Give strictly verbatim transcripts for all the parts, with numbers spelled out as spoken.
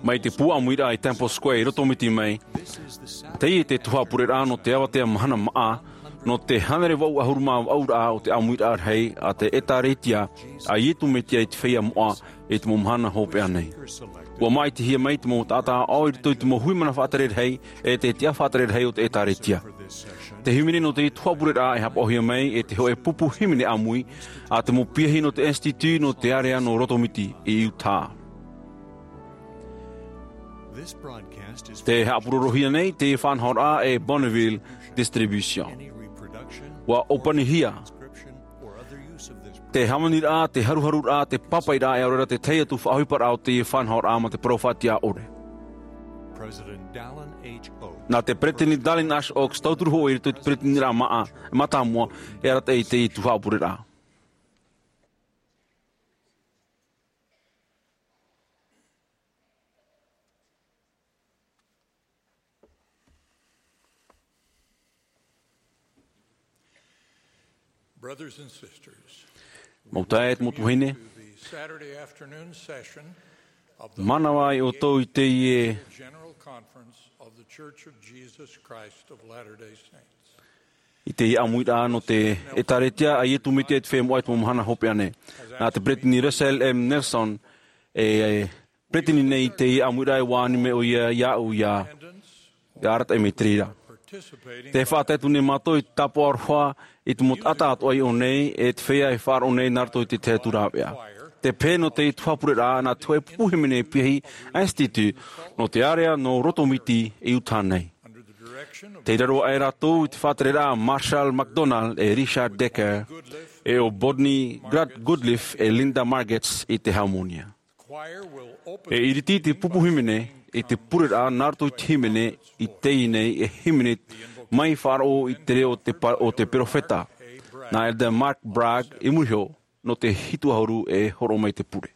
Mai te pū ʻāmuiraʻa i Temple Square i Rotomiti mai, teie te tuhaʻa pureraʻa nō te avatea mahana māʻa, nō te hānere vaʻu ʻahuru mā vaʻuraʻa o te ʻāmuiraʻa rahi a te ʻĒtārētia a Iesu Mesia i te feiā moʻa i te mau mahana hopeʻa nei. ʻUa māʻitihia mai te mau taʻata aʻo i roto i te mau hui mana faʻatere rahi, e te tiʻa faʻatere rahi o te ʻĒtārētia. Te hīmene nō te tuhaʻa pureraʻa e hapaʻohia mai e te hōʻē pupu hīmene ʻāmui a te mau piahi nō te Institute nō te ārea nō Rotomiti i Utah. Te haʻapurorohia nei te faʻanahoraʻa e Bonneville Distribution. ʻUa ʻōpanihia te hāmaniraʻa, te haruharuraʻa, te pāpaʻiraʻa, e ʻaore rā te tahi atu faʻaʻohiparaʻa o te faʻanahoraʻa mā te parau faʻatiʻa ʻore. Nā te Peresideni Dallin H. Oaks, tauturu hoʻi i roto i te Peresideniraʻa māʻa, mātāmua, e arataʻi i te tuhaʻa pureraʻa. Mau taeaʻe, mau tuahine, mānava ai ʻoutou i teie i teie ʻāmuiraʻa nō te ʻĒtārētia a Iesu Mesia i te feiā moʻa i te mau mahana hopeʻa nei. Nā te Peresideni Russell M. Nelson e peresideni nei i teie ʻāmuiraʻa, e ʻua ani mai ʻoia iāʻu ʻia arataʻi mai i te reira. Tē faʻatae atu nei mātou i te tāpaʻo aroha i te mau taʻata atoʻa i ʻō nei, e te feiā e faʻaroʻo nei nā roto i te tahi atu rāveʻa. Te pehe nō te tuhaʻa pureraʻa nā te hōʻē pupu hīmene piahi Institute nō te ārea nō Rotomiti i Utah nei. Tei raro aʻe rātou i te faʻatereraʻa a Marshall McDonald e Richard Decker, e ʻo Bonnie Grant Goodliffe e Linda Margetts i te hāmōnia. E ʻiriti te pupu hīmene i te pureraʻa nā roto i te hīmene i teie nei, e hīmene mai faʻaroʻo i te reo o te pa-, o te perofeta, nā Elder Mark Bragg, i muri iho, nō te hitu ʻahuru e hōroʻa mai te pure.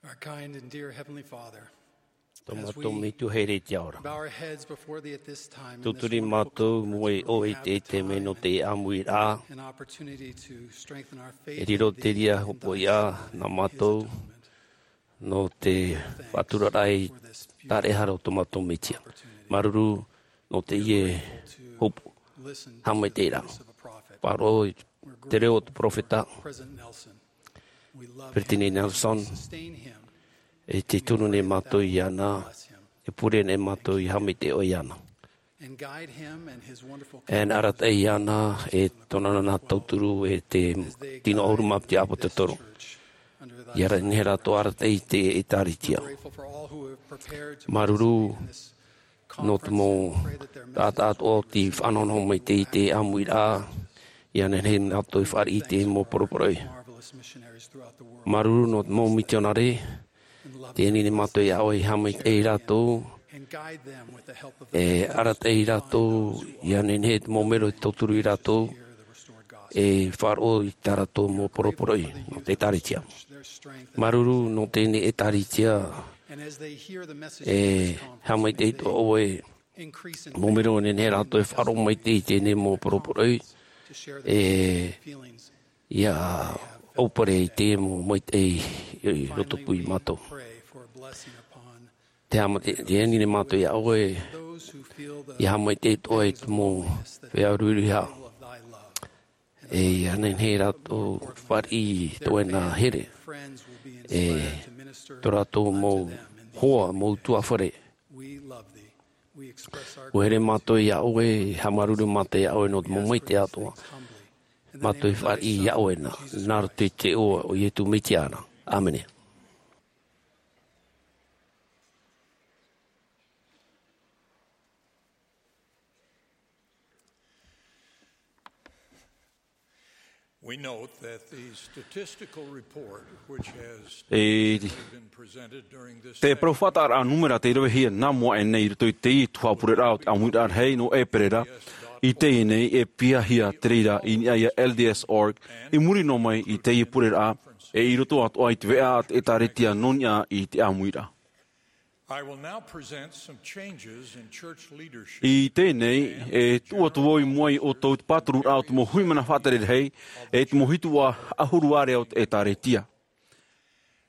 Our kind and dear Heavenly Father, tō as mātou we Metua here i te ao ra, bow our heads before thee at this time in this tuturi wonderful mātou conference, mai we ʻoe i te, te mea nō te ʻāmuiraʻa, an opportunity to strengthen our faith e riro te reira hopoiʻa nā mātou nō te faʻaturaraʻa i te tāraʻehara o tō mātou Mesia. Māuruuru nō teie hopoiʻa, haʻamaitaʻiraʻa. Faʻaroʻo i te reo o te peropheta, Peresideni Nelson, e te tunu nei mātou iāna, e pure nei mātou i haʻamaitaʻi ʻoe iāna. E arataʻi iāna e tōna nānā tauturu e te tino ʻahuru mā piti ʻāpōsetolo. ʻIa nehenehe rātou arataʻi i te ʻĒtārētia. Māuruuru nō te mau taʻata atoʻa o tei faʻanahonaho mai i te ʻāmuiraʻa, ʻia nehenehe rātou e fāriʻi i te mau poroporoʻi. Māuruuru nō te mau mitionare, tē ani nei mātou iā ʻoe e haʻamaitaʻi ia rātou, e arataʻi ia rātou, ʻia nehenehe te mau melo e tauturu ia rātou, e faʻaroʻo i tā rātou mau poroporoʻi nō te ʻĒtārētia. Māuruuru nō teie ʻĒtārētia, e haʻamaitaʻi atoʻa ʻoe, mau melo e nehenehe rātou e faʻaroʻo mai i teie mau poroporoʻi, e ʻia ʻaupare i te mau maitaʻi i roto pū ia mātou. Te haʻamaitaʻi, tē ani nei mātou iā ʻoe, ʻia haʻamaitaʻi atoʻa i te mau feiā ruiruiʻa. E ʻia nehenehe rātou e fāriʻi i tō ʻoe nā here, e tō rātou mau hoa, mau tuafare. ʻUa here mātou iā ʻoe, haʻamāuruuru mātou iā ʻoe nō te mau maitaʻi atoʻa. Mātou e fāriʻi iā ʻoe na, nā roto i te iʻoa o Iesu Mesia ra. ʻĀmene. We note that the statistical report, which has E been presented during this te session, parau faʻataʻaraʻa nūmera tei ravehia nā mua aʻe nei i roto i teie tuhaʻa pureraʻa o te ʻāmuiraʻa rahi nō ʻĒpera, i teie nei e piahia te reira i niʻa iā L D S dot org, i muri noa mai i teie pureraʻa, e i roto atoʻa i te veʻa a te ʻĒtārētia nō niʻa i te ʻāmuiraʻa. I will now present some changes in church leadership. I teie nei, e tuʻu atu vau i mua ia ʻoutou i te pātururaʻa o te mau hui mana faʻatere rahi, e te mau hitu ʻahuru ārea o te ʻĒtārētia.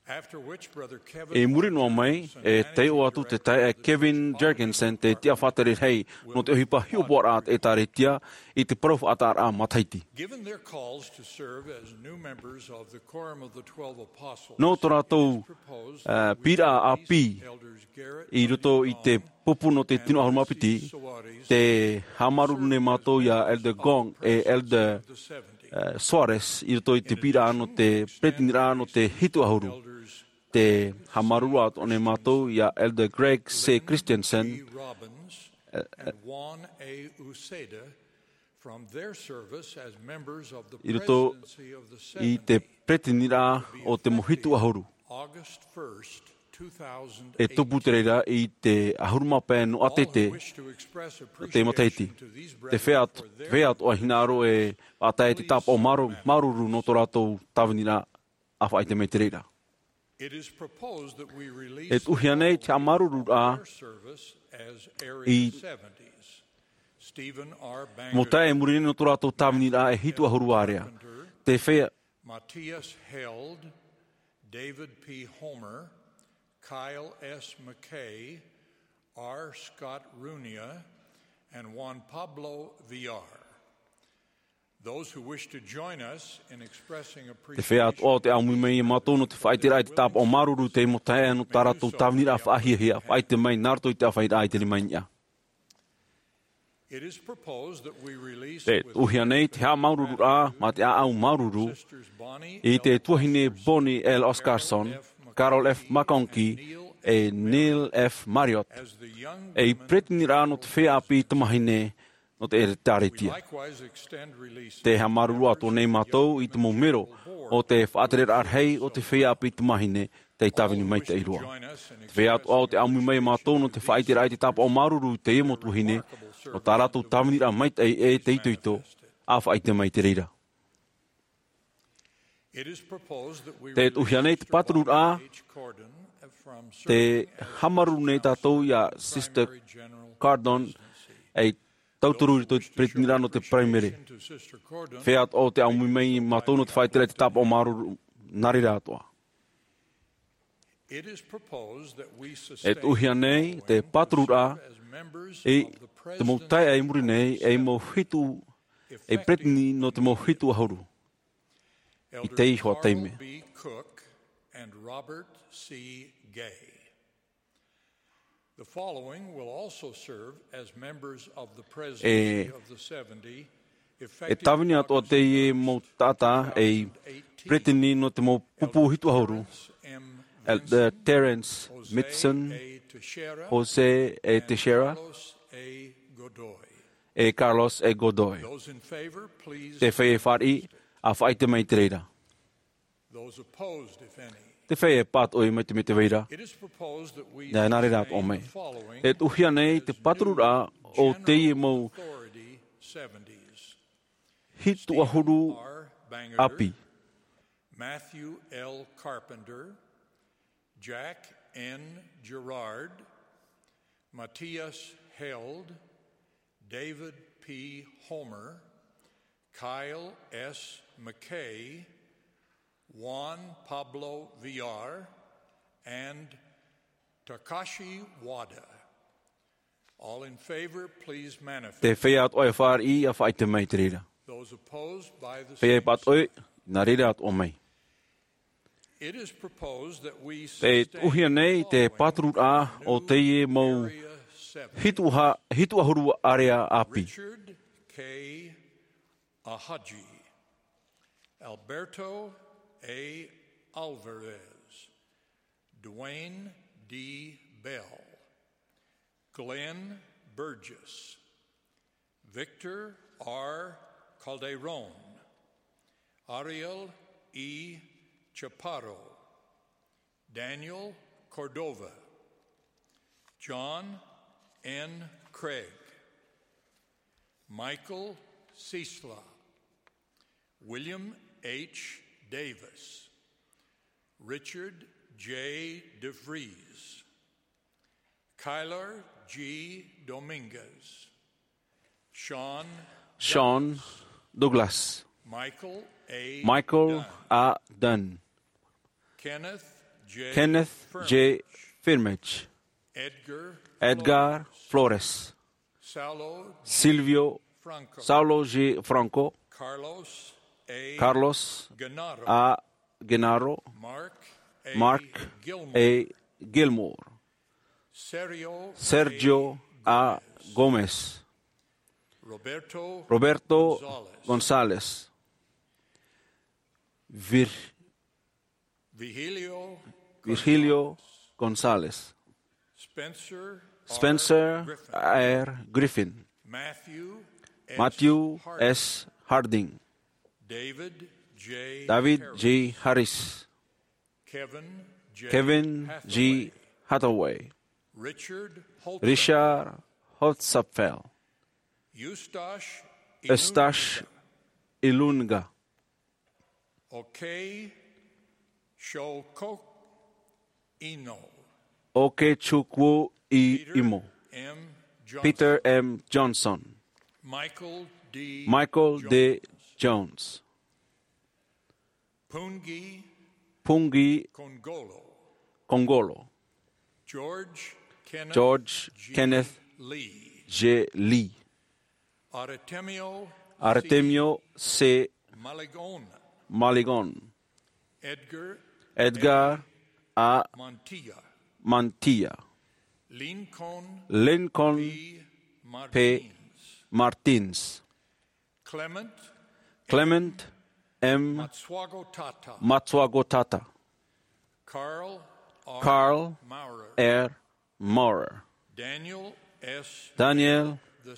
After which, Brother Kevin I muri noa mai, e taiʻo atu te taeaʻe Kevin Jergensen, te tiʻa faʻatere rahi nō te ʻohipa hiʻopoʻaraʻa a te ʻĒtārētia, i te parau faʻataʻaraʻa matahiti. Given their calls to serve as new members of the Quorum of the Twelve Apostles, Nō tō rātou, ā, pīraʻa ʻāpī i roto i te pupu nō te tino ʻahuru mā piti, tē haʻamāuruuru nei mātou iā Elder Gong e Elder, ā, Soares i roto i te pīraʻa nō te peretiteniraʻa nō te hitu ʻahuru. Tē haʻamāuruuru atoʻa nei mātou iā Elder Greg C. Christensen, ā, ā, from their service as members of the i roto presidency of the i te seventy, peretiteniraʻa o te mau hitu ʻahuru. August first, two thousand eight. E tupu te reira i te ʻahuru mā pae nō ʻĀtete, All who wish to express o te matahiti. Appreciation to these brethren for their Te feiā, feiā atoʻa e hinaʻaro e faʻatae i te tāpaʻo māuruuru, māuruuru nō tō rātou tāviniraʻa, ʻa faʻaʻite mai te reira. It is proposed that we release E tuʻuhia nei te haʻamāuruururaʻa their service as Area i seventies. Stephen R. Bangerter, mau taeaʻe e muri nei nō tō rātou tāviniraʻa e hitu ʻahuru ārea. Carpenter, Te feiā Matthias Held, David P. Homer, Kyle S. McKay, R. Scott Runia, and Juan Pablo Villar. Those who wish to join us in expressing Te feiā appreciation atoʻa o tē ʻāmui mai ia mātou nō te faʻaʻiteraʻa i te tāpaʻo māuruuru i te mau taeaʻe nō tā rātou tāviniraʻa faʻahiahia, faʻaʻite mai nā roto i te ʻāfaʻiraʻa i teie nei i niʻa. It is proposed that we release Tē with tuʻuhia nei te haʻamāuruururaʻa mā te ʻāʻau māuruuru Sisters Bonnie i te L. tuahine Oscarson, Bonnie L. Oscarson, Carol F. McConkie, e Neil F. Marriott, as the young ei women peretiteniraʻa nō te feiā ʻāpī tamāhine nō te ʻĒtārētia. We likewise extend releases Tē haʻamāuruuru atoʻa nei mātou i te mau melo o te faʻatereraʻa rahi o te feiā ʻāpī tamāhine tei tāvini maitaʻi roa. Te feiā atoʻa o tē ʻāmui mai ia mātou nō te faʻaʻiteraʻa i te tāpaʻo māuruuru i teie mau tuahine, nō tā rātou tāviniraʻa maitaʻi e te itoito, ʻa faʻaʻite mai te reira. Te tuʻuhia nei te pātururaʻa, te hāmani nei tātou ia Sister Cardon, ei tauturu i te peretitiraʻa nō te Paraimere. Feiā atoʻa tē ʻāmui mai mātou nō te faʻaʻite i te tāpaʻo māuruuru, nā reira atoʻa. E tuʻuhia nei te pātururaʻa i te mau taeaʻe i muri nei, ei mau hitu, ei peretiteni nō te mau hitu ʻahuru. I teie iho taime. The following will also serve as members of the Presidency of the seventy, e tāvini atoʻa teie mau taʻata ei peretiteni nō te mau pupu hitu ʻahuru. Elder Terence Mitson, Jose A. Teixeira, e Carlos A. Godoy. Te feiā e fāriʻi, ʻa faʻaʻite mai i te reira. Te feiā e pātoʻi mai te mea tē vai ra. Nā reira atoʻa mai. E tuʻuhia nei te pātururaʻa o teie mau hitu ʻahuru ʻāpī. Matthew L. Carpenter, Jack N. Gerard, Matthias Held, David P. Homer, Kyle S. McKay, Juan Pablo Villar, and Takashi Wada. All in favor, please manifest. Te feiā atoʻa e fāriʻi, ʻa faʻaʻite mai i te reira. Feiā e pātoʻi, nā reira atoʻa mai. E tuʻuhia nei te pātururaʻa o teie mau hitu ʻahuru ʻārea ʻāpī. Richard K. Ahaji, Alberto A. Alvarez, Dwayne D. Bell, Glenn Burgess, Victor R. Calderon, Ariel E. Chaparro, Daniel Cordova, John N. Craig, Michael Sisla, William H. Davis, Richard J. DeVries, Kyler G. Dominguez, Sean Douglas, Michael A. Dunn, Kenneth J. Firmich, Edgar Flores, Silvio Franco, Carlos A. Genaro, Mark A. Gilmore, Sergio A. Gomez, Roberto González, Virgilio González, Spencer R. Griffin, Matthew S. Harding, David J. Harris, Kevin G. Hathaway, Richard Holtzapfel, Eustache Ilunga, Okechukwu Ino, Okechukwu Imo, Peter M. Johnson, Michael D. Jones, Pungi Kongolo, George Kenneth J. Lee, Artemio C. Maligon, Edgar A. Mantilla, Lincoln P. Martins, Clement M. Matsuagotata, Carl R. Maurer, Daniel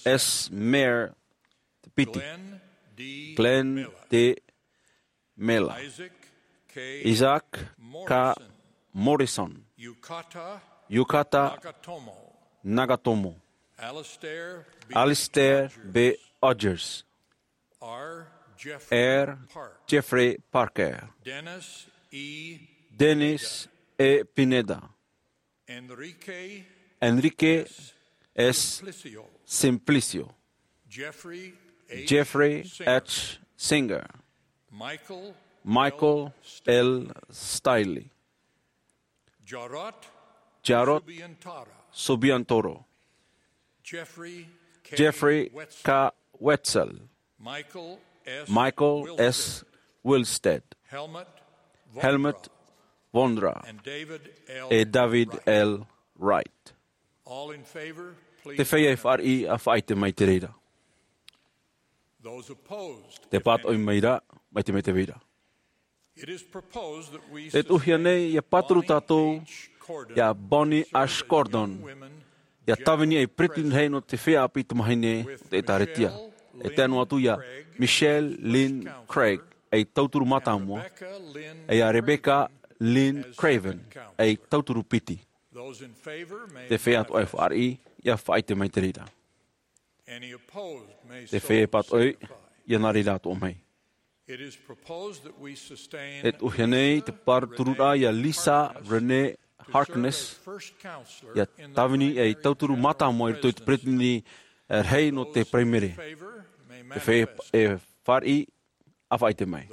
S. Mayer te piti, Glenn D. Miller, Isaac K. Morrison, Yukata Nagatomo, Alistair B. Rogers, R. R. Jeffrey Parker, Dennis E. Pineda, Enrique S. Simplicio, Jeffrey H. Singer, Michael L. Stiley, Jarrod Subiantoro, Jeffrey K. Wetzel, Michael S. Wilstead, Helmut Vonra, e David L. Wright. Te feiā e fāriʻi, ʻa faʻaʻite mai te reira. Te pātoʻi mai ra, mai te mea tē vai ra. E tuʻuhia nei ʻia pāturu tātou iā Bonnie Ash Gordon, ʻia tāvini ei peretiteni rahi nō te feiā ʻāpī tamāhine o te ʻĒtārētia. E tae noa atu iā Michelle Lynn Craig, ei tauturu mātāmua, e iā Rebecca Lynn Craven, ei tauturu piti. Te feiā atoʻa e fāriʻi, ʻia faʻaʻite mai te reira. Te feiā e pātoʻi, ʻia nā reira atoʻa mai. E tuʻuhia nei te pātururaʻa iā Lisa Renee Harkness, ʻia tāvini ei tauturu mātāmua i roto i te peretiteni rahi nō te Paraimere. Te feiā e fāriʻi, ʻa faʻaʻite mai.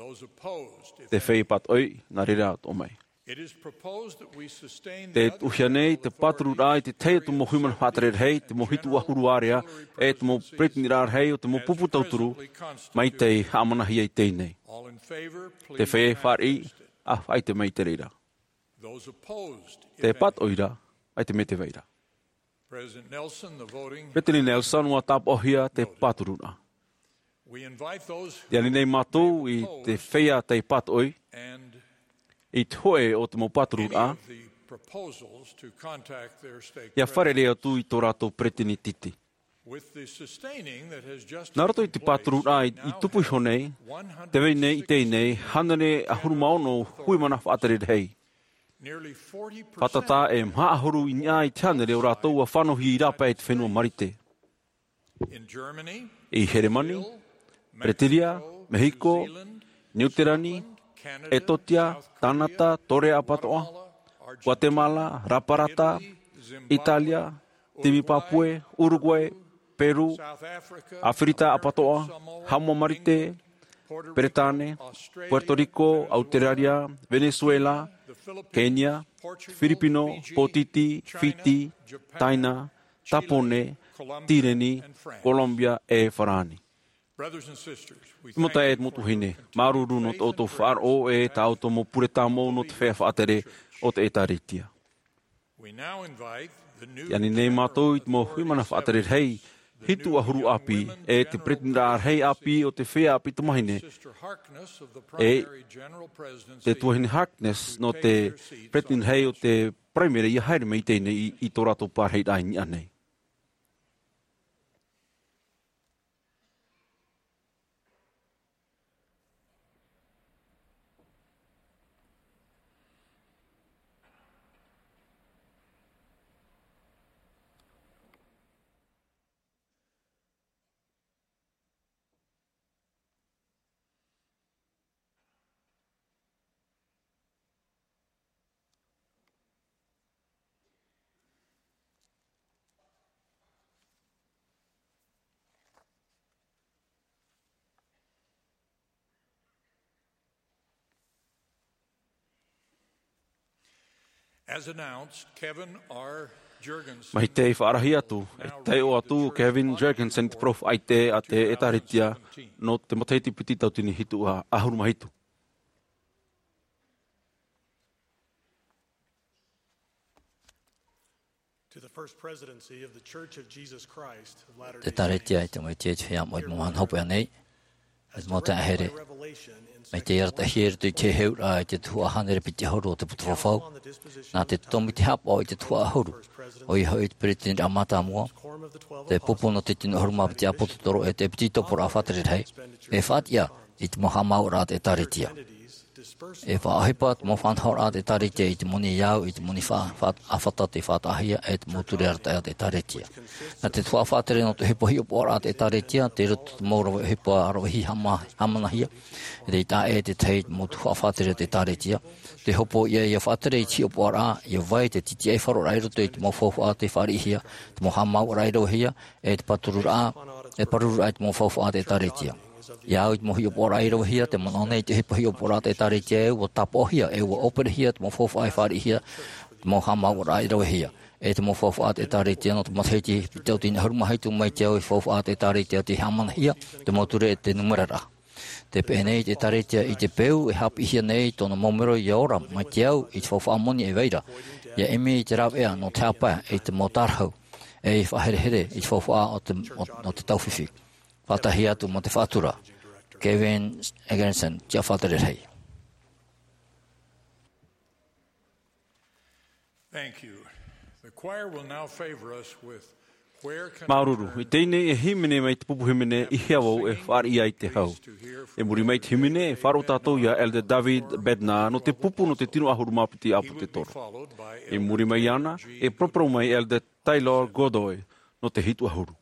Te feiā e pātoʻi, nā reira atoʻa mai. Te tuʻuhia nei te pātururaʻa i te tahi o te mau huimana faʻatere rahi, te mau hitu ʻahuru ārea, e te mau peretiteniraʻa rahi o te mau pupu tauturu, mai tei haʻamanahia i teie nei. Te feiā e fāriʻi, ʻa faʻaʻite mai te reira. Tē pātoʻi ra, ʻaita e mea tē vai ra. Peretiteni Nelson, ʻua tāpaʻohia te pātururaʻa. Tē ani nei mātou i te feiā tei pātoʻi, i te hōʻē o te mau pātururaʻa, ʻia fārerei atu i tō rātou peretiteni titi. Nā roto i te pātururaʻa i, i tupu iho nei, tē vai nei i teie nei, hānere ʻahuru mā ono huimana faʻatere rahi. Fātata e maha ʻahuru i niʻa i te hānere o rātou ʻua fānauhia i rāpae i te fenua Marite. I Heremani, Peretiria, Mehiko, Niuterani, Etotia, Kanata, Torea ʻapatoʻa, Guatemala, Raparata, Italia, Timipapue, Uruguay, Peru, Aferika ʻapatoʻa, Haʻamoa Marite, Peretāne, Puerto Rico, Auteraria, Venezuela, Kenya, Firipino, Pōtiti, Fiti, Taina, Tāpōnē, Tireni, Colombia e Farāni. Te mau taeaʻe, te mau tuahine, māuruuru nō tō ʻoutou faʻaroʻo e tā ʻoutou mau pure tāmau nō te feiā faʻatere o te ʻĒtārētia. Tē ani nei mātou i te mau huimana faʻatere rahi, hitu ʻahuru ʻāpī, e te peretiteniraʻa rahi ʻāpī o te feiā ʻāpī tamāhine, e te tuahine Harkness nō te peretiteni rahi o te Paraimere ʻia haere mai i teie nei i, i tō rātou pārahiraʻa i niʻa nei. As announced, Kevin R. Juergensen. Mai tei faʻarahi atu, e taiʻo atu Kevin Juergensen i te parau faʻaʻite a te ʻĒtārētia nō te matahiti piti tauatini hitu ʻahuru mā hitu. To the First Presidency of the Church of Jesus Christ of Latter-day Saints. ʻĒtārētia i te Metua i te Feiā Moʻe i te Mahana Hopeʻa nei, e te mau taeaʻe here, mai te arataʻihia i roto i te heheuraʻa i te tuhaʻa hānere piti ʻahuru o te Buka Fafau, nā te tomo i te haʻapaʻo i te tuhaʻa ʻahuru, ʻoia hoʻi te Peretiteniraʻa Mātāmua, te pupu nō te Tino ʻAhuru Mā Piti ʻĀpōsetolo e te Epitikoporaʻa Faʻatere Rahi, e faʻatiʻa i te mau haʻamāuʻaraʻa a te ʻĒtārētia. E faʻaʻohipa te mau faʻanahoraʻa a te ʻĒkālesia i te moni ʻāʻau, i te moni fa-, fa-, ʻāfata tei faʻataʻahia, e te mau ture arataʻi a te ʻĒkālesia. Nā te tuhaʻa faʻatere nō te ʻohipa hiʻopoʻaraʻa a te ʻĒkālesia, tei roto te mau rave ʻohipa rave hī hāma-, hāmanahia, e tei taʻa ʻē te tahi mau tuhaʻa faʻatere a te ʻĒkālesia. Te hopoiʻa ʻia faʻatere i te hiʻopoʻaraʻa, ʻia vai te tītiʻai faʻaroʻoraʻa i roto i te mau faufaʻa tei fāriʻihia, te mau haʻamāuʻaraʻa i ravehia, e te pātururaʻa, e pārururaʻa i te mau faufaʻa a te ʻĒkālesia. ʻIa au i te mau hiʻopoʻaraʻa i ravehia, tē manaʻo nei te ʻohipa hiʻopoʻaraʻa a te ʻĒkālesia ē ʻua tāpaʻohia, e ʻua ʻōperehia te mau faufaʻa e fāriʻihia, te mau haʻamāuʻaraʻa i ravehia. E te mau faufaʻa a te ʻĒkālesia nō te matahiti piti tauatini ʻahuru mā hitu mai te au, e faufaʻa a te ʻĒkālesia tei hāmanahia, te mau ture e te numeraraʻa. Tē peʻe nei te ʻĒkālesia i te peu e haʻapiʻihia nei tōna mau mero ʻia ora, mai te au, i te faufaʻa moni e vai ra, ʻia ʻimi i te rāveʻa nō te haʻapae, i te mau tārahu, e i faʻaherehere, i te faufaʻa o te, o, o te taufifi. Faʻataʻahia atu ma te faʻatura, Kevin Eggerson, tiʻa faʻatere rahi. Thank you. The choir will now favor us with Where Can I Turn? Māuruuru. I teie nei e hīmene mai te pupu hīmene, I hea vau e fāriʻi ai te hau. E muri mai te hīmene, e faʻaroʻo tātou ia Elder David Bednar nō te pupu nō te tino ʻahuru mā piti ʻāpōsetolo. E muri mai iāna, e paraparau mai Elder Taylor Godoy nō te hitu ʻahuru.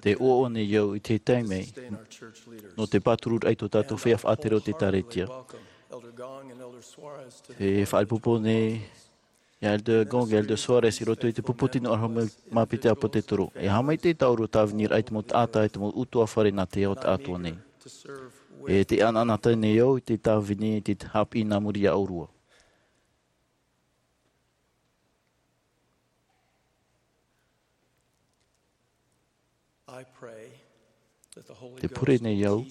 Te ʻoaʻoa nei au i te taime nō te pātururaʻa i tō tātou feiā faʻatere o te ʻĒkālesia. E faʻaʻite nei ia Elder Gong, Elder Soares, i roto i te pupu tino ʻārahu mā Pita ʻApotetoro. E haʻamaitaʻi tāʻu i te tāviniraʻa i te mau taʻata, i te mau ʻutuāfare nā te ao tāʻatoʻa nei. E te ʻanaʻanatae nei au i te tāvini, i te haʻapiʻi nā muri iā ʻōrua. Te pure nei au,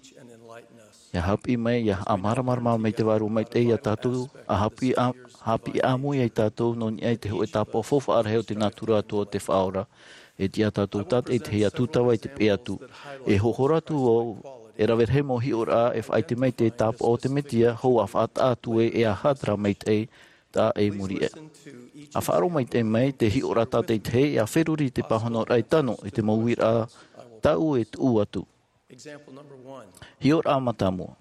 ia haʻapiʻi mai, ia haʻamāramarama mai te Vārua Maitaʻi iā tātou, ʻa haʻapiʻi, ʻa haʻapiʻi ʻāmui iā tātou, nō niʻa i te hōʻē tāpaʻo faufaʻa rahi o te nātura atoʻa o te Faʻaora, e tiʻa tātou tātaʻitahi atu, tūtava i te peʻe atu. E hohora atu au, e rave rahi mau hiʻoraʻa, e faʻaʻite mai te tāpaʻo o te Mesia, hou ʻa faʻataʻa atu ē, e aha terā maitaʻi, tā e muri aʻe. ʻA faʻaroʻo maitaʻi mai te hiʻoraʻa tātaʻitahi, ʻa feruri i te pāhonoraʻa e tano, i te mau uiraʻa tāʻu e tuʻu atu. Hiʻoraʻa mātāmua.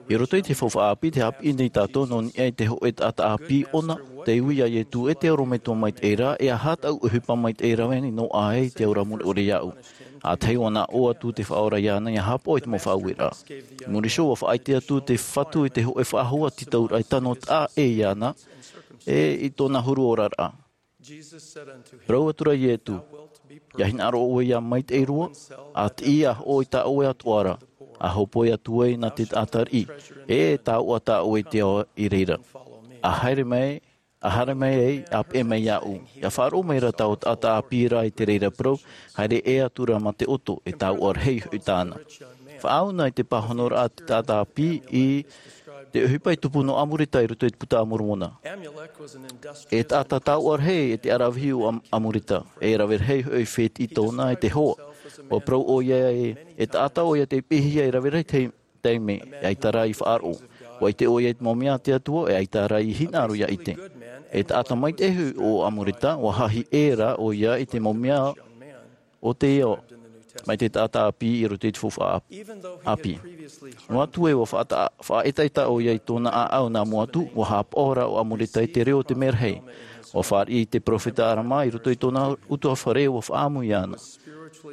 I roto i te faufaʻa ʻāpī, tē haʻapiʻi nei tātou nō niʻa i te hōʻē taʻata ʻāpī ʻōna, tei ui iā Iesu, e te Orometua Maitaʻi ra, e aha tāʻu ʻohipa maitaʻi e rave nei noa aʻe i te aura mure ʻore iāʻu. ʻA tahi, ʻua naʻo atu te Faʻaora iāna, ʻia haʻapaʻo i te mau faʻaueraʻa. I muri iho, ʻua faʻaʻite atu te Fatu i te hōʻē faʻahou tītauraʻa e tano taʻa ʻē iāna, e i tōna huru oraraʻa. Parau atu ra Iesu, ʻia hinaʻaro ʻoe ia maitaʻi roa, ʻa tiʻi ā ʻoe i tā ʻoe atoʻa ra, ʻa hōpoi atu ai nā te taʻata riʻi, e taoʻa tā ʻoe i te ao i reira. ʻA haere mai, ʻa haere mai ai, ʻa peʻe mai iāʻu. ʻIa faʻaroʻo mai ra taua taʻata ʻāpī ra i te reira parau, haere ʻē atu ra mā te ʻoto, e taoʻa rahi hoʻi tāna. Faʻaau na i te pāhonoraʻa a te taʻata ʻāpī i te ʻohipa i tupu nō Amuleka i roto i te Buka a Moromona. E taʻata taoʻa rahi e te ʻaravihi o Am-, Amuleka, e rave rahi hoʻi fētiʻi tōna e te hoa. ʻUa parau ʻoia e, e taʻata ʻoia tei piʻihia e rave rahi te taime, e ʻaita rā i faʻaroʻo. ʻUa ʻite ʻoia i te mau mea a te Atua, e ʻaita rā i hinaʻaro ʻia ʻite. E taʻata maitaʻi hoʻi ʻo Amuleka, ʻua haʻahi ʻē rā ʻoia i te mau mea o te ao, mai te taʻata ʻāpī i roto i te faufaʻa ʻāpī. Noa atu ē ʻua faʻata-, faʻaetaeta ʻoia i tōna ʻāʻau nā mua atu, ʻua haʻapaʻo ra ʻo Amuleka i te reo o te merahi. ʻUa fāriʻi i te peropheta Alama i roto i tōna ʻutuāfare, ʻua faʻaʻamu iāna.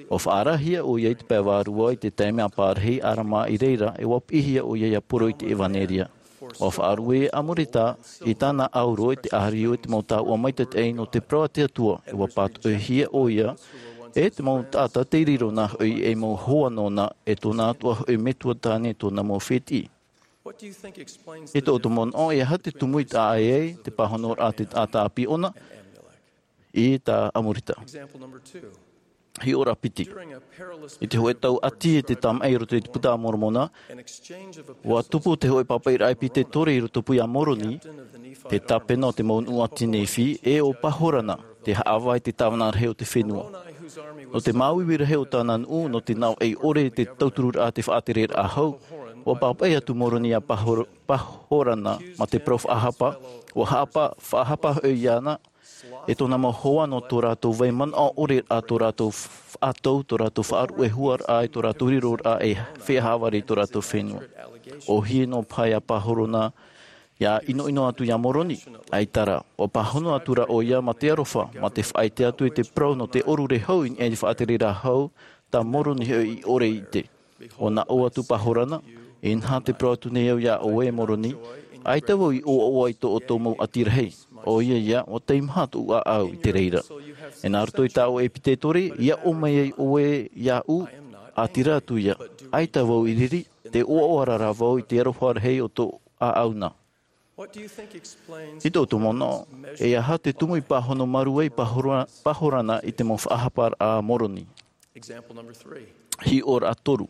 ʻUa faʻaarahia ʻoia i te pae vārua i te taime a pārahi Alama i reira, e ʻua piʻihia ʻoia ʻia poro i te ʻevanelia. ʻUa faʻarue Amuleka i tāna ʻauro i te ʻārio i te mau taoʻa maitaʻi nō te parau a te Atua, e ʻua pātoʻihia ʻoia e te mau taʻata tei riro nā hoʻi ei mau hoa nōna, e tōna atoʻa hoʻi metua tāne, tōna mau fētiʻi. I tō ʻoutou manaʻo, e aha te tumu i taʻa ʻē ai te pāhonoraʻa a te taʻata ʻāpī ʻōna i tā Amuleka? Hiʻoraʻa piti. I te hōʻē tau ʻati e te tamaʻi i roto i te Buka a Moromona, ʻua tupu te hōʻē pāpaʻiraʻa e Pitetori i rotopū iā Moroni, te tāpena o te mau nuʻu ʻati Nephi, e ʻo Pahorana, te haʻavā i te tāvana rahi o te fenua. Nō te māuiui rahi o tāna nuʻu, nō te naʻo ʻore i te tautururaʻa a te faʻatereraʻa hau, ʻua pāpaʻi atu Moroni iā Pahor-, Pahorana mā te parau faʻahapa, ʻua haʻapa-, faʻahapa hoʻi iāna, e tōna mau hoa nō tō rātou vai manaʻo ʻore, ʻa tō rātou faʻatou, tō rātou faʻaruʻe huaraʻa, e tō rātou riroraʻa e feiā haʻavare i tō rātou fenua. ʻOhie noa paha iā Pahorana, ʻia ʻinoʻino atu iā Moroni, ʻaita rā, ʻua pāhono atu ra ʻoia mā te aroha, mā te faʻaʻite atu i te parau nō te ʻōrure hau i niʻa i te faʻatereraʻa hau, tā Moroni hoʻi i ʻore i ʻite. ʻUa naʻo atu Pahorana, inaha tē parau atu nei au iā ʻoe e Moroni, ʻaita vau i ʻoaʻoa i tō ʻoutou mau ʻati rahi, ʻoia ia, ʻua teimaha tōʻu ʻāʻau i te reira. E nā roto i tā ʻoe Pitetori, i aʻo mai ai ʻoe iāʻu, ʻātīrā atu ia, ʻaita vau i riri, tē ʻoaʻoa ra rā vau i te aroha rahi o tōʻu ʻāʻau na. I tō ʻoutou manaʻo, e aha te tumu i pāhono marū ai Pahora-, Pahorana i te mau faʻahaparaʻa a Moroni? Hiʻoraʻa toru.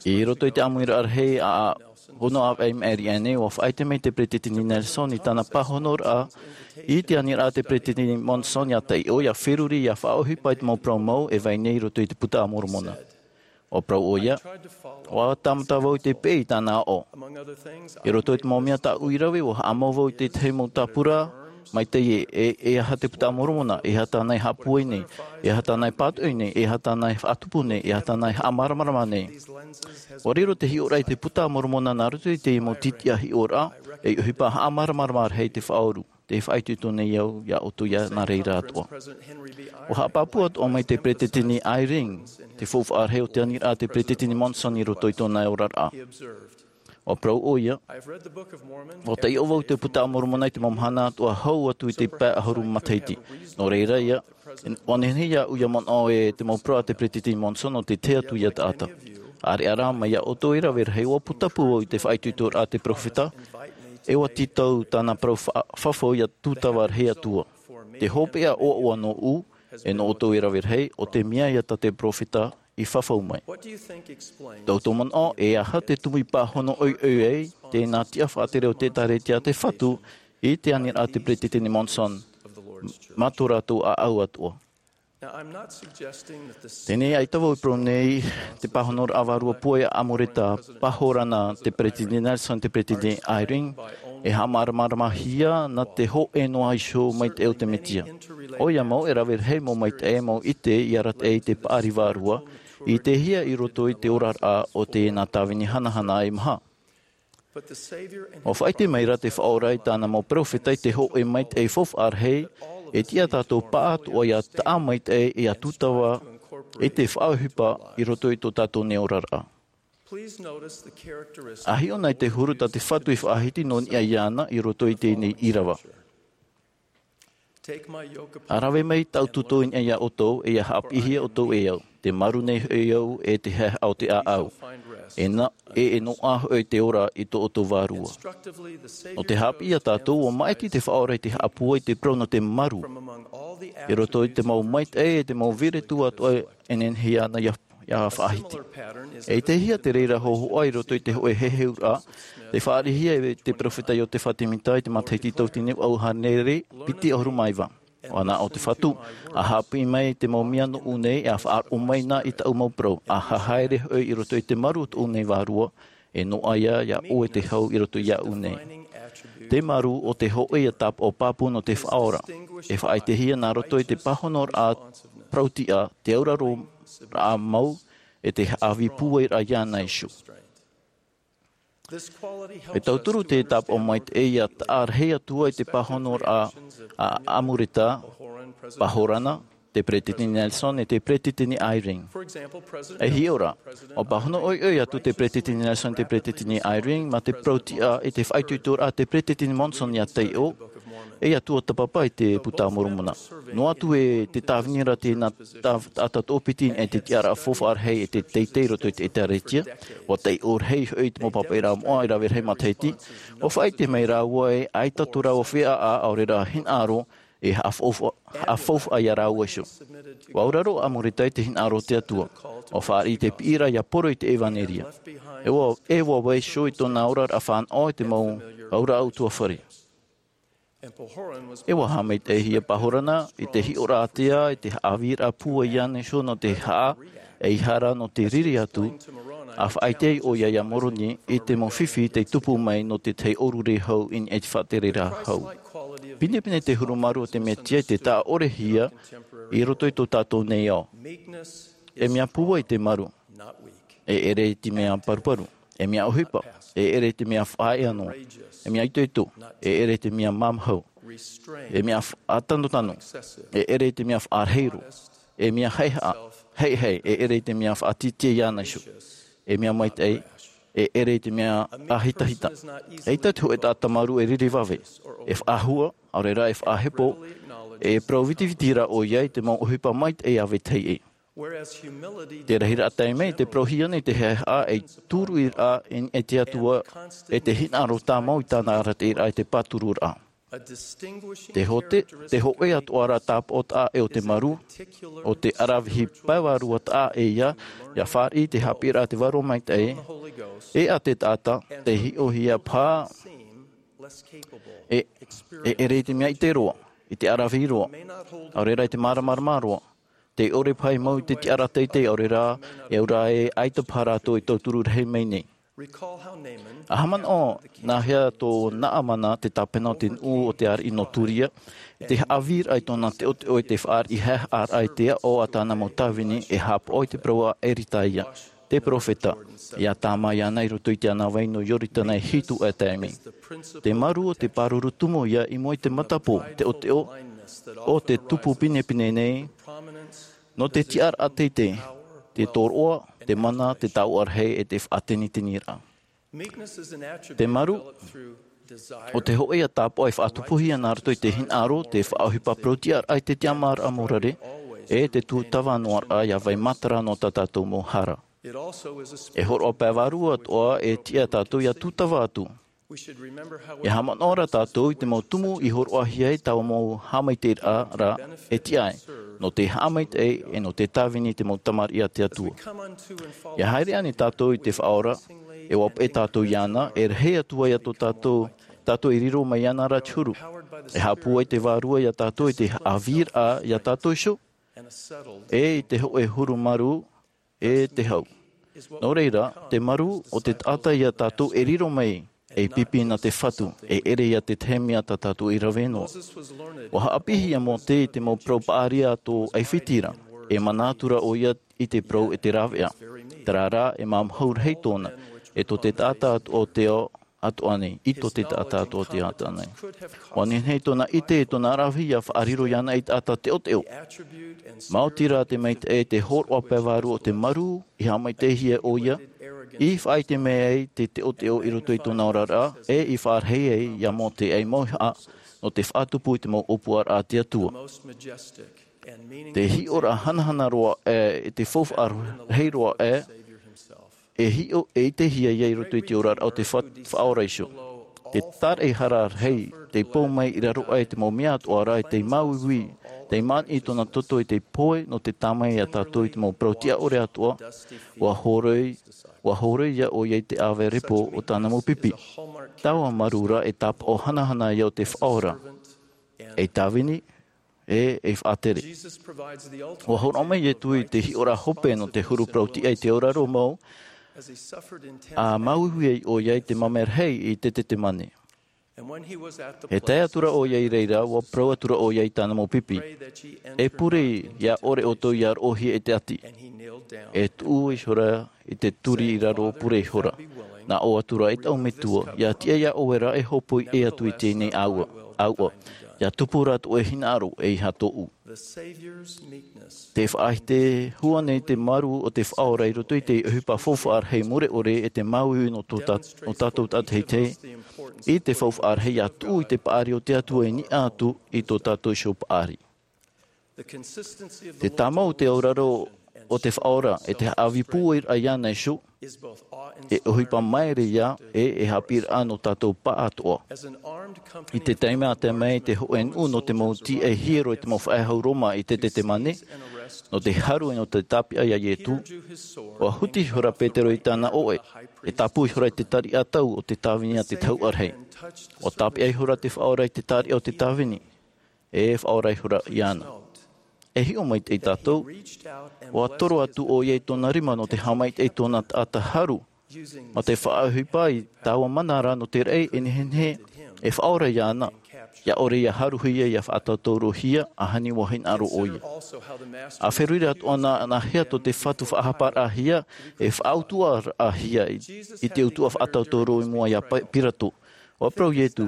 I roto i te ʻāmuiraʻa rahi a, a Hono ʻĀvaʻe Maʻiri aʻenei, ʻua faʻaʻite mai te Peretiteni Nelson i tāna pāhonoraʻa i te aniraʻa a te Peretiteni Monson ʻia taiʻo, ʻia feruri, ʻia faʻaʻohipa i te mau parau mau e vai nei i roto i te Buka a Moromona. ʻUa parau ʻoia, ʻua tāmata vau i te peʻe i tāna aʻo. I roto i te mau mea tāʻu i rave, ʻua haʻamau vau i te tahi mau tāpura, mai te, e, e, e aha te Buka a Moromona, e aha tāna e haʻapūai nei, e aha tāna e pātoʻi nei, e aha tāna e faʻatupu nei, e aha tāna e haʻamāramarama nei. ʻUa riro te hiʻoraʻa i te Buka a Moromona nā roto i te mau tītiʻa hiʻoraʻa, e ʻohipa haʻamāramarama rahi i te faʻaoru. te faʻaitoito nei au iā ʻoutou iā nā reira atoʻa. ʻUa haʻapāpū atoʻa mai te peresideni Eyring te faufaʻa rahi o te aniraʻa a te peresideni Monson i roto i tōna oraraʻa. ʻUa parau ʻoia, ʻua taiʻo vau i te Puta a Moromona i te mau mahana atoʻa hau atu i te pae ʻahuru matahiti. Nō reira ia, ʻua nehenehe iāʻu ʻia manaʻo e te mau parau a te peresideni Monson ʻo te tahi atu ia taʻata. ʻĀreʻa rā mai iā ʻoutou e rave rahi, ʻua pūtapu vau i te faʻaitoitoraʻa a te peropheta, e ʻua tītau tāna parau fa-, fafau iā Tūtava Rahi Atua. Te hopeʻa ʻoaʻoa nōʻu, e nō ʻoutou e rave rahi, ʻo te mea ia tā te peropheta i fafau mai. Tō ʻoutou manaʻo, e aha te tumu i pāhono ʻoiʻoi ai tēnā tiʻa faʻatere o te ʻĒtārētia a te Fatu i te aniraʻa a te peresideni Monson mā tō rātou ʻāʻau atoʻa? Teie nei, ʻaita vau e parau nei te pāhonoraʻa vārua pūai a Amureta, Pahorana, te peresideni Nelson, te peresideni Eyring, e haʻamāramaramahia nā te hōʻē noa iho maitaʻi o te Mesia. ʻOia mau, e rave rahi mau maitaʻi, mau ʻite i arataʻi i te paʻari vārua, i ʻitehia i roto i te oraraʻa o teie nā tāvini hanahana e maha. ʻUa faʻaʻite mai ra te Faʻaora i tāna mau peropheta i te hōʻē maitaʻi faufaʻa rahi, e tiʻa tātou pāʻatoʻa ʻia taʻa maitaʻi e ʻia tūtava i te faʻaʻohipa i roto i tō tātou nei oraraʻa. ʻA hiʻo na i te huru tā te Fatu i faʻahiti nō niʻa iāna i roto i teie nei ʻīrava. ʻA rave mai tāʻu tūtō i niʻa iā ʻoutou, e ʻia haʻapiʻihia ʻoutou e au, te maru nei hoʻi au e te haehaʻa o te ʻāʻau. E nā, e, e noaʻa hoʻi te ora i tō ʻoutou vārua. Nō te haʻapiʻi iā tātou, ʻua maʻiti te Faʻaora i te haʻapūai i te parau nō te maru. I roto i te mau maitaʻi e te mau vīritu atoʻa e nehenehe ana ʻia, ʻia faʻahiti. E ʻitehia te reira hōhoʻa i roto i te hōʻē heheuraʻa, tei fāriʻihia e te peropheta Iotefa Temita i te matahiti tauatini vaʻu hānere piti ʻahuru mā iva. ʻUa nā ʻō te Fatu, ʻa haʻapiʻi mai te mau mea nōʻu nei, ʻa faʻaroʻo mai na i tāʻu mau parau, ʻa haere hoʻi i roto i te maru o tōʻu nei vārua, e noaʻa ia iā ʻoe te hau i roto iāʻu nei. Te maru o te hōʻē ʻia tāpaʻo pāpū nō te Faʻaora, e faʻaʻitehia nā roto i te pāhonoraʻa parautiʻa, te auraroraʻa mau, e te haʻavī pūairaʻa iāna iho. E tauturu te tāpaʻo maitaʻi ʻia taʻa rahi atu ai te pāhonoraʻa a Amureta, Pahorana, te peresideni Nelson e te peresideni Eyring. E hiʻo ra, ʻua pāhono ʻoiʻoi atu te peresideni Nelson, te peresideni Eyring, mā te parautiʻa i te faʻaitoitoraʻa a te peresideni Monson ʻia taiʻo, e ʻia tuatāpapa i te Puta a Moromona. Noa atu e te tāvini ra tēnā tā-, taʻata toʻopiti e te tiʻaraʻa faufaʻa rahi e te teitei i roto i te ʻĒtārētia, ʻua taiʻo rahi hoʻi te mau pāpaʻiraʻa moʻa i rave rahi matahiti, ʻua faʻaʻite mai rāua e ʻaita tō rāua feiā, ʻaore rā hinaʻaro, e haʻafaufa-, haʻafaufaʻa iā rāua iho. ʻUa auraro Amureta i te hinaʻaro o te Atua. ʻUa fāriʻi te piʻiraʻa ʻia poro i te ʻevanelia. E ʻua, e ʻua vaiiho i tōna oraraʻa fānaʻo i te mau auraʻa ʻutuāfare. E ʻua haʻamaitaʻihia Pahorana i te hiʻoraʻa ātea, i te haʻavīraʻa pūai iāna iho nō te haʻa, ʻeiaha rā nō te riri atu, ʻa faʻaʻite ai ʻoia iā Moroni i te mau fifi tei tupu mai nō te tahi ʻōrurehau i niʻa i te faʻatereraʻa hau. Pinepine te huru maru o te Mesia i te taʻa ʻorehia i roto i tō tātou nei ao. E mea pūai te maru. E ʻere i te mea paruparu. E mea ʻohipa. E ʻere i te mea faʻaea noa. E mea itoito. E ʻere i te mea māmāhau. E mea faʻatanotano. E ʻere i te mea faʻarahi roa. E mea haʻehaʻa, haʻehaʻe, e ʻere i te mea faʻatītīa iāna iho. E mea maitaʻi, e ʻere i te mea ʻāhitahita. ʻEita te hōʻē taʻata maru e riri vave, e faʻahua, ʻaore rā e faʻahepo, e parau vitiviti ra ʻoia i te mau ʻohipa maitaʻi a vetahi ʻē. Te rahiraʻa taime, te parauhia nei te haʻehaʻa ei tūruʻiraʻa i niʻa i te Atua, e te hinaʻaro tāmau i tāna arataʻiraʻa i te pātururaʻa. Te hote-, te hōʻē atoʻa ra tāpaʻo taʻa ʻē o te maru, ʻo te ʻaravihi pae vārua taʻa ʻē ia, ʻia fāriʻi te haʻapiʻiraʻa a te Vārua Maitaʻi, e ʻa te taʻata, tei hiʻohia paha, e, e ʻere i te mea ʻite roa, i te ʻaravihi roa, ʻaore rā i te māramarama roa, tei ʻore paha i mau i te tiʻaraʻa teitei, ʻaore rā, e au rā ē ʻaita paha rātou e tauturu rahi mai nei. ʻA haʻamanaʻo, nā hea tō Naamana te tāpena o te nuʻu o te ariʻi nō Turia, i te haʻavīraʻa i tōna teʻoteʻo i te fāriʻi haʻehaʻaraʻa i te aʻo a tāna mau tāvini e haʻapaʻo i te parau a Eritaia. te peropheta, ia tāmā iāna i roto i te ʻānāvai nō Ioritana e hitu ʻaita e mea. Te maru o te pāruru tumu ia i mua i te matapō, te ʻoteʻo, o te tupu pinepine nei, nō te tiʻaraʻa teitei, te tōroʻa, te mana, te taoʻa rahi e te faʻateniteniraʻa. Te maru, o te hoʻe ia tāpaʻo e faʻatupuhia nā roto i te hinaʻaro, te faʻaʻohipa parau tiʻaraʻa i te tiʻamāraʻa morare, e te tūtava noa raʻa ia vai matara nō tā tātou mau hara. E hōroʻa pae vārua atoʻa e tiʻa tātou ia tūtava atu. Ia haʻamanaʻo rā tātou i te mau tumu i hōroʻahia ai taua mau haʻamaitaʻiraʻa e tiʻa ai, nō te haʻamaitaʻi e nō te tāvini i te mau tamariʻi a te Atua. Ia haere ʻānei tātou i te Faʻaora, e ʻua peʻe tātou iāna, e rahi atu ai ia tō tātou, tātou e riro mai iāna rā te huru. E haʻapūai te Vārua ia tātou i te haʻavīraʻa ia tātou iho, e i te hoʻe huru maru, e te hau. Nō reira, te maru o te taʻata ia tātou e riro mai, e pipi nā te Fatu, e ʻere ia te tahi mea tā tātou i rave noa. ʻUa haʻapiʻihia Mōte i te mau parau paʻari a tō ʻAifiti ra, e mana atu rā ʻoia i te parau e te rāveʻa. Terā rā, e māmāhau rahi tōna, e tō te taʻata atoʻa o te ao atoʻa nei, i tō te taʻata atoʻa o te ao atoʻa nei. ʻUa nehenehe tōna ʻite, tōna ʻaravihi ia faʻariro iāna ei taʻata teʻoteʻo. Maoti rā te maitaʻi e te hōroʻa pae vārua o te maru, i haʻamaitaʻihia ʻoia, i faʻaʻite mai ai te teʻoteʻo i roto i tōna oraraʻa, e i faʻarahi ai ia Mōte ei mauhaʻa, nō te faʻatupu i te mau ʻōpuaraʻa a te Atua. Te hiʻoraʻa hanahana roa aʻe, e te faufaʻa rahi roa aʻe, e hiʻo, e ʻitehia ia i roto i te oraraʻa o te fa-, Faʻaora iho. Te tāraʻehara rahi, tei pou mai i raro aʻe i te mau mea atoʻa rā, e tei māuiui, tei māniʻi tōna toto i te pohe, nō te tāmā ia tātou i te mau parau tiʻa ʻore atoʻa, ʻua hōroi, ʻua hōroi ia ʻoia i te ʻāvae repo o tāna mau pipi. Taua maru rā e tāpaʻo hanahana ia o te Faʻaora. Ei tāvini, e, e faʻatere. ʻUa hōroʻa mai Ietu i te hiʻoraʻa hope nō te huru parau tiʻa i te auraro mau, ʻa māuiui ai ʻoia i te mamae rahi i te Tetemane. E tae atu rā ʻoia i reira, ʻua parau atu rā ʻoia i tāna mau pipi. E pure ia ʻore ʻoutou ia roʻohia e te ʻati. E tuʻu ihora i te turi i raro pure ihora. Nā ʻō atu rā e taʻu Metua, ia tiʻa ia ʻoe rā e hōpoi ʻē atu i teie nei ʻāua, ʻāua. Ia tupu rā tō ʻoe hinaʻaro e ʻeiaha tōʻu. Te faʻaʻite hua nei te maru o te Faʻaora i roto i te ʻohipa faufaʻa rahi mure ʻore e te māuiui nō tō tā-, nō tātou tātaʻitahi. I te faufaʻa rahi ia tuʻu i te paʻari o te Atua i niʻa atu i tō tātou iho paʻari. Te tāmau o te auraro o te Faʻaora, e te haʻavipūairaʻa iāna iho, e ʻohipa maere ia, e, e haʻapiʻiraʻa nō tātou pāʻatoʻa. I te taime a tae mai te hōʻē nuʻu nō te mau tīaʻi hiero e te mau faʻehau Roma i te Tetemane, nō te haru e nō te tāpeʻa ia Ietu, ʻua huti ihora Petero i tāna ʻoʻe, e tāpū ihora i te tariʻa tau o te tāvini a te Tahuʻa Rahi. ʻUa tāpeʻa ihora te Faʻaora i te tariʻa o te tāvini, e faʻaora ihora iāna. E hiʻo maitaʻi tātou, ʻua toro atu ʻoia i tōna rima nō te haʻamaitaʻi i tōna taʻata haru, mā te faʻaʻohipa i taua mana ra nō te raʻi e nehenehe e faʻaora iāna, ʻia ʻore ia haruhia, ʻia faʻatautaurohia, ʻahani ʻua hinaʻaro ʻoia. ʻA feruri atoʻa na, nāhea tō te Fatu faʻahaparaʻahia, e faʻautuʻaraʻahia i, i te utuʻa faʻatautauro i mua ia Pa-, Pirato. ʻUa parau Ietu,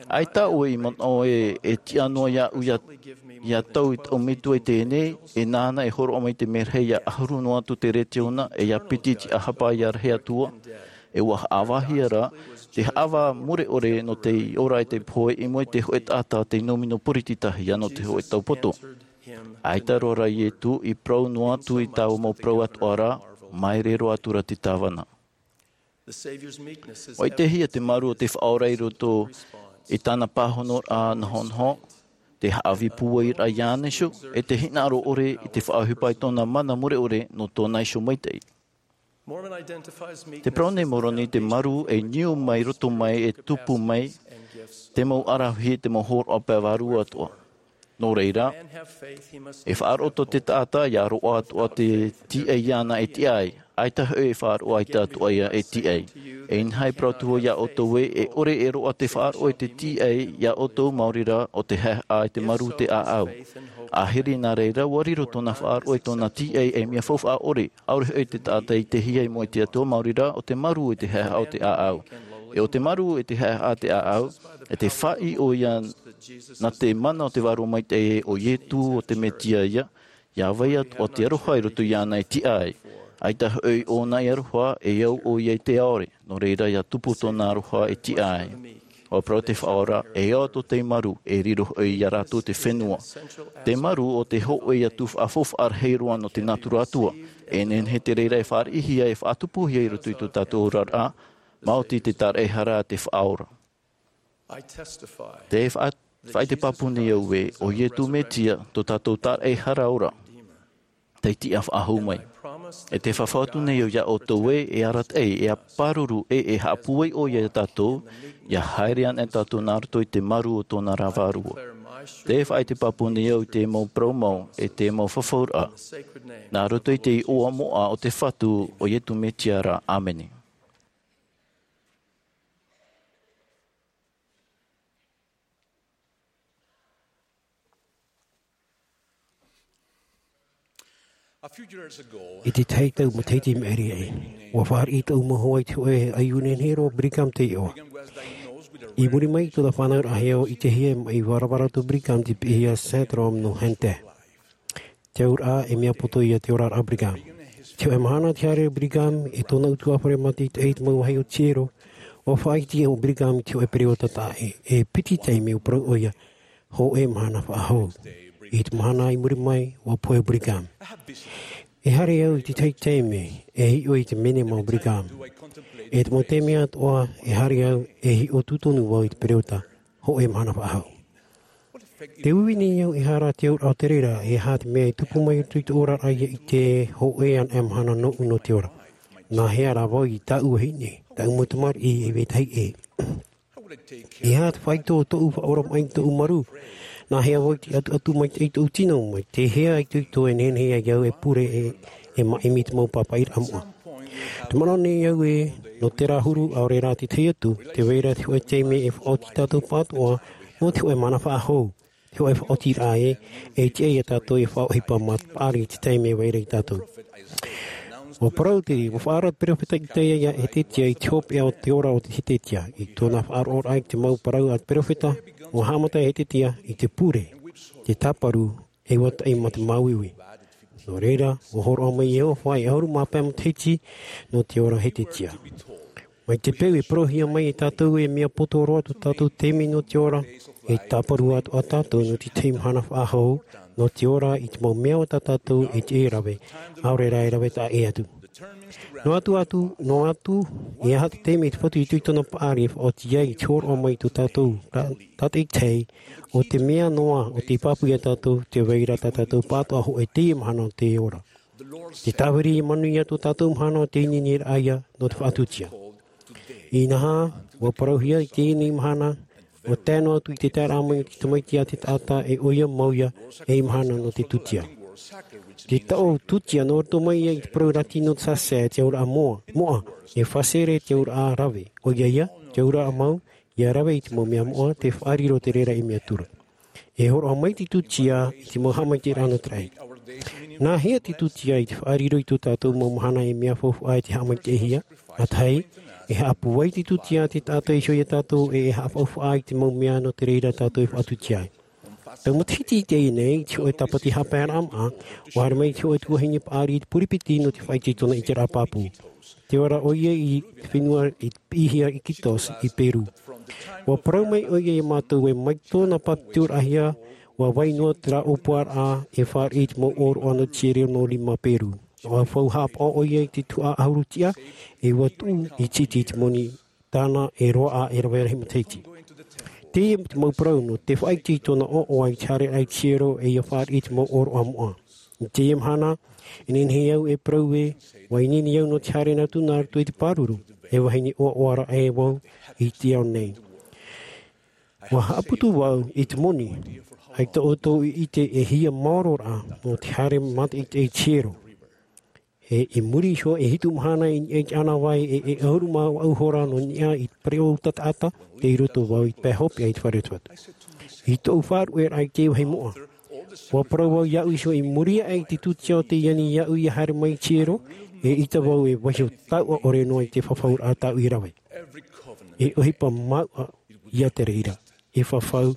ʻaita ʻoe i manaʻo ē, e tiʻa noa iāʻu ia, ia tau i taʻu metua i teie nei, e nāna e hōroʻa mai te merahi ia ʻahuru noa atu te retiona, e ia piti te ʻahapa ia rahi atu ā, e ʻua haʻavāhia rā, te haʻavā mure ʻore nō te ora e te pohe i mua i te hōʻē taʻata tei nōmino puriti tahi ā nō te hōʻē taupoto. ʻAita roa rā Ietu i parau noa atu i taua mau parau atoʻa ra, maere roa atu rā te tāvana. ʻUa ʻitehia te maru o te Faʻaora i roto i tāna pāhonoraʻa nahonaho, te haʻavipūairaʻa iāna iho, e te hinaʻaro ʻore i te faʻaʻohipa i tōna mana mure ʻore nō tōna iho maitaʻi. Te parau nei Moroni te maru e niu mai roto mai e tupu mai te mau ʻaravihi, te mau hōroʻa pae vārua atoʻa. Nō reira, e faʻaroʻo tō te taʻata ʻia roaʻa atoʻa te tīaʻi iāna e tiʻa ai, ʻAita hoʻi e faʻaroʻo, ʻaita atoʻa ia e tiʻai. E inaha e parau atu vau iā ʻoutou ē, e ʻore e roaʻa te faʻaroʻo i te tiʻai iā ʻoutou maori rā, ʻo te haʻehaʻa i te marū, te ʻāʻau. Ahiri nā reira, ua riro tōna faʻaroʻo i tōna tiʻai ei mea faufaʻa ʻore, ʻaore hoʻi te taʻata i ʻitehia i mua i te Atua, maori rā, ʻo te marū i te haʻehaʻa o te ʻāʻau. E ʻo te marū i te haʻehaʻa te ʻāʻau, e te faʻaʻī ʻoia nā te mana o te Vārua Maitaʻi ē, ʻo Ietu, ʻo te Metia ia, ʻia vai atoʻa te aroha i roto iāna e tiʻa ai. ʻAita hoʻi ʻōna e aroha, e au ʻoia i te ʻaore, nō reira ʻia tupu tōna aroha e tiʻa ai. ʻUa parau te Faʻaora, e ao atu tei marū, e riro hoʻi iā rātou te fenua. Te marū ʻo te hōʻē atu faʻafaufaʻa rahi roa nō te nātura Atua. E nehenehe te reira e fāriʻihia, e faʻatupuhia i roto i tō tātou oraraʻa, maoti te tāraʻehara a te Faʻaora. Te faʻa-, faʻaʻite pāpū nei au ē, ʻo Ietu Metia, tō tātou tāraʻehara ora, tei tiʻa faʻahou mai. E te fafau atu nei au iā ʻoutou ē, e arataʻi, e pāruru, e, e haʻapūai ʻoia iā tātou, ʻia haere anaʻe tātou nā roto i te marū o tōna ra Vārua. Te faʻaʻite pāpū nei au i te mau parau mau, e te mau fafauraʻa. Nā roto i te iʻoa moʻa o te Fatu, ʻo Ietu Metia ra. ʻĀmene. I te tahi tau matahiti i maʻiri aʻe, ʻua fāriʻi tōʻu mau hoa i te hōʻē ʻaiū nehenehe roa, Brigham te iʻoa. I muri mai i tōna fānauraʻahia, ʻua ʻitehia e maʻi varavara tō Brigham i te piʻihia Syndrome nō Hunter. Te auraʻa, e mea poto ia te oraraʻa o Brigham. Te hōʻē mahana tē haere ai Brigham e tōna ʻutuāfare mātaʻitaʻi i te mau vāhi o Tiero, ʻua faʻaʻite ʻo Brigham i te hōʻē pereoʻo taʻa ʻē, e piti taime ʻua parau ʻoia, hōʻē mahana faʻahou. I te mahana i muri mai, ʻua pohe Brigham. E haere au i te tahi taime, e hiʻo i te menema o Brigham. E te mau taime atoʻa, e haere au, e hiʻo tūtonu vau i te pereoʻo, hōʻē mahana faʻahou. Tē uiui nei au, ʻehara te auraʻa o te reira, e aha te mea e tupu mai i roto i tōʻu oraraʻa ʻia ʻite, hōʻē anaʻe mahana nōʻu nō te ora. Nā hea rā vau i tāʻu vahine, tāʻu mau tamariʻi e vetahi ʻē. E aha te faito o tōʻu faʻaora mai i tōʻu marū? Nā hea vau i ʻatuʻatu maitaʻi i tōʻu tino, mai te hea itoito e nehenehe ai au e pure e, e maʻimi i te mau pāpaʻiraʻa moʻa. Tē manaʻo nei au ē, nō terā huru, ʻaore rā te tahi atu, tē vai ra te hōʻē taime e faʻaoti tātou pātoʻa, nō te hōʻē mahana faʻahou, te hōʻē faʻaotiraʻa ē, e tiʻa ia tātou e faʻaʻohipa mā te paʻari i te taime e vai ra ia tātou. ʻUa parau te, ʻua faʻaara te peropheta Itaia iā Hetetia i te hopeʻa o te ora o te Hetetia, i tōna faʻaroʻoraʻa i te mau parau a te peropheta, ʻua haʻamata Hetetia i te pure, te tāparu, e ʻua taʻi mā te māuiui. Nō reira, ʻua hōroʻa mai Iehova e ʻahuru mā pae matahiti nō te ora Hetetia. Mai te peu e parauhia mai e tātou e mea poto roa tō tātou taime nō te ora, e tāparu atoʻa tātou nō te tahi mahana faʻahou, nō te ora i te mau mea o tā tātou e tiʻa e rave, ʻaore rā e rave taʻa ʻē atu. Noa atu atu, noa atu, e aha te taime te Fatu i tōna paʻari e faʻaoti ai i te hōroʻa mai tō tātou, tā, tātaʻitahi, ʻo te mea noa, ʻo tei pāpū ia tātou, tē vai ra tā tātou pātoʻa hōʻē teie mahana o te ora. Te tāviri e manuia tō tātou mahana o te ineine raʻa ia nō te faʻatutia. Inaha, ʻua parauhia i teie nei mahana, ʻua tae noa atu i te taeraʻa mai o te Tamaiti a te taʻata e ʻoia mau ia, ei mahana nō te tutia. Te taʻo tutia nō roto mai ia i te parau Latino te facere, te auraʻa moʻa, moʻa, e facere te auraʻa rave, ʻoia ia, te auraʻa mau, ʻia rave i te mau mea moʻa, tē faʻariro te reira ei mea ture. E hōroʻa mai te tutia i te mau haʻamaitaʻiraʻa nō te raʻi. Nā hea te tutia i te faʻariro i tō tātou mau mahana ei mea faufaʻa e te haʻamaitaʻihia? ʻA tahi, e haʻapūai te tutia te taʻata iho ia tātou e, e haʻafaufaʻa i te mau mea nō te reira tātou e faʻatutia ai. Tau matahiti i teie nei, i te hōʻē tāpati haʻapaeraʻa maʻa, ʻua haere mai te hōʻē tuahine paʻari i te puripiti nō te faʻaʻite i tōna ʻiteraʻa pāpū. Tē vai ra ʻoia i te fenua i piʻihia Iquitos i Perū. ʻUa parau mai ʻoia ia mātou ē mai tōna pātitiraʻahia, ʻua vai noa terā ʻōpuaraʻa e fāriʻi i te mau ʻōroʻa nō Chile nō Lima, Perū. ʻUa fau haʻapaʻo ʻoia i te tuhaʻa ʻahuru tiʻa, e ʻua tuʻu i te iti i te moni tāna e roaʻa e rave rahi matahiti. Teie te mau parau nō te faʻaʻite i tōna ʻoaʻoa i te haereraʻa i te hiero e ʻia fāriʻi i te mau ʻōroʻa moʻa. I teie mahana, e nehenehe au e parau ē, ʻua ineine au nō te haere atu nā roto i te pāruru, e vahine ʻoaʻoa raʻa vau i te ao nei. ʻUa haʻaputu vau i te moni, ʻaita ʻoutou i ʻite e hia maoro rā nō te haere mātaʻitaʻi i te hiero. E i muri iho e hitu mahana i niʻa i te ʻānāvai e e ʻahuru mā vaʻu hora nō niʻa i te pereʻoʻo taʻata, tei roto vau i te pae hopeʻa i te fare o te Fatu. I tōʻu faʻaruʻeraʻa i te vāhi moʻa, ʻua parau vau iāʻu iho i muri aʻe i te tūtia o tei ani iāʻu ʻia haere mai i te hiero, eʻita vau e vaiho taʻu ʻore noa i te fafauraʻa tāʻu i rave. E ʻohipa mauʻa ia te reira. E fafau,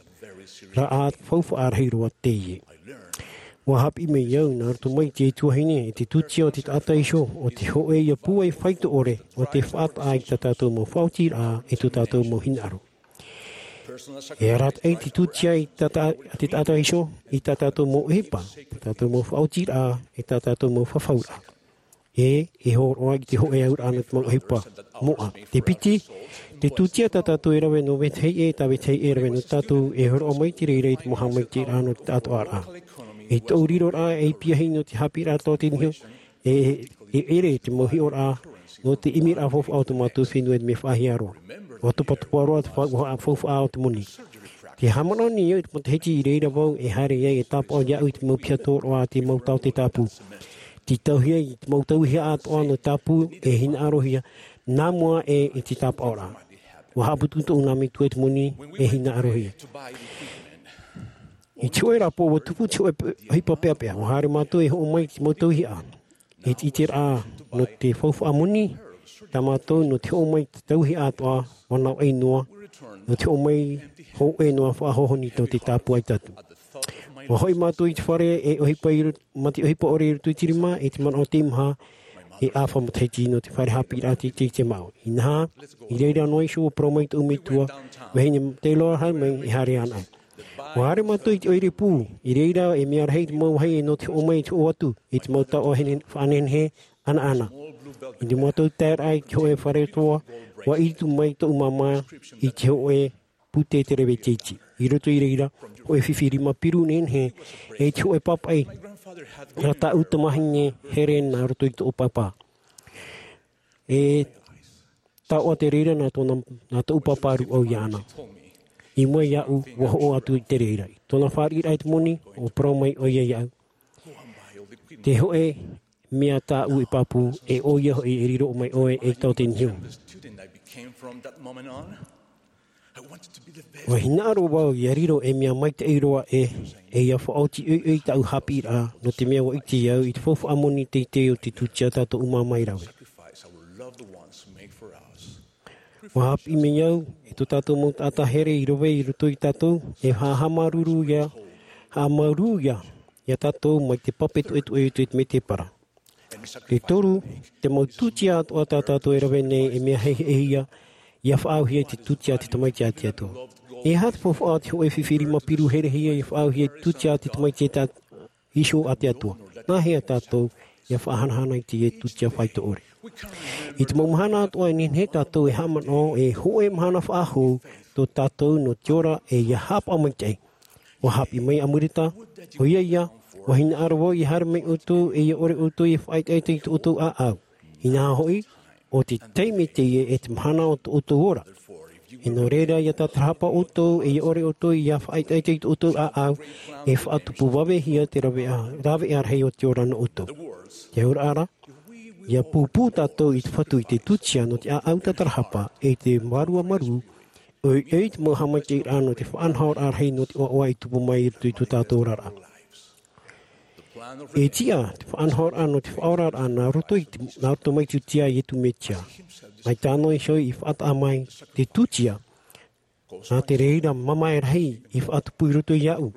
rā ʻā faufaʻa rahi roa teie. ʻUa haʻapiʻi mai au nā roto mai i te tuahine, i te tūtia o te taʻata iho, ʻo te hōʻē ia pūai faito ʻore, ʻo te faʻataʻa i tā tātou mau faʻaotiraʻa, i tō tātou mau hinaʻaro. E arataʻi te tūtia i tā tā-, te taʻata iho, i tā tātou mau ʻohipa, tā tātou mau faʻaotiraʻa, i tā tātou mau fafauraʻa. E, e hōroʻa i te hōʻē auraʻa nō te mau ʻohipa moʻa. Te piti, te tūtia tā tātou e rave nō vetahi ʻē, tā vetahi ʻē e rave nō tātou, e hōroʻa mai te reira i te mau haʻamaitaʻiraʻa nō te taʻatoʻaraʻa. I tōʻu riroraʻa ei piahi nō te haʻapiʻiraʻa tō te niho, e, e ʻere te mau hiʻoraʻa nō te ʻimiraʻa faufaʻa o tō mātou fenua i te mea faʻahiaroa. ʻUa topatopa roa te fa-, faufaʻa o te moni. Te haʻamanaʻo nei au i te matahiti i reira vau e haere ai e tāpaʻo iāʻu i te mau piha tōroʻa a te mau taote tāpū. Te tauhia i te mau tauihaʻa atoʻa nō tāpū e hinaʻarohia, nā mua ʻē i te tāpaʻoraʻa. ʻUa haʻaputu tōʻu nā metua i te moni e hinaʻarohia. I te hōʻē rāpae ʻua tupu te hōʻē pe-, ʻohipa peʻapeʻa, ʻua haere mātou e hoʻo mai i te mau tauihaʻa. I te ʻiteraʻa nō te faufaʻa moni, tā mātou nō te hoʻo mai i te tauihaʻa atoʻa, ʻua navaʻi noa, nō te hoʻo mai hōʻē noa faʻahōhoni tō te tāpū ʻaita atu. ʻUa hoʻi mātou i te fare e ʻohipa i ro-, mā te ʻohipa ʻore i roto i te rima, i te manaʻo teimaha, e ʻāfa matahiti nō te fare haʻapiʻiraʻa teitei i te māʻa. Inaha, i reira noa iho ʻua parau mai tōʻu metua, vahine Taylor, haere mai, e haere anaʻe. ʻUa haere mātou i te ʻoire pū, i reira e mea rahi te mau vāhi e nō te hoʻo mai i te hoʻo atu, i te mau taoʻa hene-, faʻanehenehe, ʻanaʻana. I te mau taeraʻa i te hōʻē fare toa, ʻua ʻiritu mai tōʻu māmā i te hōʻē pūtē te rave teitei. I roto i reira, hōʻē fifi rima piru nehenehe, e te hōʻē pāpaʻi, nā tāʻu tamahine Helen nā roto i tōʻu pāpā. E taoʻa te reira nā tōna, nā tōʻu pāpā rūʻau iāna. I mua iāʻu, ʻua hoʻo atu i te reira. I tōna fāriʻiraʻa i te moni, ʻua parau mai ʻoia iāʻu. Te hōʻē mea tāʻu e pāpū, e ʻoia hoʻi e riro mai ʻoe ei taote niho. ʻUa hinaʻaro vau ʻia riro ei mea maitaʻi roa ʻē, e ʻia faʻaoti ʻoiʻoi tāʻu haʻapiʻiraʻa, nō te mea ʻua ʻite au i te faufaʻa moni teitei o te tūtia tā tōʻu māmā e rave. ʻUa haʻapiʻi mai au, e tō tātou mau taʻata here i rave i roto ia tātou, e haʻamāuruuru ia, haʻamāuruuru ia, ia tātou mai te pape toʻetoʻe o te mētēpara. Te toru, te mau tūtia atoʻa tā tātou e rave nei e mea hehehia, ʻia faʻaauhia i te tūtia a te Tamaiti a te Atua. E aha te faufaʻa o te hōʻē fifi rima piru herehia ʻia faʻaauhia i te tūtia a te Tamaiti e tā-, iho a te Atua? Nāhea tātou ʻia faʻahanahana i teie tūtia faito ʻore? I te mau mahana atoʻa e nehenehe tātou e haʻamanaʻo e hōʻē mahana faʻahou tō tātou nō te ora e ʻia haʻapaʻo maitaʻi. ʻUa haʻapiʻi mai Amuleta, ʻoia ia, ʻua hinaʻaro vau ʻia haere mai ʻoutou, e ʻia ʻore ʻoutou e faʻaʻetaʻeta i tō ʻoutou ʻāʻau. Inaha hoʻi, ʻo te taime teie e te mahana o tō ʻoutou ora. E nō reira, ʻia tātarahapa ʻoutou, e ʻia ʻore ʻoutou ʻia faʻaʻetaʻeta i tō ʻoutou ʻāʻau, e faʻatupu vavehia te raveʻa, raveʻa rahi o te ora nō ʻoutou. Te auraʻa ra, ʻia pūpū tātou i te Fatu i te tūtia nō te ʻāʻau tātarahapa, e te vārua marū, ʻoiʻoi te mau haʻamaitaʻiraʻa nō te faʻanahoraʻa rahi nō te ʻoaʻoa i tupu mai i roto i tō tātou oraraʻa. E tiʻa te faʻanahoraʻa nō te faʻaoraraʻa nā roto i te, nā roto mai te tūtia a Iesu Mesia. Mai tāna iho i faʻataʻa mai te tūtia, nā te reira mamae rahi i faʻatupu i roto iāʻu.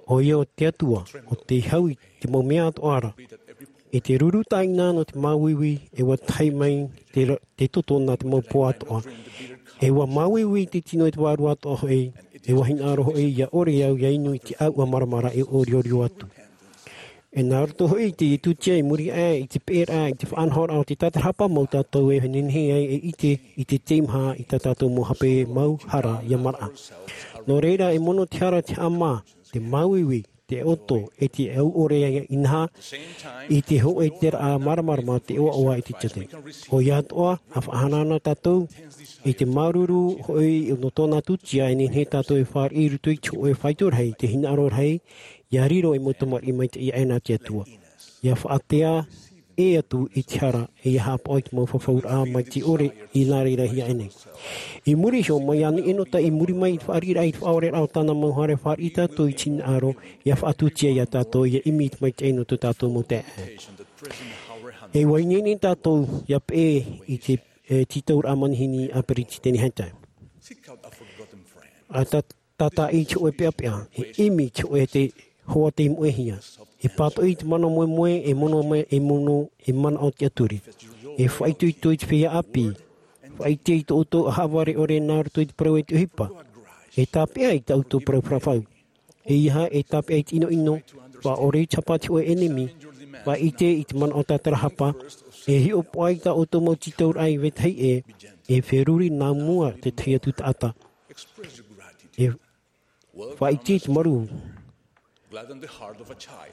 ʻOia ʻo te Atua, ʻo tei hau i te mau mea atoʻa ra. E te ruru tāʻina nō te māuiui, e ʻua tahi mai te ra-, te toto nā te mau poa atoʻa. E ʻua māuiui te tino i te vārua atoʻa hoʻi, e ʻua hinaʻaro hoʻi ʻia ʻore au ʻia inu i te ʻāuʻa maramara e ʻoriʻori atu. E nā roto hoʻi i te tūtia i muri aʻe i te peʻeraʻa i te faʻanahoraʻa o te tātarahapa mau tātou e nehenehe ai e ʻite i te teimaha i tā tātou mau hape mau hara ʻia maraʻa. Nō reira e mono te hara te haʻamā, te māuiui, te ʻoto, e te au ʻore inaha, i te hōʻē teraʻa māramarama te ʻoaʻoa i te tiate. ʻOia atoʻa, ʻa faʻahanahana tātou, i te māuruuru hoʻi nō tōna tūtia e nehenehe tātou e fāriʻi i roto i te hōʻē faito rahi, te hinaʻaro rahi, ʻia riro ei mau tamariʻi maitaʻi aʻe nā te Atua. ʻIa faʻatea, ʻē atu i te hara, ʻia haʻapaʻo i te mau fafauraʻa mai te ʻore i nā reira hia ʻēnei. I muri iho, mai ānei ʻē nō tā i muri mai i te fāriʻiraʻa, i te faʻaoreraʻa o tāna mau haere, fāriʻi tātou i te hinaʻaro, ʻia faʻatūtia iā tātou, ʻia ʻimi i te maitaʻi nō tō tātou mau taeaʻe. E ʻua ineine tātou ʻia peʻe i te, e, tītauraʻa manihini a Peretiteni Hunter. ʻA tā, tātaʻi i te hōʻē peʻapeʻa, e ʻimi i te hōʻē te hoa tei moʻehia. E pātoʻi i te mana moemoe, e mono mai, e mono, e manaʻo tiʻaturi. E faʻaitoito i te feiā ʻāpī. Faʻaʻite i tō ʻoutou ʻahavare ʻore nā roto i te parau e te ʻohipa. E tāpeʻa i tā ʻoutou parau faʻahou. ʻEiaha e tāpeʻa i te ʻinoʻino, faʻaʻore i te hapa a te hōʻē ʻenemi, faʻaʻite i te manaʻo tātarahapa, e hiʻopoʻa i tā ʻoutou mau tītauraʻa i vetahi ʻē, e feruri nā mua tētahi atu taʻata. E faʻaʻite i te marū.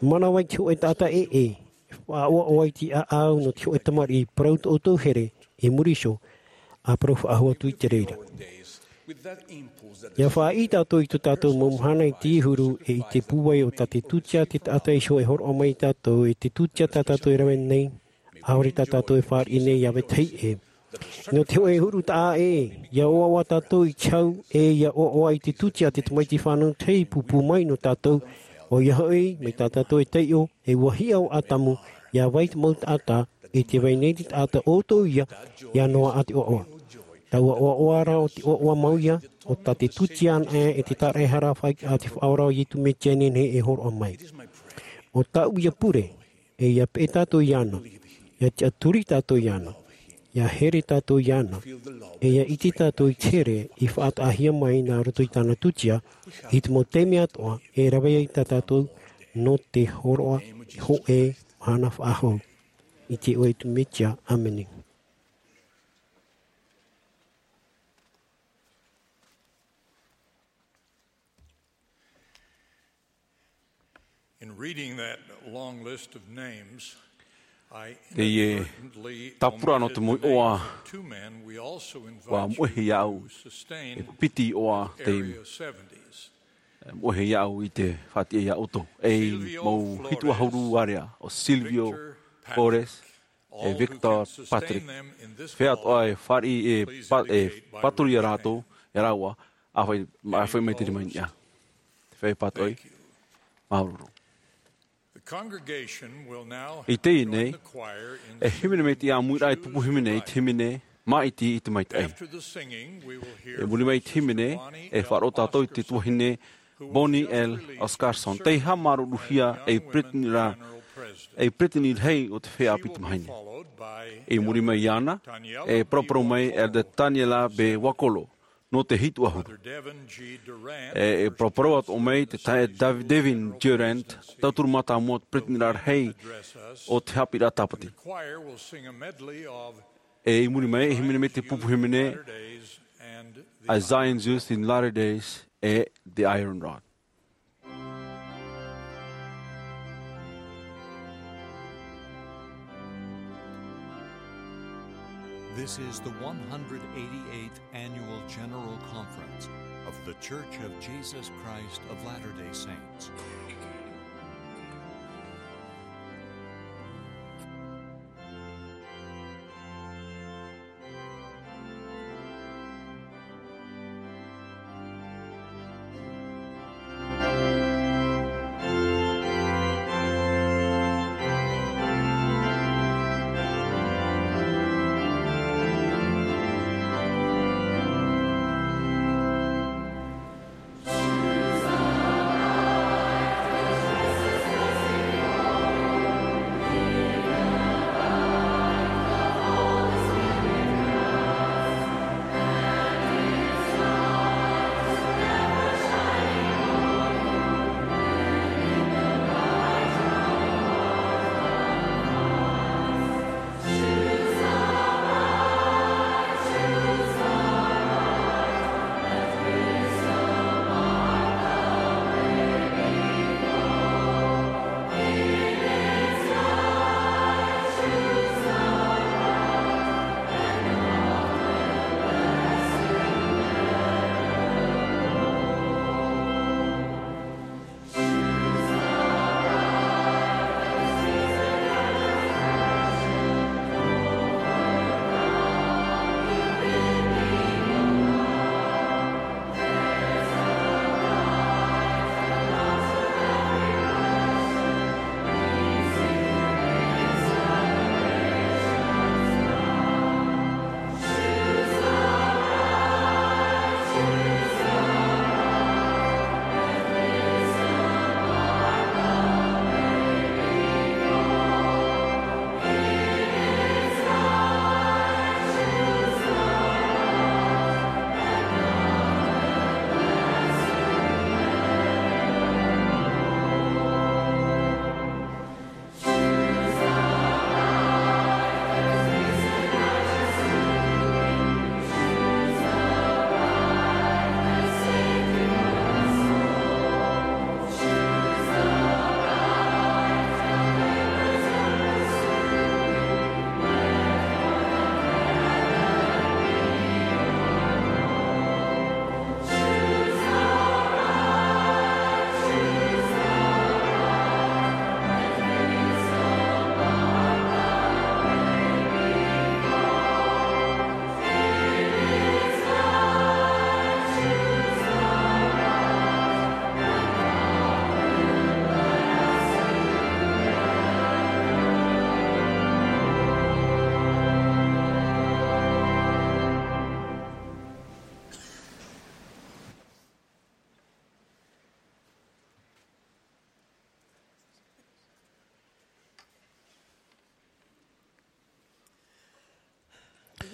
Manava i te hōʻē taʻata ʻē, e faʻaʻoaʻoa i te ʻāʻau nō te hōʻē tamariʻi, parau tō ʻoutou here, i muri iho, ʻa parau faʻahou atu i te reira. ʻIa faʻaʻī tātou i tō tātou mau mahana i te huru, e i te pūai o tā te tūtia te taʻata iho e hōroʻa mai iā tātou, e te tūtia tā tātou e rave nei, ʻaore tā tātou e fāriʻi nei iā vetahi ʻē. Nō te hōʻē huru taʻa ʻē, ʻia ʻoaʻoa tātou i te hau, e ʻia ʻoaʻoa i te tūtia te tamaiti fānau tahi pūpū mai nō tātou, ʻoia hoʻi, mai tā tātou e taiʻo, e ua hiʻo ʻo ʻĀtamu, ʻia vai te mau taʻata, e tē vai nei te taʻata ʻo ʻoutou ia, ʻia noaʻa te ʻoaʻoa. Taua ʻoaʻoa ra ʻo te ʻoaʻoa mau ia, ʻo tā te tūtia anaʻe e te tāraʻehara faʻaʻite a te Faʻaora o Iesu Mesia e nehenehe e hōroʻa mai. ʻO tāʻu ia pure, e ʻia peʻe tātou iāna, ʻia tiʻaturi tātou iāna, ʻia here tātou iāna, e ʻia ʻite tātou i te here i faʻataʻahia mai nā roto i tāna tūtia, i te mau taime atoʻa, e rave ai tā tātou nō te hōroʻa hōʻē mahana faʻahou. I te iʻoa o Iesu Mesia, ʻāmene. In reading that long list of names, I Teie inadvertently tāpura nō te omitted the moʻi ʻoa names of two men we also ua invited moʻehia au, to sustain e piti ʻoa te Area seventies. Moʻehia au i te faʻatiʻa iā ʻoutou. E Silvio mau hitu ʻahuru Flores, area, ʻo Silvio Victor Patrick, Flores, e Victor Patrick. Fea atoʻa e fāriʻi e pa-, e pātoru iā rātou, e rāua, āfai, āfai mai te rima i niʻa. Te feiā pātoʻi. Thank you. Māuruuru. The congregation will now I teie nei, join the choir in e hīmene mai te ʻāmuiraʻa i te pupu hīmene, i te hīmene, Māʻiti i te Maitaʻi. After the singing, we will hear E muri mai i te hīmene, e faʻaroʻo tātou i te tuahine Bonnie L. Oscarson, tei haʻamāuruuruhia ei peretiteni ra, ei peretiteni rahi o te feiā ʻāpī tamāhine. I muri mai iāna, e paraparau mai Elder Taniela B. Wakolo, nō te hitu ʻahuru. E, e paraparau atoʻa mai te taeaʻe Dav-, Devin Durant, tauturu mātāmua o te peretiteni rahi o te haʻapiʻiraʻa Tāpati. E i muri mai, e hīmene mai te pupu hīmene, A Zion's Youth in Latter Days, e The Iron Rod. This is the one hundred eighty-eighth Annual General Conference of The Church of Jesus Christ of Latter-day Saints.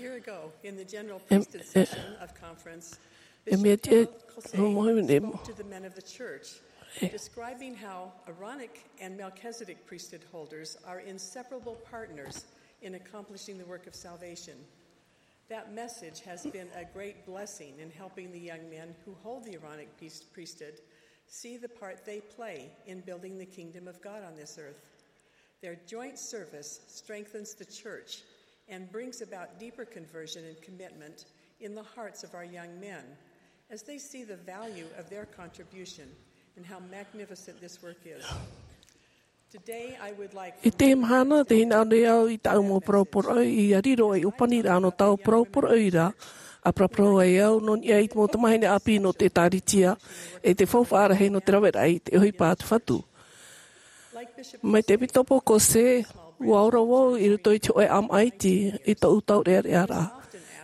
Year ago, in the general priesthood session of conference, e mea Bishop te Harold Caussé no mohe nei spoke to the men of the church, describing how Aaronic and Melchizedek priesthood holders are inseparable partners in accomplishing the work of salvation. That message has been a great blessing in helping the young men who hold the Aaronic priest- priesthood see the part they play in building the kingdom of God on this earth. Their joint service strengthens the church and brings about deeper conversion and commitment in the hearts of our young men as they see the value of their contribution and how magnificent this work is. Today, I would like I teie mahana, tē hinaʻaro nei au i tāʻu mau parau poroʻi, ʻia riro ei ʻōpaniraʻa nō tāʻu parau poroʻi ra, ʻa paraparau ai au nō niʻa i te mau tamahine ʻāpī nō te ʻĒtārētia, e te faufaʻa rahi nō te raveraʻa i te ʻohipa a te Fatu. Mai te ʻEpitopo Caussé, ʻua ora vau i roto i te hōʻē ʻāmaʻa iti i tōʻu taureʻareʻa ra.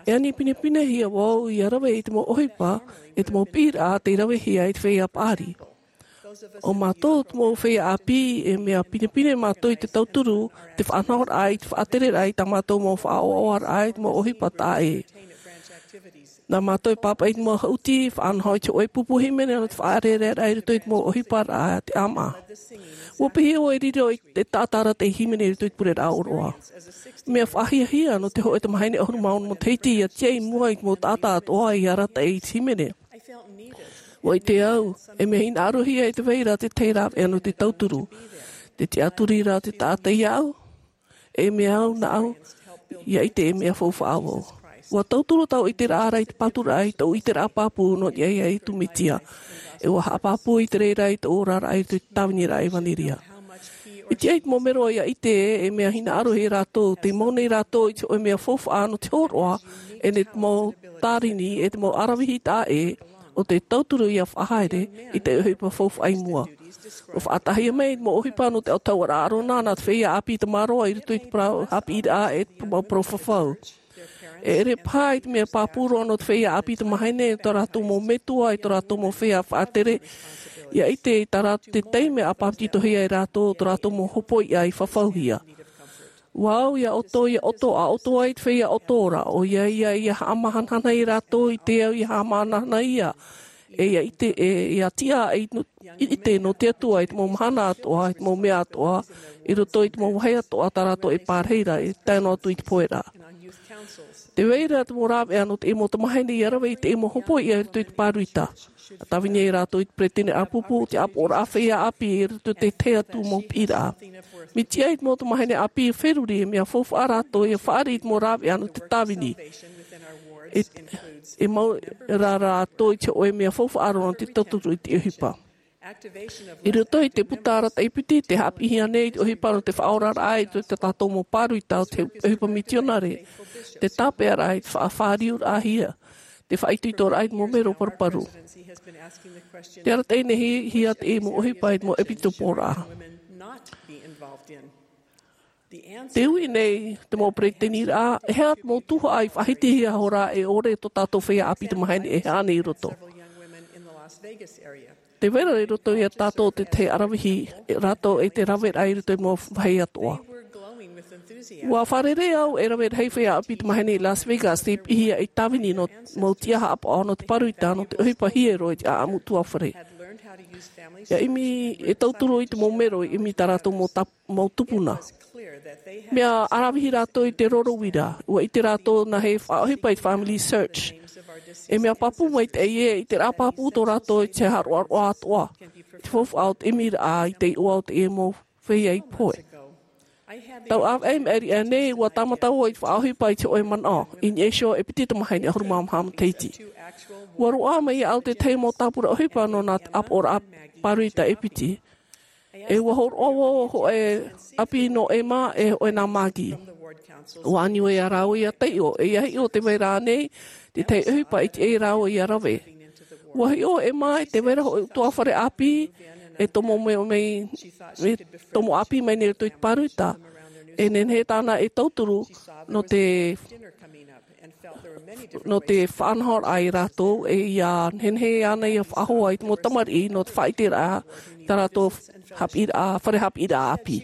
E ani pinepinehia vau ʻia rave i te mau ʻohipa, e te mau piʻiraʻa tei ravehia i te feiā paʻari. ʻO mātou te mau feiā ʻāpī, e mea pinepine mātou i te tauturu, te faʻanahoraʻa i te faʻatereraʻa i tā mātou mau faʻaʻoaʻoaraʻa i te mau ʻohipa taʻa ʻē. Nā mātou e pāpaʻi i te mau haʻuti, faʻanaho i te hōʻē pupu hīmene nō te faʻatereraʻa i roto i te mau ʻohiparaʻa a te ʻāmaʻa. ʻUa piʻi vau e riro i te taʻata arataʻi hīmene i roto i te pureraʻa ʻōroʻa. Mea faʻahiahia nō te hōʻē tamahine ʻahuru mā ono matahiti ʻia tiaʻi i mua i te mau taʻata atoʻa ʻia arataʻi i te hīmene. ʻUa ʻite au, e mea hinaʻarohia e te vai ra te tahi rāveʻa nō te tauturu, te tiʻaturi ra te taʻata iāʻu, e mea au nāʻu, ʻia ʻite e mea faufaʻa vau. ʻUa tauturu tāʻu ʻiteraʻa ra i te pāturaʻa i tōʻu ʻiteraʻa pāpū nō niʻa iā Iesu Mesia. E ʻua haʻapāpū i te reira i tōʻu oraraʻa i te tāviniraʻa ʻevanelia. E tiʻa i te mau mero ʻia ʻite e mea hinaʻaro iā rātou, tē mau nei rātou i te hōʻē mea faufaʻa nō te hōroʻa, e nō te mau tārini, e te mau aravihi taʻa ʻē, ʻo te tauturu ʻia faʻahaere i te ʻohipa faufaʻa i mua. ʻUa faʻataʻahia mai te mau ʻohipa nō te autahuʻaraʻa ʻĀrona nā te feiā ʻāpī tamaroa i roto i te parau haʻapiʻiraʻa e te mau parau fafau. E ʻere paha i te mea pāpū roa nō te feiā ʻāpī tamahine, tō rātou mau metua, e tō rātou mau feiā faʻatere, ʻia ʻite i tā rātou te taime ʻa pāpetitohia e rātou, tō rātou mau hopoiʻa i fafauhia. ʻUa au iā ʻoutou, iā ʻoutou, ʻa ʻoutou ā te feiā ʻoto ra, ʻoia ia, ʻia haʻamahanahana iā rātou i te au ʻia haʻamahanahana ia. E ʻia ʻite, e ʻia tiʻa, e ʻite nō te Atua i te mau mahana atoʻa, i te mau mea atoʻa, i roto i te mau vāhi atoʻa tā rātou e pārahi ra, e tae noa atu i te pohe ra. Tē vai ra te mau rāveʻa nō te mau tamahine ʻia rave i te mau hopoiʻa i roto i te pāruita. ʻA tāvini ai rātou i te peretiteni ʻāpōpō, te ʻāpoʻoraʻa feiā ʻāpī i roto i te tahi atu mau piʻiraʻa. Mea tiʻa i te mau tamahine ʻāpī e feruri, e mea faufaʻa rātou ʻia fāriʻi i te mau rāveʻa nō te tāvini. E, e mau rā rātou i te hōʻē mea faufaʻa roa nō te tauturu i te ʻohipa. I roto i te puta arataʻi piti, tē haʻapiʻihia nei te ʻohipa nō te faʻaoraraʻa i tō tātou mau pāruita ʻo te ʻohipa mitionare, te tāpeʻaraʻa i te faʻafāriuraʻahia, te faʻaitoitoraʻa i te mau mero paruparu. Tē arataʻi nei hia te mau ʻohipa i te mau ʻepitoporaʻa. Tē ui nei te mau peretiteniraʻa, e aha te mau tuhaʻa i faʻahitihia hora e ʻore tō tātou feiā ʻāpī tamahine e haʻa nei i roto. Tē vai ra i roto iā tātou te tahi aravihi, e rātou e te raveraʻa i roto i te mau vāhi atoʻa. ʻUa fārerei au e rave rahi feiā ʻāpī tamahine i Las Vegas, tei piʻihia ei tāvini nō te mau tiʻa haʻapaʻo nō te pāruita, nō te ʻohipa hiero i te ʻāʻamu ʻutuāfare. ʻIa ʻimi, e tauturu i te mau mero, ʻimi tā rātou mau tap-, mau tupuna. Mea aravihi rātou i te roro uira, ʻua ʻite rātou nā hea e faʻaʻohipa i te FamilySearch. E mea pāpū maitaʻi ē, ʻiteraʻa pāpū tō rātou i te haʻaroaroa atoʻa. Te faufaʻa o te ʻimiraʻa i te iʻoa o te mau feiā i pohe. Tau ʻāvaʻe i maʻiri aʻe nei, ʻua tāmata vau i te faʻaʻohipa i te hōʻē manaʻo, i niʻa iho e piti tamahine ʻahuru mā maha matahiti. ʻUa roaʻa mai iāʻu te tahi mau tāpura ʻohipa nō nā ʻāpoʻoraʻa pāruita e piti. E ʻua hōroʻa vau hōʻē ʻāpī nō Emma e hōʻē nā Maggie. ʻUa ani vau iā rāua ʻia taiʻo, e ʻia hiʻo tē vai ra ānei te tahi ʻohipa i tiʻa ai rāua ʻia rave. ʻUa hiʻo ʻo Emma e tē vai ra hōʻē ʻutuāfare ʻāpī, e tomo mai, mai, e tomo ʻāpī mai nei i roto i te pāruita. E nehenehe tāna e tauturu nō te Nō te faʻanahoraʻa ia rātou e ia nehenehe ana ia faʻahoa i te mau tamariʻi nō te faʻaiteraʻa i tā rātou haʻapiʻiraʻa, fare haʻapiʻiraʻa ʻāpī.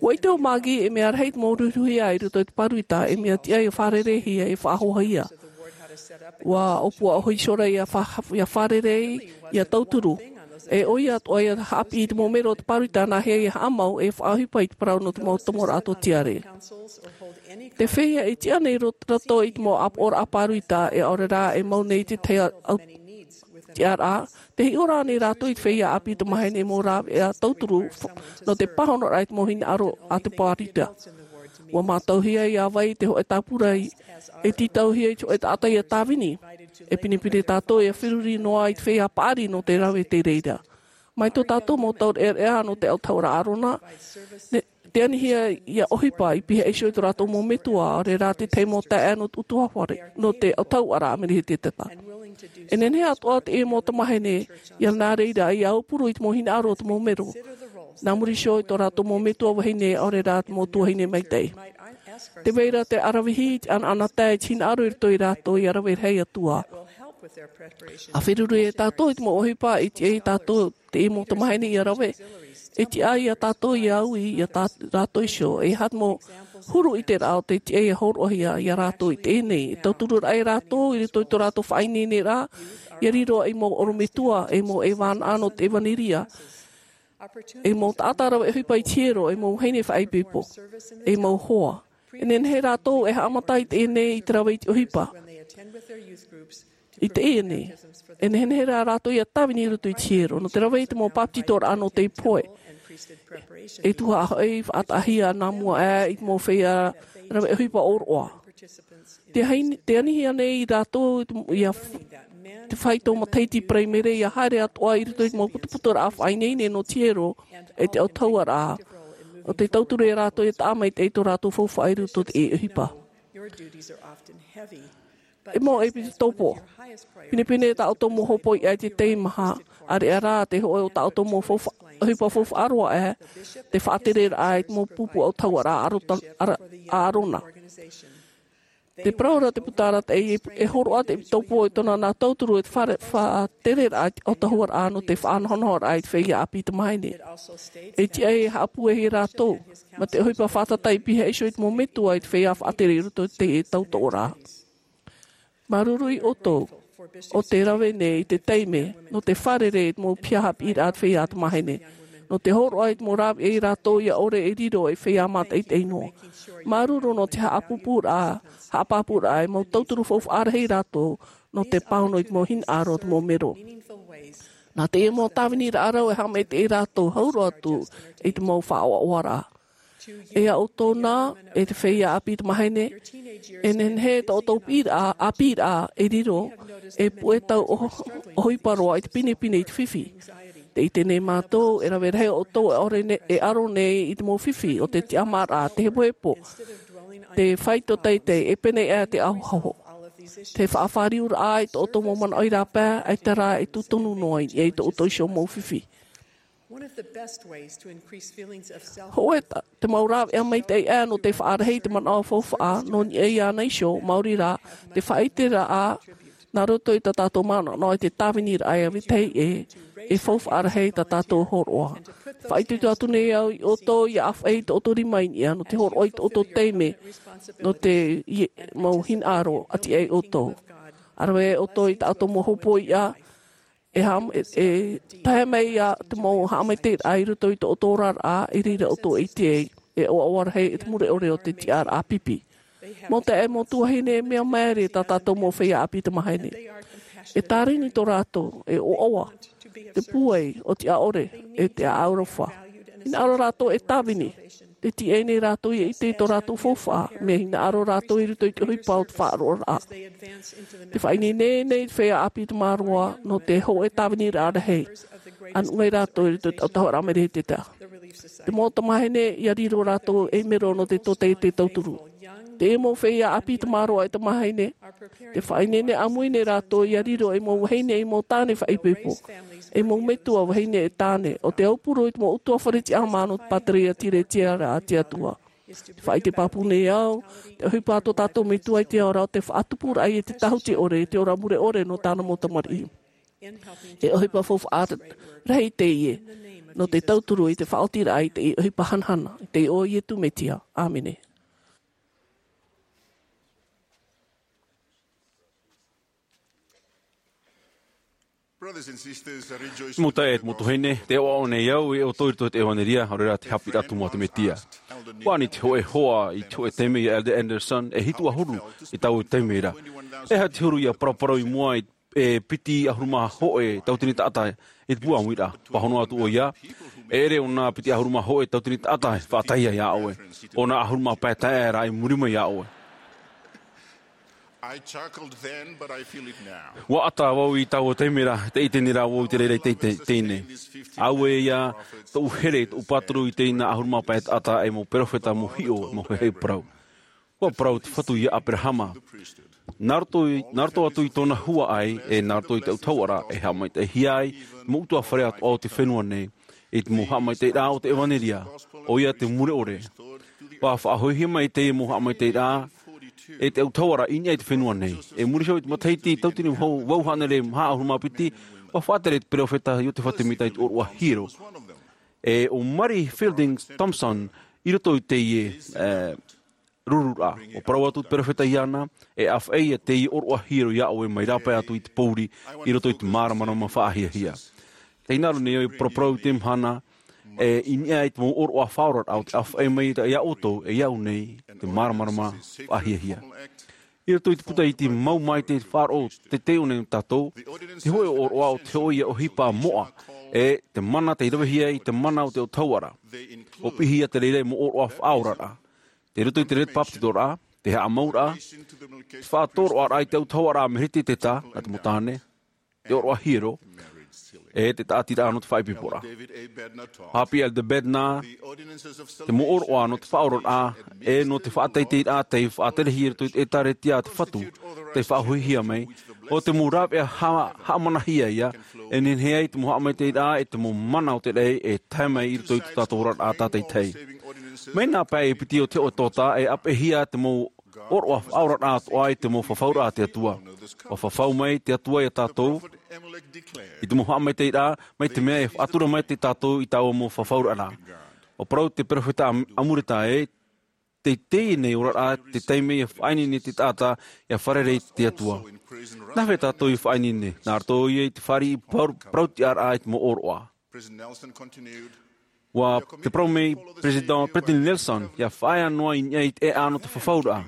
Ua ʻite ʻo Maggie e mea rahi te mau ruhiruhia i roto i te pāroita, e mea tiʻa ia fārereihia e faʻahoahia. Ua ʻōpua ʻo Hoi Sora ia fa-, ia fārerei, ia tauturu. E ʻoia atoʻa ia haʻapiʻi i te mau mero o te pāroita nāhea ia haʻamau e faʻaʻohipa i te parau nō te mau tomoraʻa tōtiare. Te feiā e tiʻa nei rot-, roto i te mau ʻāpoʻoraʻa pāroita e ʻaore rā e mau nei te tahi au-, tiʻaraʻa, te hiʻo rā nei rātou i te feiā ʻāpī tamāhine mau rāveʻa tauturu f-, nō te pāhonoraʻa i te mau hinaʻaro a te pāroita. Ua mātauhia ia vai te hōʻē tāpura e tītauhia i te hōʻē taʻata ia tāvini. E pinepine tātou ia feruri noa i te feiā paʻari nō te rave i te reira. Mai tō tātou mau taureʻareʻa nō te autahuʻaraʻa ʻĀrona, ne, te anihia ia ʻohipa i pihaʻi iho i tō rātou mau metua, ʻaore rā te tahi mau taeaʻe nō te ʻutuāfare, nō te autahuʻaraʻa Melehizedeka. E nehenehe atoʻa teie mau tamāhine ia nā reira ia aupuru i te mau hinaʻaro o te mau mero. Nā muri iho i tō rātou mau metua vahine, ʻaore rā te mau tuahine maitaʻi. Tē vai ra te ʻaravihi, te ʻanaʻanatae, te hinaʻaro i roto ia rātou ia rave rahi atu ā. ʻA feruri e tātou i te mau ʻohipa, e tiʻa ia tātou teie mau tamāhine ia rave. E tiʻa ia tātou ia ui ia tā rātou iho. E aha te mau huru ʻiteraʻa o te tiʻa ia hōroʻahia ia rātou i teie nei. E tauturu ra ia rātou i roto i tō rātou faʻaineineraʻa, ia riro ei mau ʻorometua, ei mau ʻevānaʻa nō te ʻevaneria, ei mau taʻata rave ʻohipa i te hiero, ei mau vahine faʻaipoipo, ei mau hoa. E nehenehe rātou e haʻamata i teie nei i te rave i te ʻohipa. I teie nei, e nehenehe rā rātou ia tāvini i roto i te hiero, nō te rave i te mau pāpetitoraʻa nō te pohe. E tuhaʻa hoʻi faʻataʻahia nā mua aʻe i te mau feiā rave ʻohipa ʻōroʻa. Te hain-, te anihia nei rātou i te, ia f-, te faito matahiti paraimere ia haere atoʻa i roto i te mau putuputuraʻa faʻaineine nō te hiero, e te autahuʻaraʻa. ʻO te tauturu ia rātou ia taʻa maitaʻi tō rātou faufaʻa i roto i te ʻohipa. E mau ʻepisekopo. Pinepine tā ʻoutou mau hōpoiʻa i te teimaha, ʻāreʻa rā te hōʻē o tā ʻoutou mau faufa-, ʻohipa faufaʻa roa aʻe, te faʻatereraʻa i te mau pupu autahuʻaraʻa ʻĀro-, ʻĀro-, ʻĀrona. Te parau ra te puta arataʻi, e, e hōroʻa te ʻepisekopo i tōna nā tauturu e te fare-, faʻatereraʻa i te autahuʻaraʻa nō te faʻanahonahoraʻa i te feiā ʻāpī tamāhine. E tiʻa e haʻapūaihia rātou, mā te ʻohipa fātata i pihaʻi iho i te mau metua i te feiā faʻatere i roto i te tautoʻoraʻa. Māuruuru iā ʻoutou, ʻo te rave nei i te taime, nō te fārerei i te mau piha haʻapiʻiraʻa a te feiā tamāhine. Nō te hōroʻa i te mau rāveʻa ia rātou ia ʻore e riro ei feiā mātaʻitaʻi noa. Māuruuru nō te haʻapāpūraʻa, haʻapāpūraʻa ei mau tauturu faufaʻa rahi ia rātou, nō te pāhono i te mau hinaʻaro o te mau mero. Nā teie mau tāviniraʻa rau e haʻamaitaʻi ia rātou hau roa atu i te mau faʻaʻoaʻoaraʻa. E iā ʻoutou na, e te feiā ʻāpī tamāhine, e nehenehe tō ʻoutou piʻiraʻa, ʻāpīraʻa e riro, e puʻe tau ʻo-, ʻohipa roa i te pinepine i te fifi. Tē ʻite nei mātou, e rave rahi ʻoutou e ʻore ne-, e ʻaro nei i te mau fifi, ʻo te tiʻamāraʻa, te hepohepo, te faito teitei, e pēnei aʻe te ahoaho. Te faʻafāriuraʻa i tō ʻoutou mau manaʻo i rāpae, ʻaita rā e tū tonu noa i niʻa i tō ʻoutou iho mau fifi. One of the best ways to increase feelings of self Hōʻē ta-, te mau rāveʻa maitaʻi aʻe nō te faʻarahi i te manaʻo faufaʻa, nō niʻa iāna iho, maori rā, te faʻaʻiteraʻa, nā roto i tā tātou manaʻo i te tāviniraʻa ia vetahi ʻē, e faufaʻa rahi tā tātou hōroʻa. Faʻaitoito atu nei au iā ʻoutou ia ʻāfaʻi i tō ʻoutou rima i niʻa, nō te hōroʻa i tō ʻoutou taime, nō te ie-, mau hinaʻaro ʻati ai ʻoutou. ʻA rave ʻoutou i tā ʻoutou mau hōpoiʻa, e haʻam-, e, e tae mai ia te mau haʻamaitaʻiraʻa i roto i tō ʻoutou oraraʻa, i reira ʻoutou e ʻite ai, e ʻoaʻoa rahi i te mure ʻore o te tiʻaraʻa pipi. Mau taeaʻe, mau tuahine, e mea māere tā tātou mau feiā ʻāpī tamāhine. E tārini tō rātou, e ʻoaʻoa, te pūai, ʻo te ʻaʻore, e te aroha. Hinaʻaro rātou e tāvini. Tē tiaʻi nei rātou ia ʻite i tō rātou faufaʻa, mea hinaʻaro rātou i roto i te ʻohipa o te faʻaroʻoraʻa. Tē faʻaineine nei te feiā ʻāpī tamāroa, nō te hōʻē tāviniraʻa rahi. ʻA nūnaʻi rātou i roto i te autahuʻaraʻa Melehizedeka. Te mau tamāhine, ia riro rātou ei mero nō te tōtaiete tauturu. Te mau feiā ʻāpī tamāroa e tamāhine, tē faʻaineine ʻāmui nei rātou ia riro ei mau vahine, ei mau tāne faʻaipoipo, ei mau metua vahine e tāne, ʻo te aupuru i te mau ʻutuāfare tiʻamā nō te pātireia Tiretiera a te Atua. Te faʻaite pāpū nei au, te ʻohipa a tō tātou Metua i te ao ra, ʻo te faʻatupuraʻa e te tāhuti ʻore, te ora mure ʻore nō tāna mau tamariʻi. E ʻohipa faufaʻa rahi teie, nō te tauturu i te faʻaotiraʻa i te ʻohipa hanahana, i te iʻoa o Iesu Mesia. ʻĀmene. Mau taeaʻe, mau tuahine, tē ʻoaʻoa nei au e ʻoutou i roto i te ʻevanelia, ʻaore rā te haʻapiʻiraʻa tumu a te Mesia. ʻUa ani te hōʻē hoa i te hōʻē taime ia Elder Anderson, e hitu ʻahuru i taua taime ra. E aha te huru ʻia paraparau i mua i e piti ʻahuru mā hōʻē tauatini taʻata i te pūʻamuiraʻa. Pāhono atu ʻoia, e ʻere ʻo nā piti ʻahuru mā hōʻē tauatini taʻata e faʻatae ia ʻoe, ʻo nā ʻahuru mā pae taeaʻe rā i muri mai ia ʻoe. I chuckled then, but I feel it now. ʻUa ʻata vau i taua taime ra, tē ʻite nei rā vau i te reira i teie, teie nei. Auē ia, tōʻu here, tōʻu pāturu i teie nā ʻahuru mā pae taʻata e mau perofeta, mau hiʻo, mau heheu parau. ʻUa parau te Fatu ia Aperahama. Nā roto i, nā roto atu i tōna huaʻai, e nā roto i te autahuʻaraʻa, e haʻamaitaʻihia ai te mau ʻutuāfare atoʻa o te fenua nei, i te mau haʻamaitaʻiraʻa o te ʻevanelia, ʻoia te mure ʻore. ʻUa faʻahoʻihia mai teie mau haʻamaitaʻiraʻa, e te autahuʻaraʻa i niʻa i te fenua nei. E muri iho i te matahiti tauatini vau, vau hānere maha ʻahuru mā piti, ʻua faʻatere te perofeta Iosepha Semita i te ʻōroʻa hiero. E ʻo Mary Fielding Thompson, i roto i teie, e, rururaʻa. ʻUa parau atu te perofeta iāna, e ʻāfaʻi ia teie ʻōroʻa hiero ia ʻoe mai rāpae atu i te pōuri, i roto i te māramarama faʻahiahia. Tē hinaʻaro nei au e paraparau i te mahana, e i niʻa i te mau ʻōroʻa faʻaoraraʻa o te ʻāfaʻi mai ia ʻoutou, e ia ʻu nei, te māramarama faʻahiahia. I roto i te puta iti Mau Mai te faʻaroʻo te taiʻo nei nō tātou, te hōʻē ʻōroʻa ʻo te hōʻē ia ʻohipa moʻa, e te mana tei ravehia i te mana o te autahuʻaraʻa. ʻUa piʻihia te reira e mau ʻōroʻa faʻaoraraʻa. Tei roto i te reira te bāpetizoraʻa, te haʻamauraʻa, te faʻatoroʻaraʻa i te autahuʻaraʻa a Melekiseteka, nā te mau tāne, te ʻōroʻa hiero, e te tāʻatiraʻa nō te faʻaipoiporaʻa. Haʻapiʻi Elder Bednar, te mau ʻōroʻa nō te faʻaoraraʻa, e nō te faʻateiteiraʻa tei faʻaterehia i roto i te ʻĒtārētia a te Fatu, tei faʻahoʻihia mai, ʻo te mau rāveʻa ha-, haʻamanahia ia, e nehenehe ai te mau haʻamaitaʻiraʻa, e te mau mana o te raʻi, e tae mai i roto i tō tātou oraraʻa tātaʻitahi. Mai nā pae e piti o te hōʻē tōtā, e ʻāpeʻehia te mau ʻōroʻa faʻaoraraʻa atoʻa i te mau fafauraʻa a te Atua. ʻUa fafau mai te Atua ia tātou, i te mau haʻamaitaʻiraʻa, mai te mea e faʻatura mai te tātou i taua mau fafauraʻa. ʻUa parau te perofeta Am-, Amuleka ē, tei teie nei oraraʻa, te taime ia faʻaineine te taʻata, ia fārerei i te Atua. Nā hea tātou i faʻaineine, nā roto ïa i te fāriʻi parau-, parautiʻaraʻa i te mau ʻōroʻa. ʻUa te parau mai Peresideni, Peresideni Nelson, ia faʻaea noa i niʻa i te ʻēʻa nō te fafauraʻa.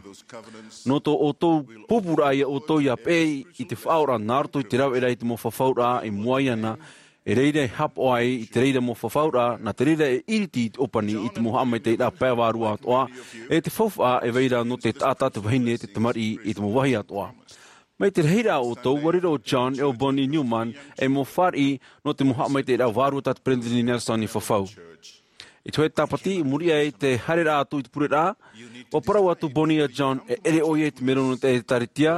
Nō tō ʻoutou pūpūraʻa ia ʻoutou ia peʻe i te faʻaora nā roto i te rāveʻa i te mau fafauraʻa i mua iāna, e reira e haʻapaʻo ai i te reira mau fafauraʻa, nā te reira e iriti i te ʻōpani i te mau haʻamaitaʻiraʻa pae vārua atoʻa, e te faufaʻa e vai ra nō te taʻata, te vahine, te tamariʻi i te mau vāhi atoʻa. Mai te rahiraʻa o ʻoutou, ʻua riro ʻo John e ʻo Bonnie Newman ei mau fāriʻi nō te mau haʻamaitaʻiraʻa vārua tā te Peresideni Nelson i fafau. I te hōʻē Tāpati, i muri aʻe i te haereraʻa atu i te pureraʻa, ʻua parau atu Bonnie ia John, e ʻere ʻoe i te mero nō te ʻĒtārētia,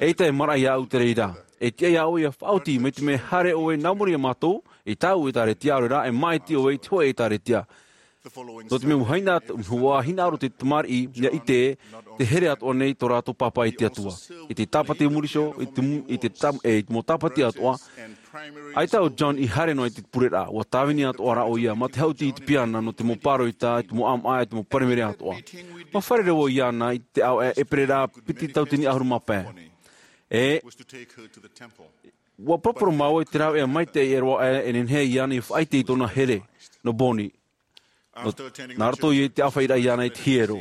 eʻita e maraʻa iāʻu te reira. E tiʻa iā ʻoe ia faʻaoti, mai te mea e haere ʻoe nā muri iā mātou, i tāʻu ʻĒtārētia, ʻaore rā, e māʻiti ʻoe i te hōʻē ʻĒtārētia. Nō te mea ʻua hinaʻaro, ʻua hinaʻaro te tamariʻi, ia ʻite, te here atoʻa nei tō rātou pāpā i te Atua. I te Tāpati i muri iho, i te mu-, i te tam-, e, i te mau Tāpati atoʻa, ʻaita ʻo John i haere noa i te pureraʻa, ʻua tāvini atoʻa rā ʻoia, mā te haʻuti i te piana nō te mau pāroita, i te mau ʻāmaʻa, i te mau paremere atoʻa. ʻUa fārerei vau iāna i te ʻāvaʻe ʻēperēra piti tauatini ʻahuru mā pae. E, ʻua parapara māua i te rāveʻa maitaʻi e roaʻa e nehenehe iāna i faʻaʻite i tōna here, nō Bonnie. Nō, nā roto i te ʻāfaʻiraʻa iāna i te hiero.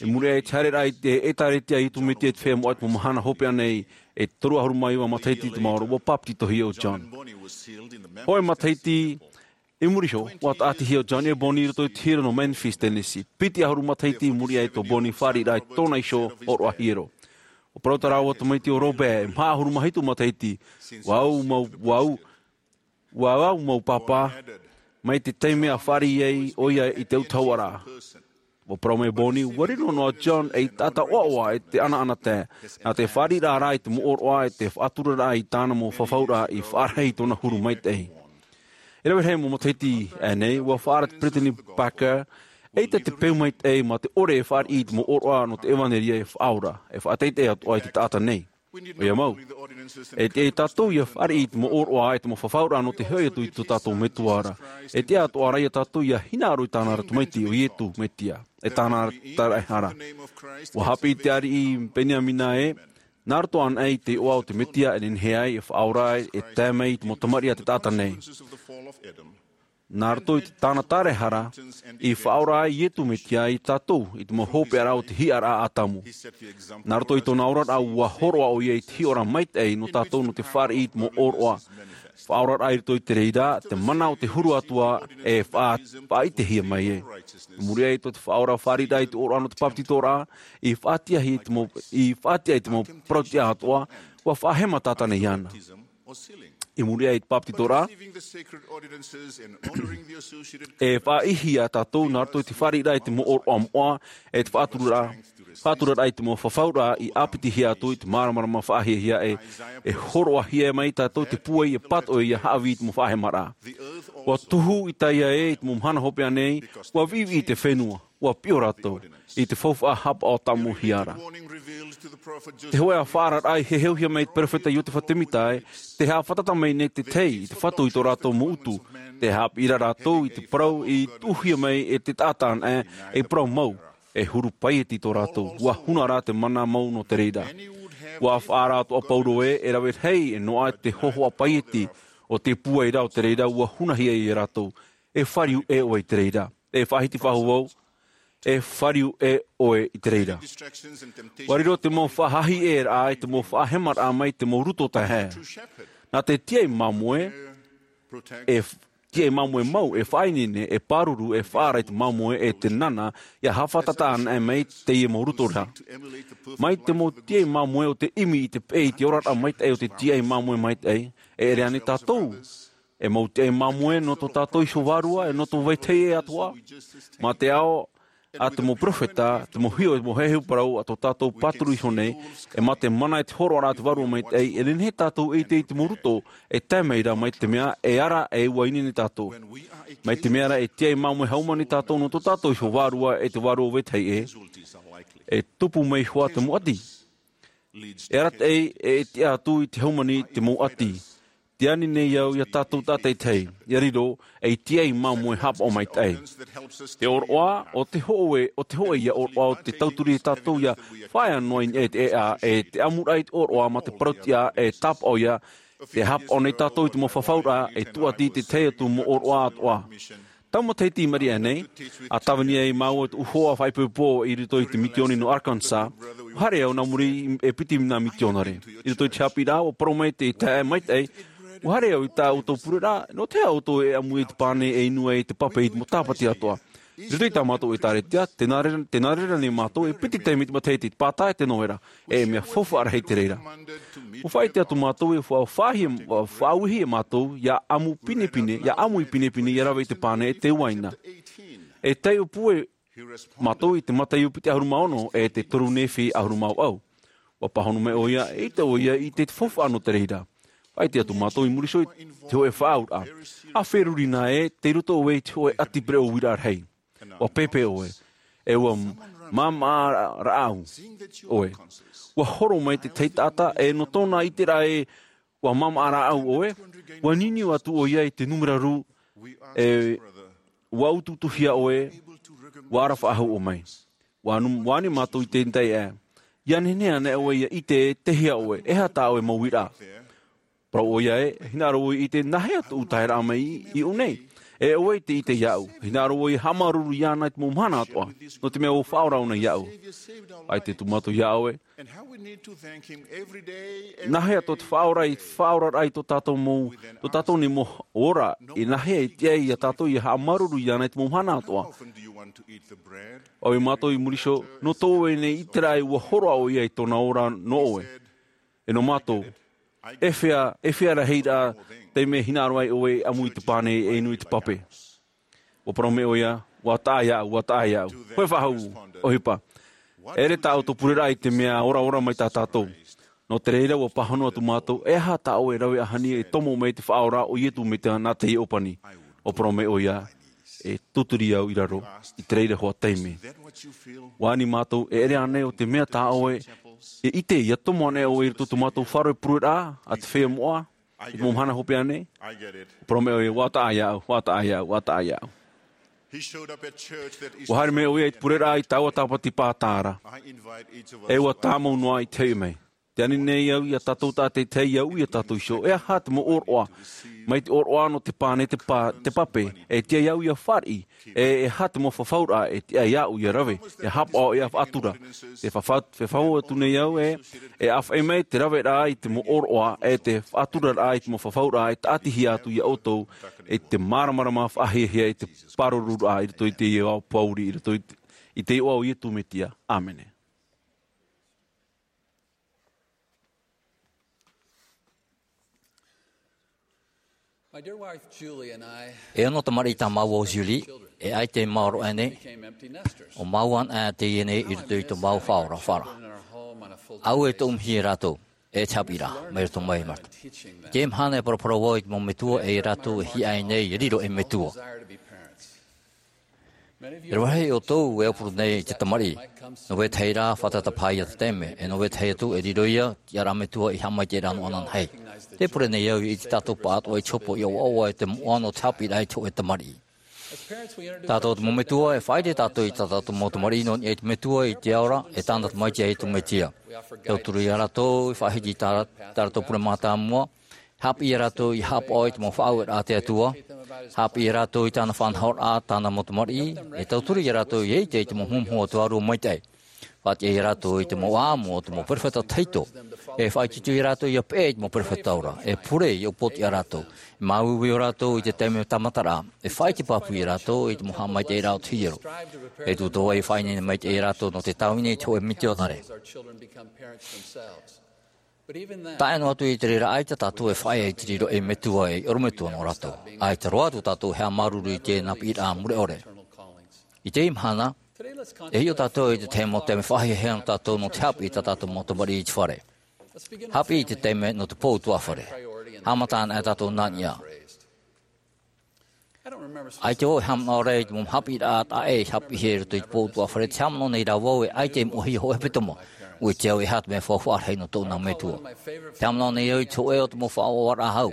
I muri aʻe i te haereraʻa i te ʻĒtārētia a Iesu Mesia i te feiā moʻa i te mau mahana hopeʻa nei, e toru ʻahuru mā iva matahiti i te maoro, ʻua bāpetizohia ʻo John. Hōʻē matahiti i muri iho, ʻua tāʻatihia ʻo John e Bonnie i roto i te hiero nō Memphis, Tennessee. Piti ʻahuru matahiti i muri aʻe tō Bonnie fāriʻiraʻa i tōna iho ʻōroʻa hiero. ʻUa parau tā rāua tamaiti ʻo Robert, e maha ʻahuru mā hitu matahiti, ʻua au mau, ʻua au, ʻua au mau pāpā, mai te taime a fāriʻi ai ʻoia i te autahuʻaraʻa. ʻUa parau mai Bonnie, ʻua riro noa John ei taʻata ʻoaʻoa e te ʻanaʻanatae, nā te fāriʻiraʻa rā i te mau ʻōroʻa e te faʻaturaraʻa i tāna mau fafauraʻa i faʻarahi i tōna huru maitaʻi. E rave rahi mau matahiti aʻe nei, ʻua faʻaara te Peresideni Packer ʻEita te peu maitaʻi mā te ʻore e fāriʻi i te mau ʻōroʻa nō te ʻevanelia e faʻaora, e faʻateitei atoʻa i te taʻata nei. ʻOia mau. E tiʻa ia tātou ia fāriʻi i te mau ʻōroʻa, i te mau fafauraʻa nō te hoʻi atu i tō tātou Metua ra. E tiʻa atoʻa ra ia tātou ia hinaʻaro i tāna ra Tamaiti, ʻo Ietu Metia, e tāna ra taraehara. ʻUa haʻapiʻi te ariʻi Peniamina ē, nā roto anaʻe i te iʻoa o te Metia e nehenehe ai e faʻaora ai, e tae mai i te mau tamariʻi a te taʻata nei. Nā roto i tāna taraehara, i faʻaora ai Ietu Metia ia tātou i te mau hopeʻaraʻa o te hiʻaraʻa a Atamu. Nā roto i tōna oraraʻa, ʻua hōroʻa ʻoia i te hiʻoraʻa maitaʻi nō tātou nō te fāriʻi i te mau ʻōroʻa. Faʻaoraraʻa i roto i te reira, te mana o te huru atoʻa e faʻa-, faʻaʻitehia mai ē. I muri aʻe i tō te faʻaora fāriʻiraʻa i te ʻōroʻa nō te bāpetizoraʻa, i faʻatiʻa i te mau, i faʻatiʻa i te mau parautiʻa atoʻa, ʻua faʻahema tātane iāna. I muri aʻe i te bāpetizoraʻa, e faʻaʻihi ia tātou nā roto i te fāriʻiraʻa i te mau ʻōroʻa moʻa, e te faʻaturaraʻa, faʻaturaraʻa i te mau fafauraʻa i ʻāpitihia atu i te māramarama faʻahiahia ē, e hōroʻahia mai tātou te pūai e pātoʻi ia haʻavī i te mau faʻahemaraʻa. ʻUa tuhu i tae ē i te mau mahana hopeʻa nei, ʻua viʻiviʻi te fenua, ʻua piʻo rātou i te faufaʻa haʻapaʻo tāmau hia ra. Te hōʻē faʻaararaʻa i heheuhia mai e te perofeta Iotefa Temita ē, tē haʻafātata mai nei te tahi i te Fatu i tō rātou mau utu, tē haʻapiʻi ra rātou i te parau i tuʻuhia mai e te taʻata anaʻe, ei parau mau, e huru paieti tō rātou, ʻua huna rā te mana mau nō te reira. ʻUa faʻaara atoʻa Paulo ē, e rave rahi e noaʻa te hōhoʻa paieti o te pūai ra, o te reira ʻua hunahia ia rātou. E fāriu ʻē ʻoe i te reira. E faʻahiti faʻahou vau, e fāriu ʻē ʻoe i te reira. ʻUa riro te mau faʻahiʻoraʻa i te mau faʻahemaraʻa mai te mau ruto taeaʻe. Nā te tiaʻi māmoe, e f-, tiaʻi māmoe mau, e faʻaineine, e pāruru, e faʻaara i te māmoe, e te nana, ia haʻafātata anaʻe mai teie mau ruto ra. Mai te mau tiaʻi māmoe o te ʻimi i te peʻe i te oraraʻa maitaʻi o te tiaʻi māmoe maitaʻi, e ʻere ānei tātou e mau tiaʻi māmoe nō tō tātou iho vārua, e nō tō vetahi ʻē atoʻa. Mā te ao a te mau perofeta, te mau hiʻo, e te mau heheu parau a tō tātou pāturu iho nei, e mā te mana e te hōroʻaraʻa a te Vārua Maitaʻi, e nehenehe tātou e ʻite i te mau ruto e tae mai ra, mai te mea e ara e ʻua ineine tātou. Mai te mea rā e tiaʻi māmoe haumāna tātou nō tō tātou iho vārua, e te vārua o vetahi ʻē, e tupu mai hoʻi te mau ʻati. E arataʻi, e tiʻa atu i te haumāna te mau ʻati. Tē ani nei au ia tātou tātaʻitahi, ia riro ei tiaʻi māmoe haʻapaʻo maitaʻi. Te ʻōroʻa, ʻo te hōʻē, ʻo te hōʻē ia ʻōroʻa o te tauturu ia tātou ia faʻaea noa i niʻa i te ʻēʻa, e te ʻamuraʻa i te ʻōroʻa mā te parautiʻa e tāpaʻo ia, tē haʻapaʻo nei tātou i te mau fafauraʻa, e tūʻati i te tahi atu mau ʻōroʻa atoʻa. Tau matahiti i maʻiri aʻe nei, a tāvini ai māua i tōʻu hoa faʻaipoipo i roto i te mitioni nō Arkansas, ʻua haere au nā muri i, e piti nā mitionare. I roto i te haʻapiʻiraʻa, ʻua parau mai te taeaʻe maitaʻi, ʻua haere au i tā ʻoutou pureraʻa, nō te aha ʻoutou e ʻamu i te pane e inu ai te pape i te mau tāpati atoʻa. I roto i tā mātou ʻētāretia, tē nā reira, tē nā reira nei mātou, e piti taime i te matahiti, te pātae, te novera, e mea faufaʻa rahi te reira. ʻUa faʻaʻite atu mātou e fa-, faʻahi-, faʻauihi e mātou, ia ʻamu pinepine, ia ʻamu i pinepine, ia rave i te pane e te uaina. E taiʻo pū e mātou i te Mataio piti ʻahuru mā ono, e te toru Nephi ʻahuru mā vaʻu. ʻUa pāhono mai ʻoia, e ʻite ʻoia i te faufaʻa nō te reira. Faʻaʻite atu mātou i muri iho i te hōʻē faʻaauraʻa. ʻA feruri nā ē, tei roto ʻoe i te hōʻē ʻati pereʻoʻo uiraʻa rahi. ʻUa pēpē ʻoe. E ʻua māmāʻa rāʻau ʻoe. ʻUa horo mai te tahi taʻata, e nō tōna ʻiteraʻa ē ʻua māmāʻa rāʻau ʻoe, ʻua niuniu atu ʻoia i te nūmera rū, e ʻua utuutuhia ʻoe, ʻua ara faʻahou ʻoe mai. ʻUa anu-, ʻua ani mātou i te taeaʻe. Ia nehenehe anaʻe ʻoe ia ʻite, tei hea ʻoe, e aha tā ʻoe mau uiraʻa. Parau ʻoia ē, hinaʻaro ʻoe i ʻite, nā hea tōʻu taeraʻa mai i, i ʻō nei. E ʻoe tē ʻite iāʻu. Hinaʻaro ʻoe ia haʻamāuruuru iāna i te mau mahana atoʻa. Nō te mea ʻua faʻaora ʻōna iāʻu. ʻAita atu mātou iā ʻoe. Nā hea tō te faʻaora i, faʻaoraraʻa i tō tātou mau, tō tātou nei mau ora, e nā hea e tiʻa ai ia tātou ia haʻamāuruuru iāna i te mau mahana atoʻa. ʻAʻoe mātou i muri iho, nō tō ʻoe nei ʻiteraʻa ē ʻua hōroʻa ʻoia i tōna ora nō ʻoe. E nō mātou, e fea, e fea rahi rā te mea hinaʻaro ai ʻoe e ʻamu i te pane, e inu i te pape. ʻUa parau mai ʻoia, ʻua taʻa iāʻu, ʻua taʻa iāʻu. Hōʻē faʻahou ʻohipa. E ʻere tā ʻoutou pureraʻa i te mea ora, ora mai tā tātou. Nō te reira ʻua pāhono atu mātou, e aha tā ʻoe e rave ʻahani e tomo mai te faʻaora o Ietu Metia nā teie ʻōpani. ʻUa parau mai ʻoia, e tūturi au i raro i te reira hoa taime. ʻUa ani mātou, e ʻere ānei ʻo te mea tā ʻoe e ʻite, ʻia tomo ānei ʻoe i roto i tō mātou faʻaroʻo e pureraʻa a te feiā moʻa, i te mau mahana hopeʻa nei? Parau mai ʻoia, ʻua taʻa iāʻu, ʻua taʻa iāʻu, ʻua taʻa iāʻu. ʻUa haere mai ʻoia i te pureraʻa i taua tāpati pātara. E ʻua tāmau noa i te hoʻi mai. Tē ani nei au ia tātou tātaʻitahi ʻia uʻi ia tātou iho, e aha te mau ʻōroʻa mai te ʻōroʻa nō te pāne, te pā, te pape, e tiʻa iāʻu ʻia fāriʻi, e, e aha te mau fafauraʻa e tiʻa iāʻu ʻia rave, ʻia haʻapaʻo, ʻia faʻatura. Te fafa-, te fafau atu nei au, e, e ʻāfaʻi mai te raveraʻa i te mau ʻōroʻa, e te faʻaturaraʻa i te mau fafauraʻa, e tāʻatihia atu ia ʻoutou, e te māramarama faʻahiahia, e te pāruruaʻa i roto i te ao pāuri, i roto i te, i te iʻoa o Iesu Mesia. ʻĀmene. E ono tamariʻi tā māua ʻo Julie, e ʻaita e maoro aʻe nei, ʻo māua anaʻe teie nei i roto i tō māua faʻaora fara. ʻAuē tōʻu mihi ia rātou, e te haʻapiʻiraʻa, mai roto mai mātou. Teie mahana e paraparau vau i te mau metua e ia rātou e hiaʻai nei, e riro ei metua. E rave rahi ʻoutou e aupuru nei i te tamariʻi. Nō vetahi rā, fātata paha ia te taime, e nō vetahi atu, e riro ia, tiʻaraʻa metua i haʻamaitaʻiraʻa noa anaʻe. Tē pure nei au i te tātou pāʻatoʻa i te hopoiʻa ʻoaʻoa e te moʻa nō te haʻapiʻiraʻa i te hōʻē tamariʻi. Tātou te mau metua, e faʻaʻite tātou i tā tātou mau tamariʻi nō niʻa i te Metua i te ao ra, e tāna Tamaiti ia Iesu Mesia. Tauturu ia rātou, e faʻahiti i tā, tā rātou pure mātāmua, haʻapiʻi ia rātou ʻia haʻapaʻo i te mau faʻaueraʻa a te Atua. Haʻapiʻi ia rātou i tāna faʻanahoraʻa, tāna mau tamariʻi. E tauturu ia rātou ʻia ʻite i te mau muhumuhu o te Vārua Maitaʻi. Faʻatiʻa ia rātou i te mau ʻāʻamu o te mau perofeta tahito. E faʻaitoito ia rātou ʻia peʻe i te mau perofeta ora. E pure ʻia upootiʻa rātou. E māuiui ʻo rātou i te taime tāmataraʻa. E faʻaʻite pāpū ia rātou i te mau haʻamaitaʻiraʻa o te hiero. E tūtau ʻia faʻaineine maitaʻi ia rātou nō te tāvini i te hōʻē mitionare. Taʻa ʻē noa atu i te reira, ʻaita tātou e faʻaea i te riro ei metua, ei ʻorometua nō rātou. ʻAita roa atu tātou e haʻamāuruuru i teie nā piʻiraʻa mure ʻore. I teie mahana, e hiʻo tātou i te tahi mau taime faʻahiahia nō tātou nō te haʻapiʻi i tā tātou mau tamariʻi i te fare. Haʻapiʻi i te taime nō te pō ʻutuāfare. Haʻamata anaʻe tātou nā niʻa. ʻAita vau e haʻamanaʻo ra i te mau haʻapiʻiraʻa taʻa ʻē i haʻapiʻihia i roto i te pō ʻutuāfare, tē haʻamanaʻo nei rā vau e ʻaita e moʻohia hōʻē hepetoma. ʻUa ʻite au e aha te mea faufaʻa rahi nō tōʻu nā metua. Tē haʻamanaʻo nei au i te hōʻē o te mau faʻaʻoʻoraʻa hau.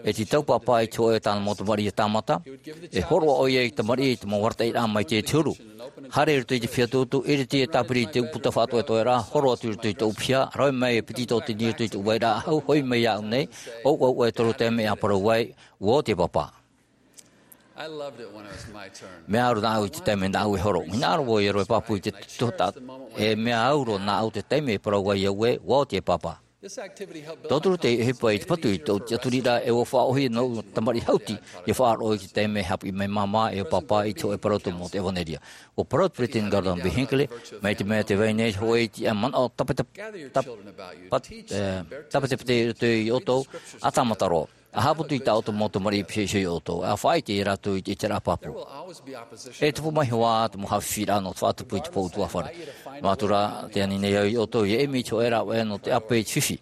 E tītau pāpā i te hōʻē o tāna mau tamariʻi ʻia tāmata. E hōroʻa ʻoia i te tamariʻi i te mau arataʻiraʻa mai te huru. Haere i roto i te feiā tūtū, ʻiriti e tāpiri i te ʻūputa faʻatoʻetoʻeraʻa, horo atu i roto i tōʻu piha, rave mai e piti tōtini i roto i tōʻu vairaʻa hau, hoʻi mai iāʻu nei, ʻo, ʻo, ʻo, e toru taime ʻia parau ai, ʻua oti e pāpā. Mea au roa nāʻu i te taime nāʻu e horo. Hinaʻaro vau ʻia rave pāpū i te tuhaʻa, e mea au roa nāʻu te taime e parau ai au ē, ʻua oti e pāpā. Tauturu teie ʻohipa i te patu i tōʻu tiʻaturiraʻa, e ʻua faʻaʻōhie nōʻu tamariʻi hauti, ʻia faʻaroʻo i te taime e haʻapiʻi mai māmā e pāpā i te hōʻē parau tumu o te ʻevanelia. ʻUa parau te peresideni Gordon B. Hinckley, mai te mea tē vai nei hōʻē iti ʻa manaʻo tape-, tape-, tap-, pat-, e, tapetepete i roto ia ʻoutou, ʻa tāmata roa. ʻA haʻaputu i tā ʻoutou mau tamariʻi i pihaʻi iho ia ʻoutou, ʻa faʻaʻite ia rātou i te ʻiteraʻa pāpū. E tupu mai hoʻi ā te mau haʻafifi nō te faʻatupu i te pō ʻutuāfare. Noa atu rā, tē ani nei au ia ʻoutou ʻia ʻimi i te hōʻē rāveʻa nō te ʻape i te fifi.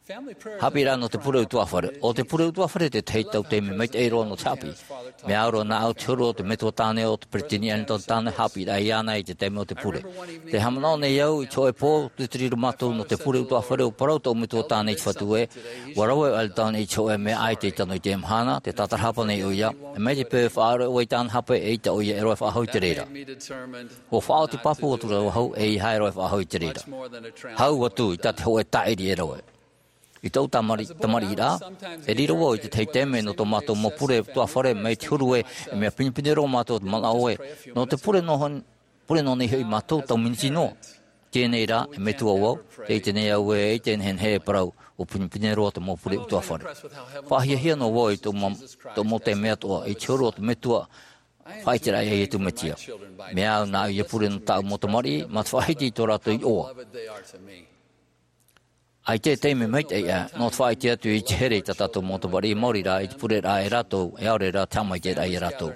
Haʻapiʻiraʻa nō te pure ʻutuāfare. ʻO te pure ʻutuāfare te tahi taime maitaʻi roa nō te haʻapiʻi. Mea au roa nāʻu te huru o te metua tāne o te peresideni Hamilton tāne, haʻapiʻiraʻa iāna i te taime o te pure. Tē haʻamanaʻo nei au i te hōʻē pō, tūturi roa mātou nō te pure ʻutuāfare, ʻua parau tōʻu metua tāne i te Fatu ē, ʻua rave ʻo Hamilton i te hōʻē mea ʻaita i tano i teie mahana, tē tātarahapa nei ʻoia, e mai te peu e faʻaroʻo ʻoe i tāna hape, eʻita ʻoia e rave faʻahou i te reira. ʻUa faʻaoti pāpū atu ra vau, ʻeiaha e rave faʻahou i te reira. Hau atu i tā te hōʻē tāʻiri e rave. I tōʻu tamari-, tamariʻiraʻa, e riro vau i te tahi taime nō tō mātou mau pure ʻutuāfare mai te huru ē, e mea pinepine roa mātou te manaʻo ē, nō te pure nō hon-, pure nō nei hoʻi mātou tau miniti noa. Teie nei rā, e metua vau, tē ʻite nei au ē, ʻeʻita e nehenehe e parau, ʻua pinepine roa te mau pure ʻutuāfare. Faʻahiahia noa vau i tōʻu ma-, tōʻu mau taime atoʻa, i te huru o te metua, faʻaʻiteraʻa ia Iesu Mesia. Mea au nāʻu ʻia pure nō tāʻu mau tamariʻi, mā te faʻahiti i tō rātou iʻoa. ʻAita e taime maitaʻi aʻe, nō te faʻaʻite atu i te here i tā tātou mau tamariʻi, maori rā, i te pureraʻa ia rātou, e ʻaore rā te haʻamaitaʻiraʻa ia rātou.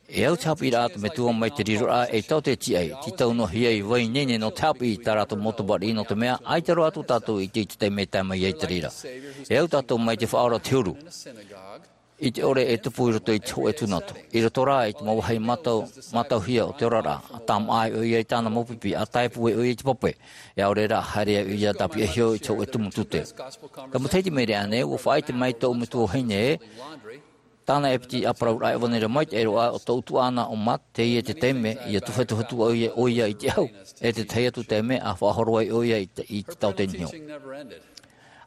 E au te haʻapiʻiraʻa a te Metua mai te riroraʻa ei tau te tiʻai, tītau noa hia i vai ineine nō te haʻapiʻi i tā rātou mau tamariʻi, nō te mea, ʻaita roa atu tātou i te, i te taime e tae mai ai te reira. E au tātou mai te faʻaora o te huru. I te ʻore e tupu i roto i te hōʻē tūnatu. I roto rā i te mau vāhi mātau, mātauhia o te oraraʻa, ʻa tāmāʻa ai ʻoia i tāna mau pipi, ʻa tae pū ai ʻoia i te pape. E ʻaore rā, haere ai ʻoia tāpiʻahia i te hōʻē tumu tute. Ka matahiti mai ra ānei, ʻua faʻaʻite mai tōʻu metua vahine ē, tāna e piti ʻāparauraʻa ʻevanelia maitaʻi roa o tōʻu tuaʻana ʻo Matt, teie te taime, ʻia tuhetuhetu ʻoia, ʻoia i te ʻahu, e te tahi atu taime, ʻa faʻahoro ai ʻoia i te, i te taote niho.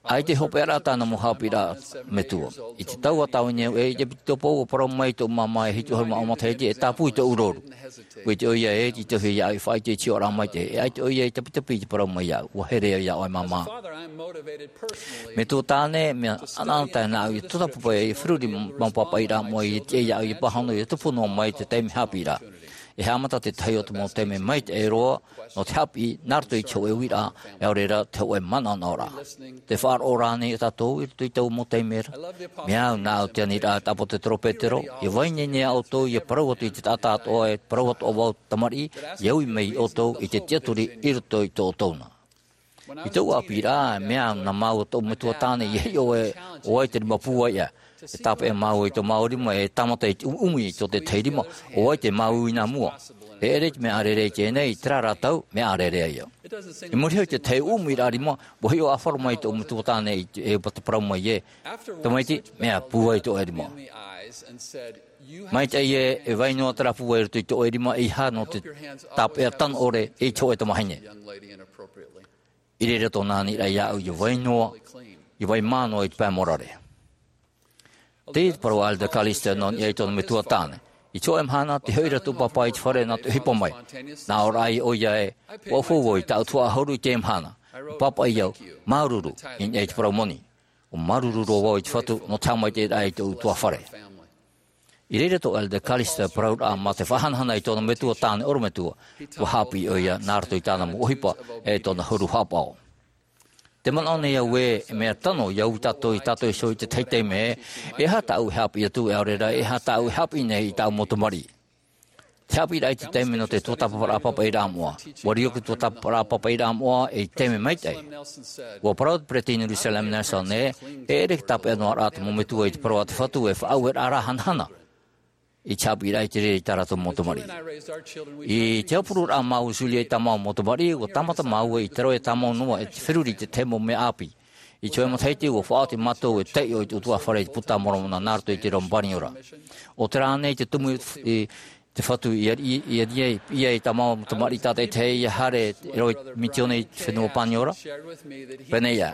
ʻAita e hopeʻaraʻa tāna mau haʻapiʻiraʻa a te Metua. I te tau a tāvini au ē, i te piti tōpou ʻua parau mai tōʻu māmā e hitu ʻahuru mā ʻō matahiti e tāpū i tōʻu rouru. ʻUa ʻite ʻoia ē, tītauhia iāʻu i faʻaʻite i te tiʻaraʻa maitaʻi, e ʻaita ʻoia i tapitapi i te parau mai iāʻu, ʻua here au iā ʻoe māmā. Metua tāne, mea ʻanaʻanatae nāʻu ʻia tuatāpapa ʻia feruri mau pāpaʻiraʻa moʻa ʻia tiʻa iāʻu ʻia pāhono ʻia tupu noa mai te taime haʻapiʻiraʻa. E haʻamata te tahi o te mau taime maitaʻi roa, nō te haʻapiʻi, nā roto i te hōʻē uiraʻa, e ʻaore rā te hōʻē manaʻonaʻoraʻa. Tē faʻaroʻo ra ānei tātou i roto i taua mau taime ra? Mea au nāʻu te aniraʻa a te ʻāpōsetolo Petero, ʻia vai ineine ā ʻoutou ʻia parau atu i te taʻata atoʻa, e parau atoʻa vau tamariʻi, ʻia ui mai ʻoutou i te tiʻaturi i roto i tō ʻoutou na. I tōʻu ʻāpīraʻa, mea au nā māua tōʻu metua tāne ʻia hiʻo ē, ʻo vai te rima pūai ʻā. E tāpeʻa māua i tō māua rima, e tāmata i te ʻumiʻumi i tō tētahi rima, ʻo vai te māuiui nā mua. E ʻere i te mea ʻārearea i teie nei, i terā ra tau, mea ʻārearea ïa. I muri iho i te tahi ʻumiʻumiraʻa rima, ʻua hiʻo ʻāfaro mai tōʻu metua tāne i te, e ʻua parau mai ē, tamaiti, mea pūai tō ʻoe rima. Maitaʻi ē, e vai noa terā pūai i roto i tō ʻoe rima, ʻeiaha nō te tāpeʻa tano ʻore i te hōʻē tamahine. I reira tōna aniraʻa iāʻu ʻia vai noa, ʻia vai mā noa i te pae morare. Teie te parau a Elder Callister nō niʻa i tōna metua tāne. I te hōʻē mahana, tē hoʻi ra tōʻu pāpā i te fare nā te ʻohipa mai. Nā ʻō ra ʻoia ē, ʻua ʻaufau vau i tāʻu tuhaʻa ʻahuru i teie mahana. ʻUa pāpaʻi au, māuruuru, i niʻa i te parau moni. ʻUa māuruuru roa vau i te Fatu nō te haʻamaitaʻiraʻa i tōʻu tuafare. I reira tō Elder Callister parauraʻa mā te faʻahanahana i tōna metua tāne ʻorometua, ʻua haʻapiʻi ʻoia nā roto i tāna mau ʻohipa, e tōna huru haʻapaʻo. Tē manaʻo nei au ē, e mea tano ʻia ui tātou ia tātou iho i te tahi taime ē, e aha tāʻu e haʻapiʻi atu, e ʻaore rā, e aha tāʻu e haʻapiʻi nei i tāʻu mau tamariʻi. Te haʻapiʻiraʻa i te taime nō te tuatāpaparaʻa pāpaʻiraʻa moʻa. ʻUa riro te tuatāpaparaʻa pāpaʻiraʻa moʻa ei taime maitaʻi. ʻUa parau te peresideni Russell M. Nelson ē, e ʻere tāpeʻa noa ra te mau metua i te parau a te Fatu e faʻaueraʻa ra hanahana i te haʻapiʻiraʻa i te reira i tā rātou mau tamariʻi. I te aupururaʻa māua Julie i tā māua mau tamariʻi, ʻua tāmata māua i te rave tāmau noa e te feruri i te tahi mau mea ʻāpī. I te hōʻē matahiti, ʻua faʻaoti mātou e taiʻo i te ʻutuāfare i te Buka a Moromona nā roto i te reo Paniora. ʻO terā ānei te tumu i te Fatu i ariʻi, i ariʻi, i piʻi i tā māua mau tamariʻi tātaʻitahi ʻia haere e rave misiōni i te fenua Paniora. Pēnei ā.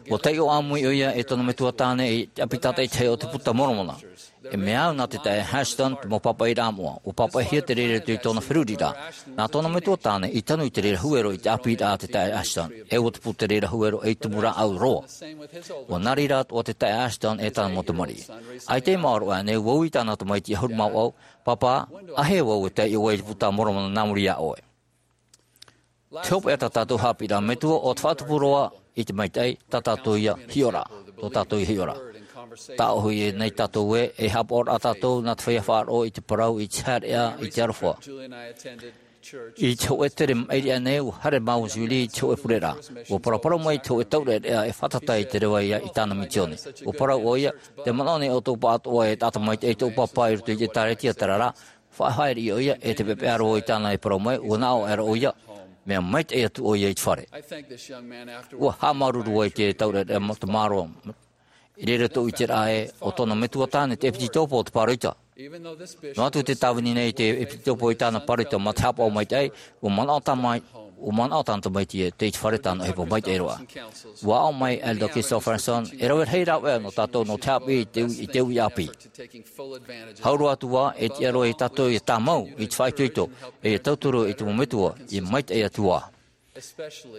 ʻUa taiʻo ʻāmui ʻoia e tōna metua tāne i te ʻapi tātaʻitahi o te Buka a Moromona. E mea au nā te taeaʻe Ashton te mau pāpaʻiraʻa moʻa, ʻua pāpaʻihia te reira i tōna feruriraʻa. Nā tōna metua tāne i tanu i te reira huero i te ʻāpīraʻa a te taeaʻe Ashton, e ʻua tupu te reira huero ei tumu rāʻau roa. ʻUa nā reira atoʻa te taeaʻe Ashton e tāna mau tamariʻi. ʻAita i maoro aʻe nei, ʻua ui tāna tamaiti ʻahuru mā vaʻu, Pāpā, āhea vau e taiʻo ai i te Buka a Moromona nā muri iā ʻoe? Te hopeʻa tā tātou haʻapiʻiraʻa metua, ʻo te faʻatupu roa i te maitaʻi, tā tātou ia hiʻo ra, tō tātou ia hiʻo ra. Tāʻohi nei tātou ē, e haʻapaʻo ra tātou nā te feiā faʻaroʻo i te parau, i te haereʻa, i te aroha. I te hōʻē tere maʻiri aʻe nei, ʻua haere māua Julie i te hōʻē pureraʻa. ʻUa paraparau mai te hōʻē taureʻareʻa e fātata i te reva i tāna misiōni. ʻUa parau ʻoia, tē manaʻo nei ʻoutou pāʻatoʻa e taʻata maitaʻi tōʻu pāpā i roto i te ʻĒkālesia, terā rā, faʻahaere ʻoia, e te pepeʻa roa i tāna e parau mai, ʻua naʻo aʻera ʻoia, mea maitaʻi atu ʻoia i te fare. ʻUa haʻamāuruuru ai te taureʻareʻa mā-, te māroa. I reira tōʻu ʻiteraʻa ē, ʻo tōna metua tāne te ʻepikōpō o te pāroita. Noa atu te tāvini nei te ʻepikōpō i tāna pāroita mā te haʻapaʻo maitaʻi, ʻua manaʻo tā mai, ʻua manaʻo tāna tamaiti ē, tei te fare tāna ʻohipa maitaʻi roa. ʻUa aʻo mai Elder Christofferson, e rave rahi rāveʻa nō tātou nō te haʻapiʻi i te ui, i te ui ʻāpī. Hau roa atu ā, e tiʻa roa ia tātou ʻia tāmau i te faʻaitoito, e ʻia tauturu i te mau metua, ʻia maitaʻi atu ā.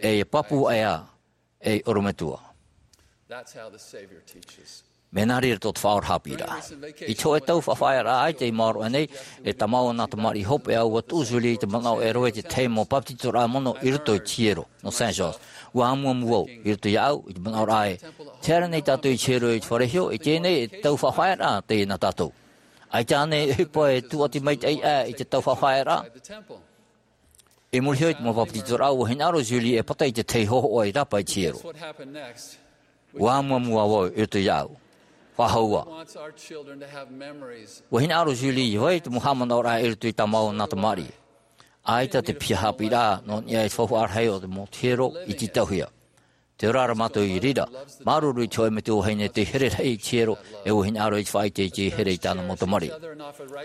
E ʻia pāpū aʻe ā, ei ʻorometua. Mea nā reira tō te Faʻaora haʻapiʻiraʻa. I te hōʻē tau faʻafaʻaearaʻa ʻaita i maoro aʻe nei, e tāmau ʻo nā tamariʻi hopeʻa, ʻua tuʻu Julie i te manaʻo e rave i te tahi mau papetitoraʻa mono i roto i te hiero, nō Saint George. ʻUa amuamu vau, i roto iāʻu, i te manaʻoraʻa ē, tē haere nei tātou i te hiero i te fare iho, i teie nei e tau faʻafaʻaearaʻa teie nā tātou. ʻAita ānei e ʻohipa e tūʻati maitaʻi aʻe i te tau faʻafaʻaearaʻa? I muri iho i te mau papetitoraʻa, ʻua hinaʻaro Julie e pata i te tahi hōhoʻa i rāpae i te hiero. ʻUa amuamu ā vau i roto iāʻu. Faʻahou ā. ʻUa hinaʻaro Julie ʻia vai te mau haʻamanaʻoraʻa i roto i tā māua nā tamariʻi. ʻAita te piha haʻapiʻiraʻa nō niʻa i te faufaʻa rahi o te mau hiero i tītauhia. Tē ora ra mātou i reira, māuruuru i te hōʻē metua vahine tei here rahi i te hiero, e ʻua hinaʻaro i te faʻaʻite i te here i tāna mau tamariʻi.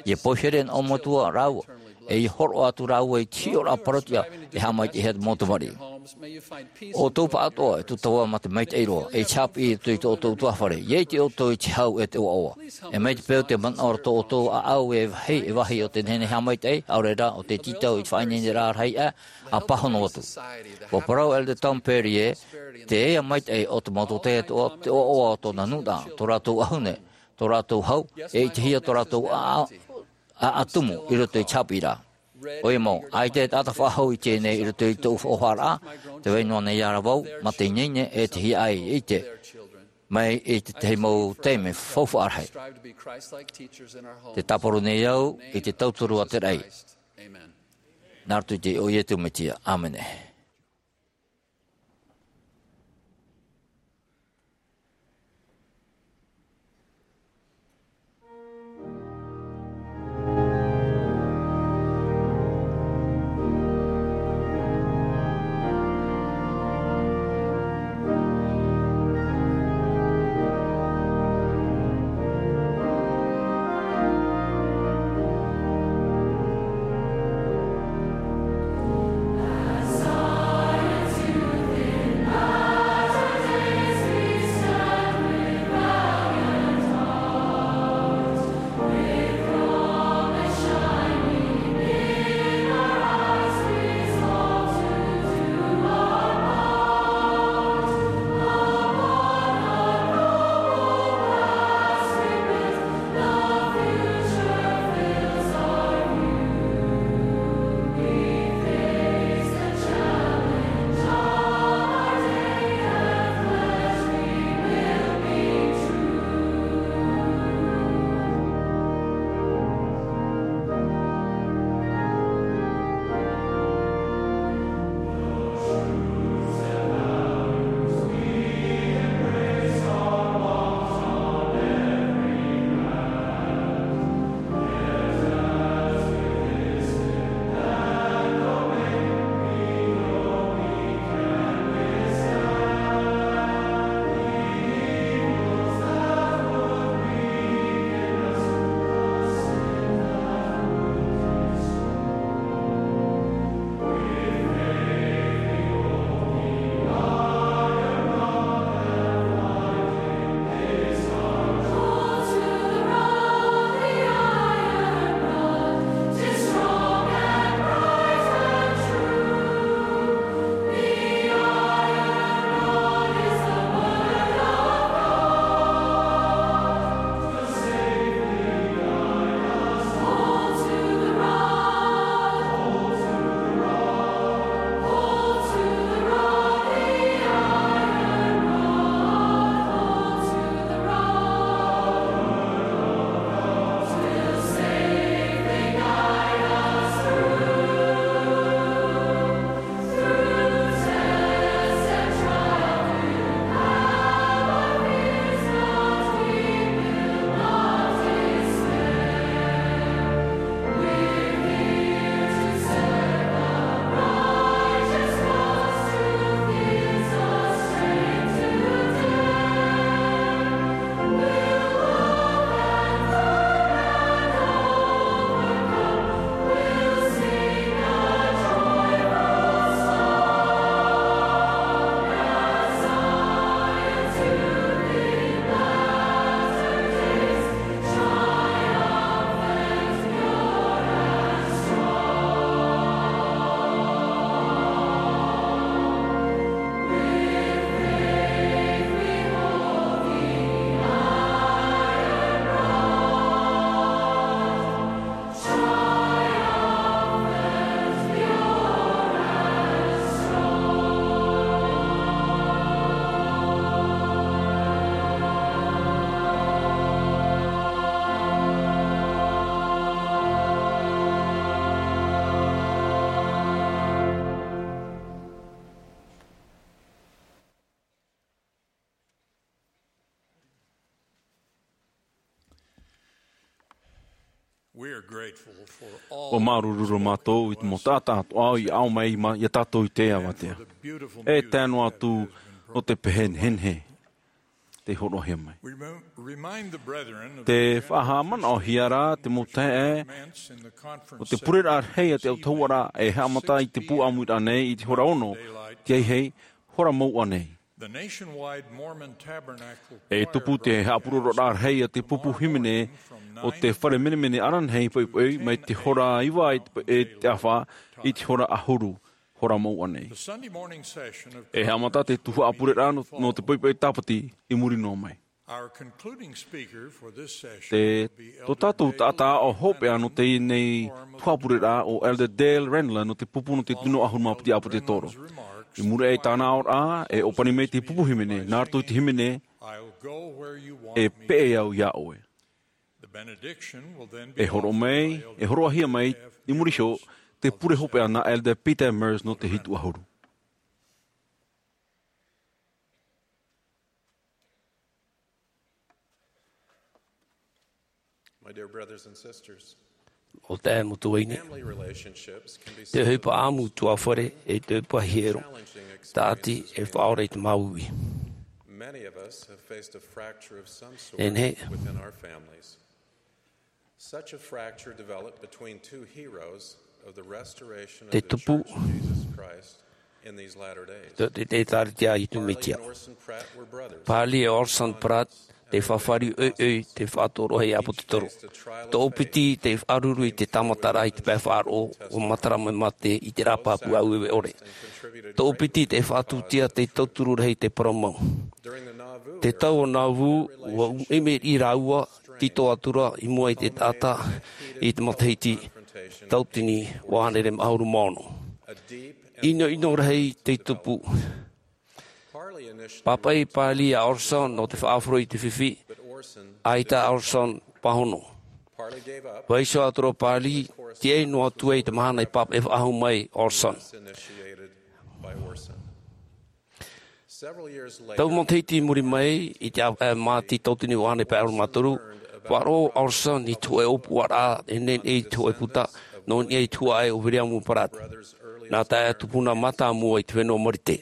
ʻIa poihere nā ʻō metua rāua, e ʻia hōroʻa atu rāua i te hiʻoraʻa parauʻtiʻa e haʻamaitaʻihia te mau tamariʻi. ʻO ʻoutou pāʻatoʻa e tūtava mā te maitaʻi roa, e te haʻapiʻi i roto i tō ʻoutou ʻutuāfare, ʻia ʻite ʻoutou i te hau e te ʻoaʻoa. E mai te peu te manaʻo ra tō ʻoutou ʻāʻau e vāhi, e vāhi o te nehenehe haʻamaitaʻi, ʻaore rā, ʻo te tītau i te faʻaineineraʻa rahi aʻe, ʻa pāhono atu. ʻUa parau Elder Tom Perry ē, te ea maitaʻi o te mau tōtaiete atoʻa, te ʻoaʻoa o tōna nūnaʻa, tō rātou ʻahune, tō rātou hau, e ʻitehia tō rātou ʻā, ʻā, ʻā tumu i roto i te haʻapiʻiraʻa. ʻOia mau, ʻaita e taʻata faʻahou i teie nei i roto i tōʻu faufaʻaraʻa, tē vai noa nei ā vau, mā te ineine e te hiaʻai i ʻite. Mai i te tahi mau taime faufaʻa rahi. Tē tāparu nei au i te tauturu a te raʻi. Nā roto i te iʻoa o Iesu Mesia. ʻĀmene. Ua māuruuru mātou i te mau taʻata atoʻa i ʻaʻau mai i a tātou i teie avatea. E tae noa atu nō te pehe nehenehe tei hōroʻahia mai. Te faʻahaʻamanaʻohia rā te mau taeaʻe o te pureraʻa rahi a te autahuʻaraʻa e haʻamata i te pūʻāmuiraʻa nei i te hora ono, tiahi hei hora mouʻa nei. E tupu te haʻapuroroʻaraʻa rahi a te pupu hīmene o te fare menemene ananahi poʻipoʻi mai te hora iva e te ʻafa i te hora ʻahuru, hora mouʻa nei. E haʻamata te tuhaʻa pureraʻa nō te poʻipoʻi tāpati i muri noa mai. Te tō tātou taʻata aʻo hopeʻa nō teie nei tuhaʻa pureraʻa o Elder Dale Renlund nō te pupu nō te tunoa ʻahuru mā piti ʻāpōtetoro. I muri aʻe i tāna aʻoraʻa e ʻōpani mai te pupu hīmene nā roto i te hīmene, e peʻe au iā ʻoe. E hōroʻa mai e hōroʻahia mai i muri iho te pure hopeʻa nā Elder Peter Meurs nō te hitu ʻahuru. O te ʻae mo tuaine, te ʻohipa ʻāmutuafare e te ʻohipa hiero, tāʻati e faʻaora i te māuiui. Nehenehe te tupu te ʻēkālesia a iesu mesia. Parley e orson pratt te fāriʻi ʻoiʻoi te faʻatoroʻa i ʻāpōtetoro. Toʻopiti te faʻaruru i te tāmataraʻa i te pae faʻaroʻo ua matara mai mā te ʻite rā pāpū ʻāueue ʻore. Toʻopiti te faʻatūtia te tauturu rahi i te parau mau. Te tau o nauvoo ua ʻumeʻume rāua tito atura i mua i te taʻata i te matahiti tautini ua hānere mā ʻahuru mā ono. Inoino rahi te tupu. Pāpaʻi parley a orson nō te faʻahoro i te fifi. ʻAita a orson pāhono. Vaiiho atura parley, tiaʻi noa atu ai te mahana i pāpaʻi faʻahou mai orson. Tau matahiti i muri mai i te ʻāvaʻe māti tautini ua hānere pae ʻahuru mā toru, faʻaroʻo orson i te hōʻē ʻōpuaraʻa e nehenehe i te hōʻē puta nō niʻa i te huaʻai o william pratt, nā taeaʻe tupuna mātāmua i te fenua marite.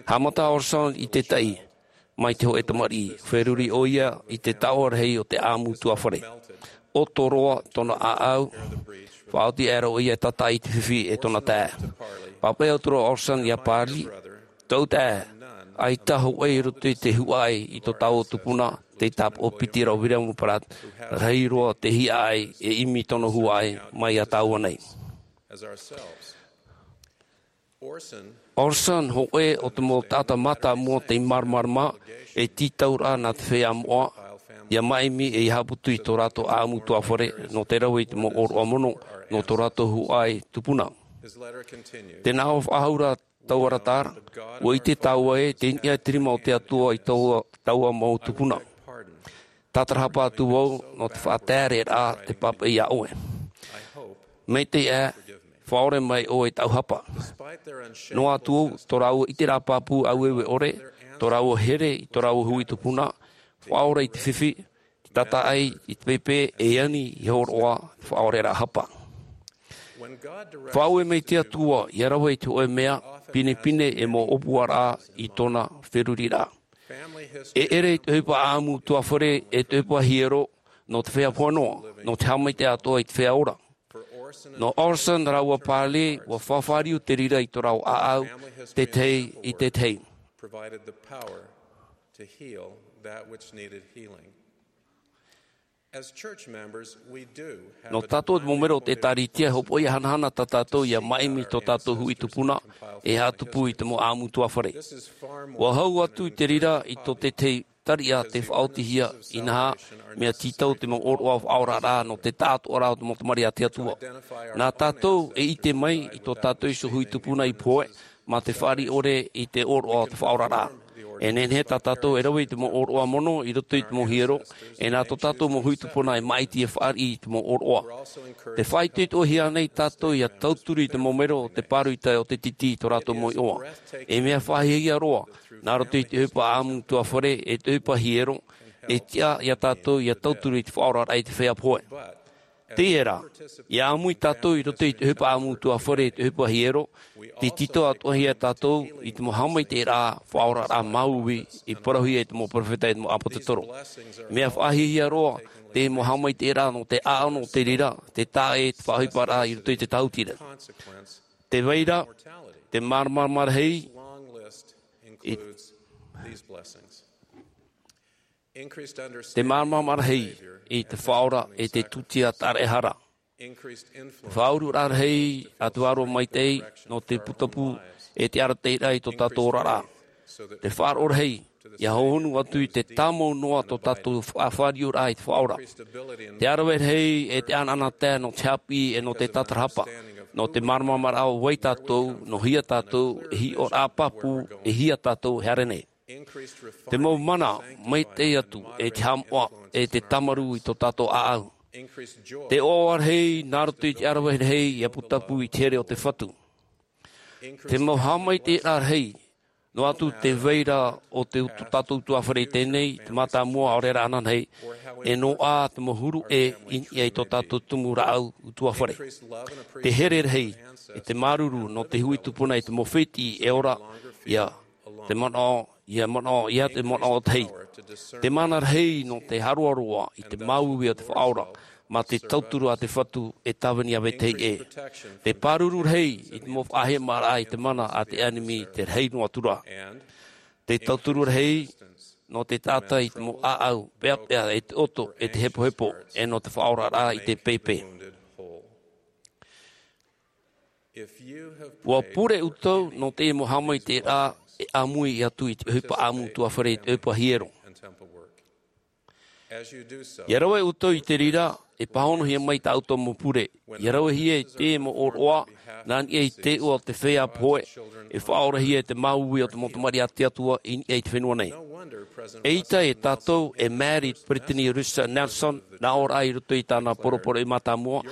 Haʻamata orson i te taʻi mai te hōʻē tamariʻi, feruri ʻoia i te taoʻa rahi o te ʻāmutuafare. ʻOto roa tōna ʻāʻau. Faʻaoti aʻera ʻoia e tātaʻi i te fifi e tōna taeaʻe. Pāpaʻi atura orson iā parley, tōʻu taeaʻe, ʻaita hōʻē i roto i te huaʻai i tō tāua tupuna tei tāpaʻo piti ra o william pratt, rahi roa te hiaʻai e ʻimi tōna huaʻai mai iā tāua nei. Orson hōʻē o te mau taʻata mātāmua tei māramarama e tītau ra nā te feiā moʻa ia māʻimi e ia haʻaputu i tō rātou ʻāmutuafare nō te rave i te mau ʻōroʻa mono nō tō rātou huaʻai tupuna. Tē nā ʻō faʻahou ra taua arataʻi, ua ʻite tāua ē tei niʻa te rima o te atua i taua mau tupuna. Tātarahapa atu vau nō te faʻatereraʻa te pāpaʻi iā ʻoe. Maitaʻi ā, faʻaora mai ʻoe i tāʻu hapa. Noa atu tō rāua ʻiteraʻa pāpū ʻāueue ʻore, tō rāua here i tō rāua hui tupuna, faʻaora i te fifi, te tātaʻi i te pēpē e ani i hōroʻa te faʻaoraraʻa hapa. Faʻaue mai te atua ia rave i te hōʻē mea pinepine e mau ʻōpuaraʻa i tōna feruriraʻa. E ʻere i te ʻohipa ʻāmutuafare e te ʻohipa hiero nō te feiā pohe noa, nō te haʻamaitaʻi atoʻa i te feiā ora. Nō orson rāua parley ua fāriu te reira i tō rāua ʻāʻau tētahi i tētahi. Nō tātou te mau mero o te ʻēkālesia e hopoʻi hanahana tā tātou ia māʻimi tō tātou hui tupuna e haʻatupu i te mau ʻāmutuafare. Ua hau atu i te reira i tō tētahi tariʻa te faʻaotihia inaha mea tītau te mau ʻōroʻa faʻaoraraʻa nō te taʻatoʻaraʻa o te mau tamariʻi a te atua. Nā tātou e ʻite mai i tō tātou iho hui tupuna i pohe mā te fāriʻi ʻore i te ʻōroʻa o te faʻaoraraʻa. E nehenehe tā tātou e rave i te mau ʻōroʻa mono i roto i te mau hiero, e nā tō tātou mau hui tupuna e māʻiti e fāriʻi i te mau ʻōroʻa. Te faʻaitoitohia nei tātou ia tauturu i te mau mero o te pāroita o te titi i tō rātou mau iʻoa. E mea faʻahiahia roa nā roto i te ʻohipa ʻāmutuafare e te ʻohipa hiero, e tiʻa ia tātou ia tauturu i te faʻaoraraʻa i te feiā pohe. Teie rā, ia ʻāmui tātou i roto i te ʻohipa ʻāmui utuāfare, i te ʻohipa hiero, tē tītau atoʻa hia tātou i te mau haʻamaitaʻiraʻa faʻaoraraʻa māuiui i parauhia e te mau peropheta, e te mau ʻāpōsetolo. Mea faʻahiahia roa te mau haʻamaitaʻiraʻa nō te ʻāʻau, nō te reira, te taʻa e te faʻaʻohiparaʻa i roto i te tautira. Te vai ra, te māramarama rahi, i te māramarama rahi i te Faʻaora e te tūtia tāraʻehara. Te faʻaururaʻa rahi a te Vārua Maitaʻi nō te putapū e te arataʻiraʻa i tō tātou oraraʻa. Te faʻaroʻo rahi ia hohonu atu i te tāmau noa tō tātou faʻafāriuraʻa i te Faʻaora. Te ʻāraveʻa rahi e te ʻanaʻanatae nō te haʻapiʻi e nō te tātarahapa, nō te māramarama o vai tātou, nō hea tātou, e hiʻoraʻa pāpū, e hea tātou e haere nei. Te mau mana maitaʻi atu, e te haʻamoʻa, e te tāmarū i tō tātou ʻāʻau. Te ʻoaʻoa rahi nā roto i te ʻāraveʻa rahi ia putapū i te here o te Fatu. Te mau haʻamaitaʻiraʻa rahi, noa atu te vai ra o te utu, tātou utuāfare i teie nei, te mātāmua ʻaore rā ananahi, e noaʻa te mau huru ʻē i niʻa i tō tātou tumu rāʻau utuāfare. Te here rahi, e te māuruuru nō te hui tupuna i te mau fētiʻi e ora, ia te manaʻo, ia manaʻo, ia te manaʻo tahi. Te mana rahi nō te haroaroa i te māuiui o te Faʻaora, mā te tauturu a te Fatu e tāvini ʻāvae tahi ʻē. Te pāruru rahi i te mau faʻahemaraʻa i te mana a te ʻenemi te rahi noa atu ra. Te tauturu rahi nō te taʻata i te mau ʻāʻau, peʻapeʻa e te ʻoto, e te hepohepo, e nō te faʻaoraraʻa i te pēpē. ʻUa pure ʻoutou nō te mau haʻamaitaʻiraʻa e ʻāmui atu i te ʻohipa ʻāmui utuāfare, i te ʻohipa hiero. Ia rave ʻoutou i te reira, e pāhonohia mai tā ʻoutou mau pure. Ia ravehia i te mau ʻōroʻa, nā niʻa i te iʻoa o te feiā pohe, e faʻaorahia e te māuiui o te mau tamariʻi a te Atua i niʻa i te fenua nei. ʻEita e tātou e Mary Brittany Russell Nelson, nā ʻō ra i roto i tāna poroporoʻi mātāmua.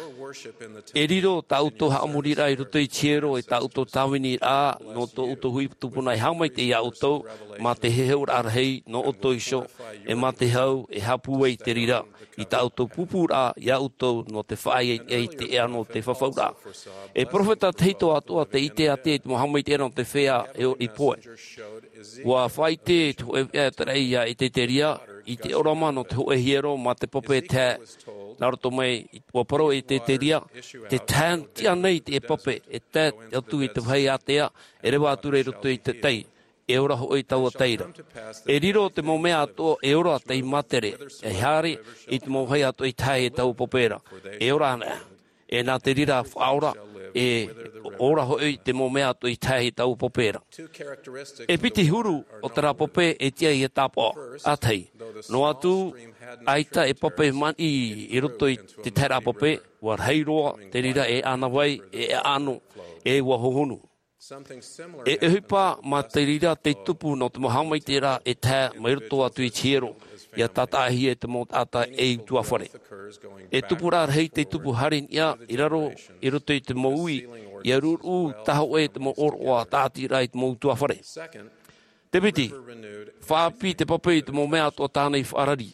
E riro tā ʻoutou haʻamoriraʻa i roto i te hiero, e tā ʻoutou tāviniraʻa, nō tō ʻoutou hui tupuna e haʻamaitaʻi ia ʻoutou, mā te heheuraʻa rahi nō ʻoutou iho, e mā te hau e haʻapūai i te reira, i tā ʻoutou pūpūraʻa ia ʻoutou nō te faʻaea i te ʻēʻa nō te fafauraʻa. E peropheta tahito atoʻa tei ʻite atu i te mau haʻamaitaʻiraʻa nō te feiā e ʻori pohe. ʻUa faʻaʻite te hōʻē veʻa e tarai ia Eteteria, i te ʻōrama nō te hōʻē hiero mā te pape e tae. Nā roto mai, ʻua parau e Eteteria, te tae tiʻa nei te pape e tae atu i te vāhi ātea, e reva atu ra i roto i te tai. E ora hoʻi taua tai ra. E riro te mau mea atoʻa e ora tei mātere, e haere i te mau vāhi atoʻa i tae e taua pape ra. E ora ana. E nā te reira faʻaora, e ora hoʻi te mau mea atoʻa i tae e taua pape ra. E piti huru o terā pape e tiʻa ia tāpaʻo. ʻA tahi, noa atu, ʻaita e pape maniʻi i roto i te taeraʻa pape, ʻua rahi roa te reira e ʻānāvai, e ʻaʻano, e ʻua hohonu. E ʻohipa mā te reira tei tupu nō te mau haʻamaitaʻiraʻa e tae mai roto atu i te hiero, ia tātaʻahia e te mau taʻata e utuāfare. E tupuraʻa rahi tei tupu haere i niʻa, i raro, i roto i te mau ui, ia ruʻuruʻu tahoʻē te mau ʻōroʻa tāʻatiraʻa i te mau utuāfare. Te piti, faʻaʻāpī te pape i te mau mea atoʻa tāna i faʻarari.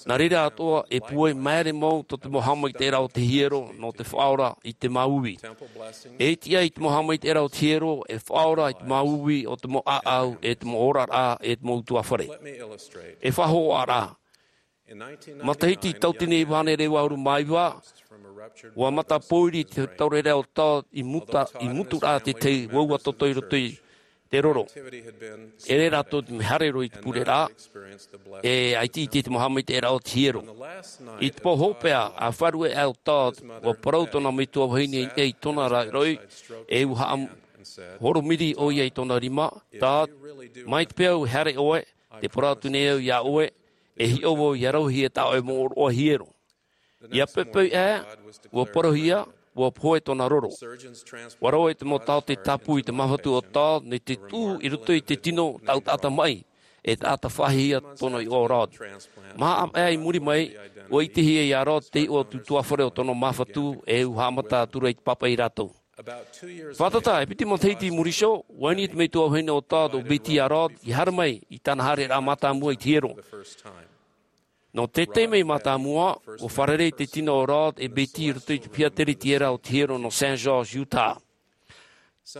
Nā reira atoʻa e pūai māere mau tō te mau haʻamaitaʻiraʻa o te hiero nō te faʻaora i te māuiui. E tiʻa i te mau haʻamaitaʻiraʻa o te hiero e faʻaora i te māuiui o te mau ʻāʻau, e te mau oraraʻa, e te mau utuāfare. E faʻahōhoʻaraʻa. Matahiti tauatini e iva hānere e vaʻu ʻahuru mā iva, ʻua mata pōiri te tauraʻa o Todd i muta, i muturaʻa te tahi uaua toto i roto i te roro. E ʻere rātou te mea haere roa i te pureraʻa, e ʻaita i te mau haʻamaitaʻiraʻa o te hiero. I te pō hopeʻa, ʻa faʻaruʻe aʻe o Todd, ʻua parau tōna metua vahine i tōna raʻiroʻi, e ʻua haʻahoromiri ʻoia i tōna rima, Todd, mai te peu e haere ʻoe, tē parau atu nei au ia ʻoe, e hiʻo vau ia rauhia tā ʻoe mau ʻōroʻa hiero. ʻIa poʻipoʻi aʻe, ʻua parauhia, ʻua pohe tōna roro. ʻUa rave te mau taote tāpū i te māfatu o Todd, nō te tuʻu i roto i te tino taʻata maʻi, e taʻata faʻahiahia tōna iʻoa o Rod. Maha ʻāvaʻe i muri mai, ʻua ʻitehia ia Rod te iʻoa o te utuāfare o tōna māfatu, e ʻua haʻamata atu ra i te pāpaʻi rātou. Fātata, e piti matahiti i muri iho, ʻua ani te metua vahine o Todd, ʻo Betty ia Rod, ia haere mai i tāna haereraʻa mātāmua i te hiero. Nō te taime mātāmua, ʻua fārerei te tino o Rod e Betty i roto i te piha teretiera o te hiero nō Saint George, Utah.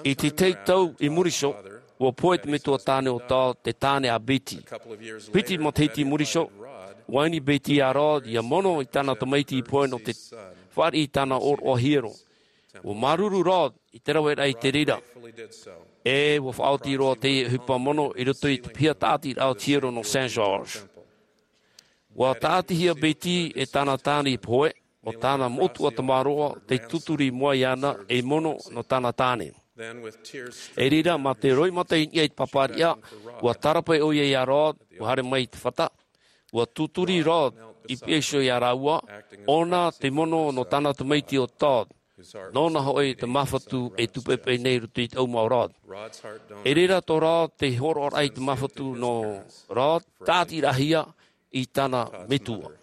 I te tahi tau i muri iho, ʻua pohe te metua tāne o Todd, te tāne a Betty. Piti matahiti i muri iho, ʻua ani Betty iā Rod ʻia mono i tāna tamaiti pohe nō te fāriʻi i tāna ʻōroʻa hiero. ʻUa māuruuru Rod i te raveraʻa i te reira, ʻe ʻua faʻaoti roa teie ʻohipa mono i roto i te piha tāʻatiraʻa o te hiero nō Saint George. ʻUa tāʻatihia Betty e tāna tāne pohe, ʻo tāna moʻotua tamaroa tei tuturi i mua iāna ei mono nō tāna tāne. I reira, mā te roimata i niʻa i te pāpāriʻa, ʻua tārapae ʻoia iā Rod ʻua haere mai i te fata. ʻUa tuturi Rod i piha iho iā rāua, ʻōna te mono nō tāna tamaiti o Todd. Nōna hoʻi te māfatu e tūpeʻepeʻe nei i roto i te ʻauma o Rod. I reira tō Rod te hōroʻaraʻa i te māfatu nō Rod, tāʻatiraʻahia i tāna metua.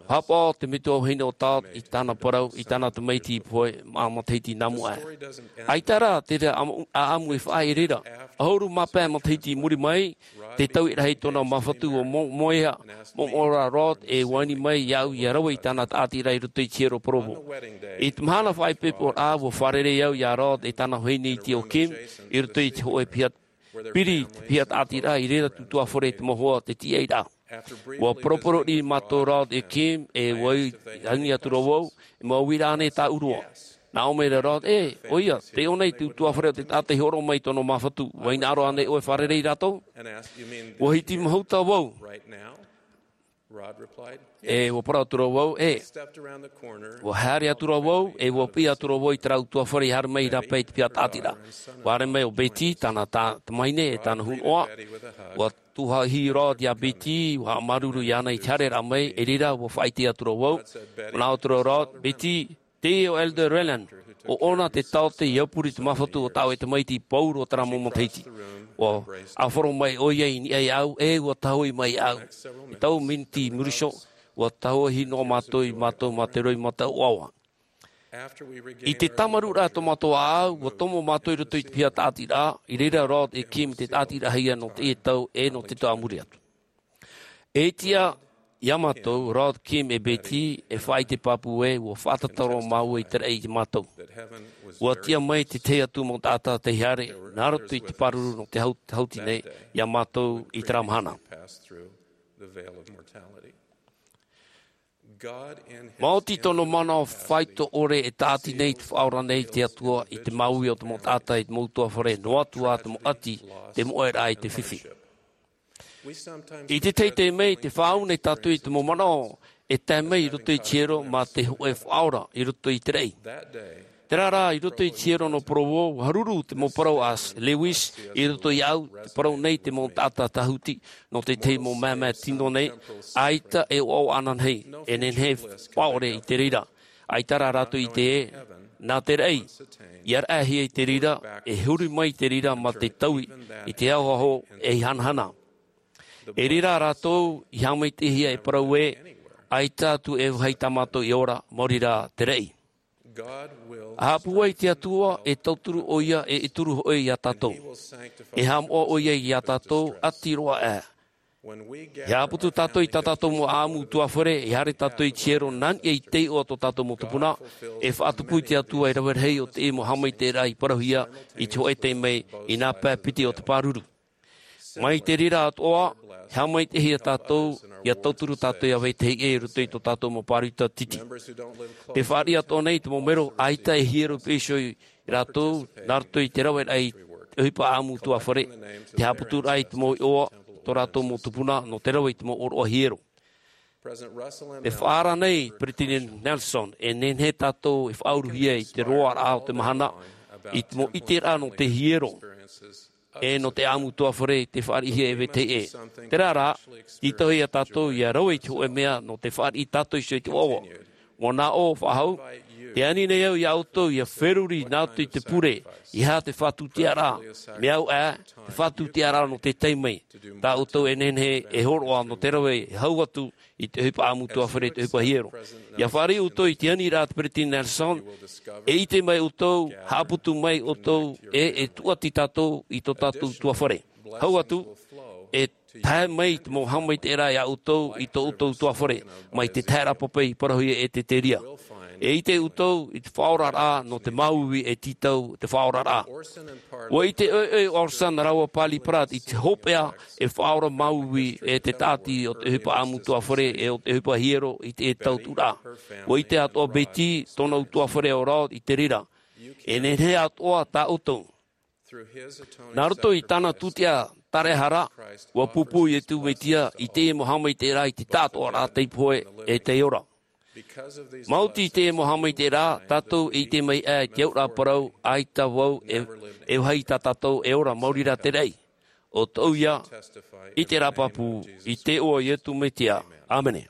Pāpā te metua vahine o Todd i tāna parau, i tāna tamaiti pohe, mā matahiti nā mua aʻe. ʻAita rā te reira ʻaʻamu e faʻaʻite i reira. ʻAhuru mā pae matahiti i muri mai, te tauiraʻa i tōna māfatu ʻua mo-, moeʻa, moʻomoʻo rā Rod e ʻua ani mai iāʻu ʻia rave i tāna tāʻatiraʻa i roto i te hiero Provo. I te mahana faʻaipoiporaʻa ʻua fārerei au iā Rod e tāna vahine iti ʻo Kim, i roto i te hōʻē piha, piri te piha tāʻatiraʻa, i reira tūtuāfare te mau hoa te tīaʻiraʻa. ʻUa poroporoʻi mātou Rod ʻe Kim, ʻe ʻua ani atu ra vau, e mau uiraʻa ānei tāʻu roa. Nā ʻō mai ra Rod, ʻē, ʻoia, tei ʻō nei te tūtuāfare o te taʻata i hōroʻa mai i tōna māfatu, ʻua hinaʻaro ānei ʻoe e fārerei ia rātou? ʻUa hiti mahuta vau. ʻE ʻua parau atu ra vau, ʻē. ʻUa haere atu ra vau, ʻe ʻua piʻi atu ra vau i terā ʻutuāfare i haere mai i rāpae i te piha tāʻatiraʻa. ʻUa haere mai ʻo Betty, tāna ta-, tamahine, ʻe tāna hunoʻa. ʻUa tuhaʻa Rod iā Betty, ʻua haʻamāuruuru iāna i te haereraʻa mai, i reira ʻua faʻaʻite atu ra vau. ʻUa nā ʻō atu ra Rod, Betty, teie ʻo Elder Renlund, ʻo ʻōna te taote i aupuru i te māfatu o tā ʻoe tamaiti i Pauro terā mau matahiti. ʻUa ʻāfaro mai ʻoia i niʻa iāʻu, ʻe ʻua tahuʻi mai iāʻu. E tau miniti i muri iho, ʻua tahuʻi noa mātou ia mātou mā te roimata ʻoaʻoa. I te tāmarūraʻa tō mātou ʻāʻau, ʻua tomo mātou i roto i te piha tāʻatiraʻa, i reira Rod ʻe Kim i te tāʻatiraʻahia nō teie tau ʻe nō te tau a muri atu. E tiʻa iā mātou, Rod, Kim ʻe Betty, e faʻaʻite pāpū ē, ʻua faʻatataro māua i te raʻi iā mātou. ʻUa tiʻa mai te tahi atu mau taʻata tei haere, nā roto i te pāruru nō te hau-, hauti nei, iā mātou i terā mahana. Maoti tōna mana faito ʻore e tāʻati nei te Faʻaora nei te Atua i te māuiui o te mau taʻata i te mau ʻutuāfare noa atu ā te mau ʻati, te moʻeraʻa i te fifi. I te tahi taime, tē faʻaau nei tātou i te mau manaʻo e tae mai i roto i te hiero mā te hōʻē faʻaora i roto i te raʻi. Terā rā, i roto i te hiero nō Provo, ʻua haruru te mau parau a Lewis i roto iāʻu, tē parau nei te mau taʻata tāhuti nō te tahi mau mēmē tino nei, ʻaita e ʻoaʻoa ānānahi, e nehenehe e faʻaʻore i te reira. ʻAita rā rātou i ʻite ē, nā te raʻi, ʻia raʻahia i te reira, e huri mai te reira mā te taui, i te ahoaho, ʻe i hanahana. I reira rātou i haʻamaitaʻihia e parau ē, ʻaita atu e vāhi tā mātou e ora, maori rā te raʻi. ʻA haʻapūai te Atua, e tauturu ʻoia, ʻe e turu hoʻi iā tātou. E haʻamoʻa ʻoia iā tātou, ʻati roa aʻe. E haʻaputu tātou i tā tātou mau ʻāʻamu ʻutuāfare, e haere tātou i te hiero nā niʻa i te iʻoa tō tātou mau tupuna, e faʻatupu i te Atua e rave rahi ʻo te mau haʻamaitaʻiraʻa i parauhia i te hōʻē taime, i nā pae piti o te pāruru. Mai te reira atoʻa, e haʻamaitaʻihia tātou, ʻia tauturu tātou iā vetahi ʻē i roto i tō tātou mau pāruru iti. Tē fāriʻi atoʻa nei te mau melo, ʻaita e hiero i piha iho ia rātou, nā roto i te raveraʻa i te ʻohipa ʻāʻamu ʻutuāfare, te haʻaputuraʻa i te mau iʻoa, tō rātou mau tupuna, nō te rave i te mau ʻōroʻa hiero. Tē faʻaara nei Peresideni Nelson, e nehenehe tātou e faʻauruhia i te roaraʻa o te mahana, i te mau ʻiteraʻa nō te hiero, ʻe nō te ʻāʻamu ʻutuāfare tē fāriʻihia e vetahi ʻē. Terā rā, tītauhia ia tātou ʻia rave i te hōʻē mea nō te fāriʻi tātou iho i te ʻoaʻoa. ʻUa nā ʻō faʻahou, tē ani nei au iā ʻoutou ʻia feruri nā ʻoutou i te pure, ʻeiaha te fātūtiaraʻa, mea au ā, te fātūtiaraʻa nō te taime, tā ʻoutou e nehenehe e hōroʻa nō te rave, e hau atu, i te ʻohipa ʻāʻamu ʻutuāfare, te ʻohipa hiero. ʻIa fāriʻi ʻoutou i te aniraʻa a te Peresideni Nelson, e ʻite mai ʻoutou, haʻaputu mai ʻoutou, ʻe, e tūʻati tātou i tō tātou ʻutuāfare. Hau atu, e Tae mai te mau haʻamaitaʻiraʻa ia ʻoutou i tō ʻoutou tuafare, mai te taeraʻa pape i parauhia e Teteria. E ʻite ʻoutou i te faʻaoraraʻa nō te māuiui e tītau te faʻaoraraʻa. ʻUa ʻite ʻoiʻoi Orson rāua Parley Pratt i te hopeʻa e faʻaora māuiui e te tāʻati o te ʻohipa ʻāmutuafare e o te ʻohipa hiero i te tauturaʻa. ʻUa ʻite atoʻa Betty tōna utuafare o Rod i te reira. E nehenehe atoʻa tā ʻoutou. Nā roto i tāna tūtia tāraehara, ʻua pūpū Iesu Mesia i te mau haʻamaitaʻiraʻa i te taʻatoʻaraʻa tei pohe e tei ora. Maoti i te mau haʻamaitaʻiraʻa, tātou e ʻite mai ā i te auraʻa parau, ʻaita vau e, e vāhi tā tātou e ora maori rā te raʻi. ʻO tōʻu ia, i te rāpapū, i te iʻoa o Iesu Mesia. ʻĀmene.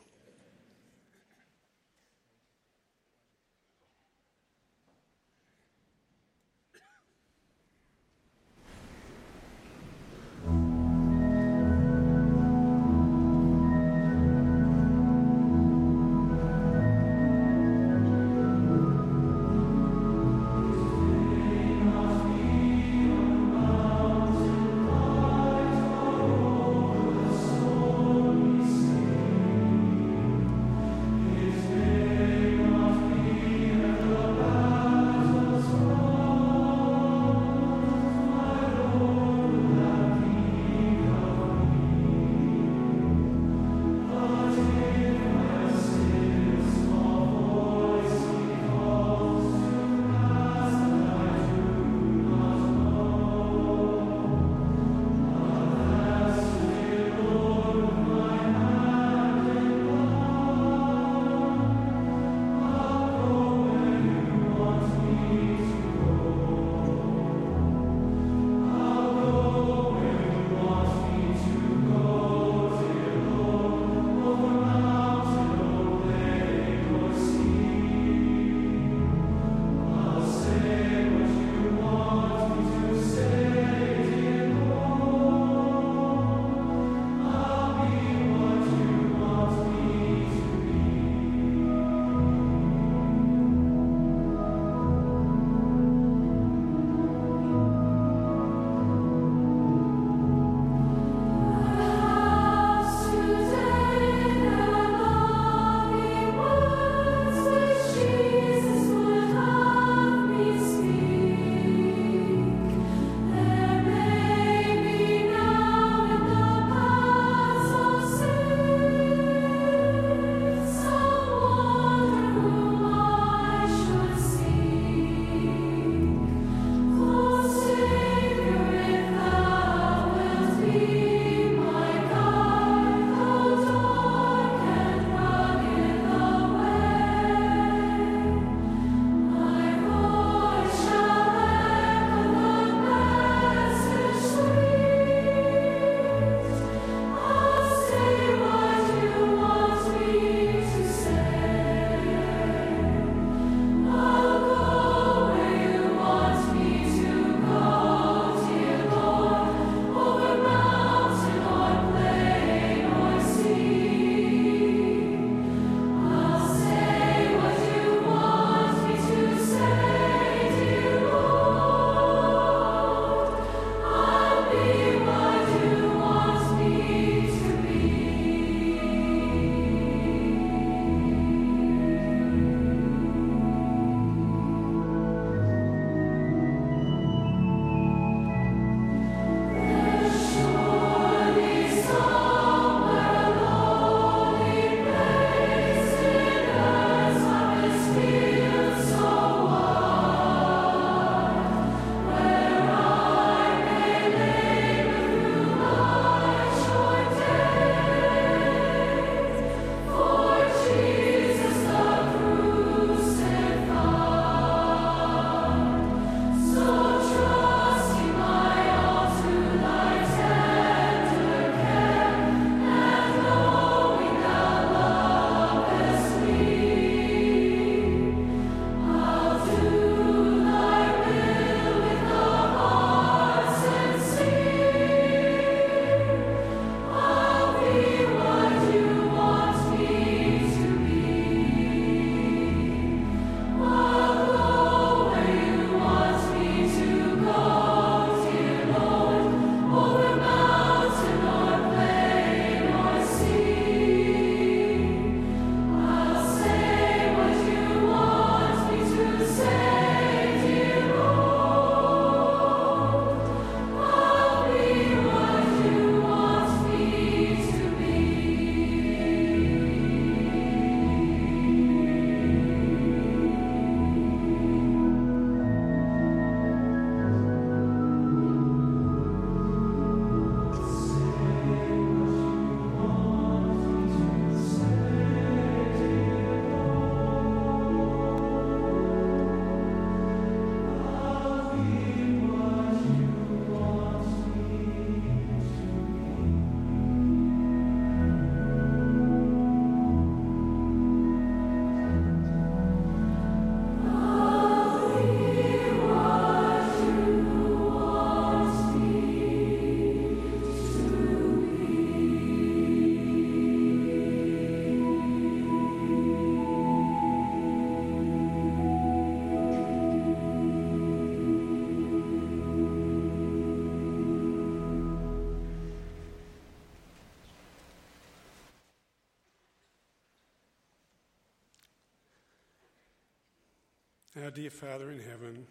Our dear Father in heaven,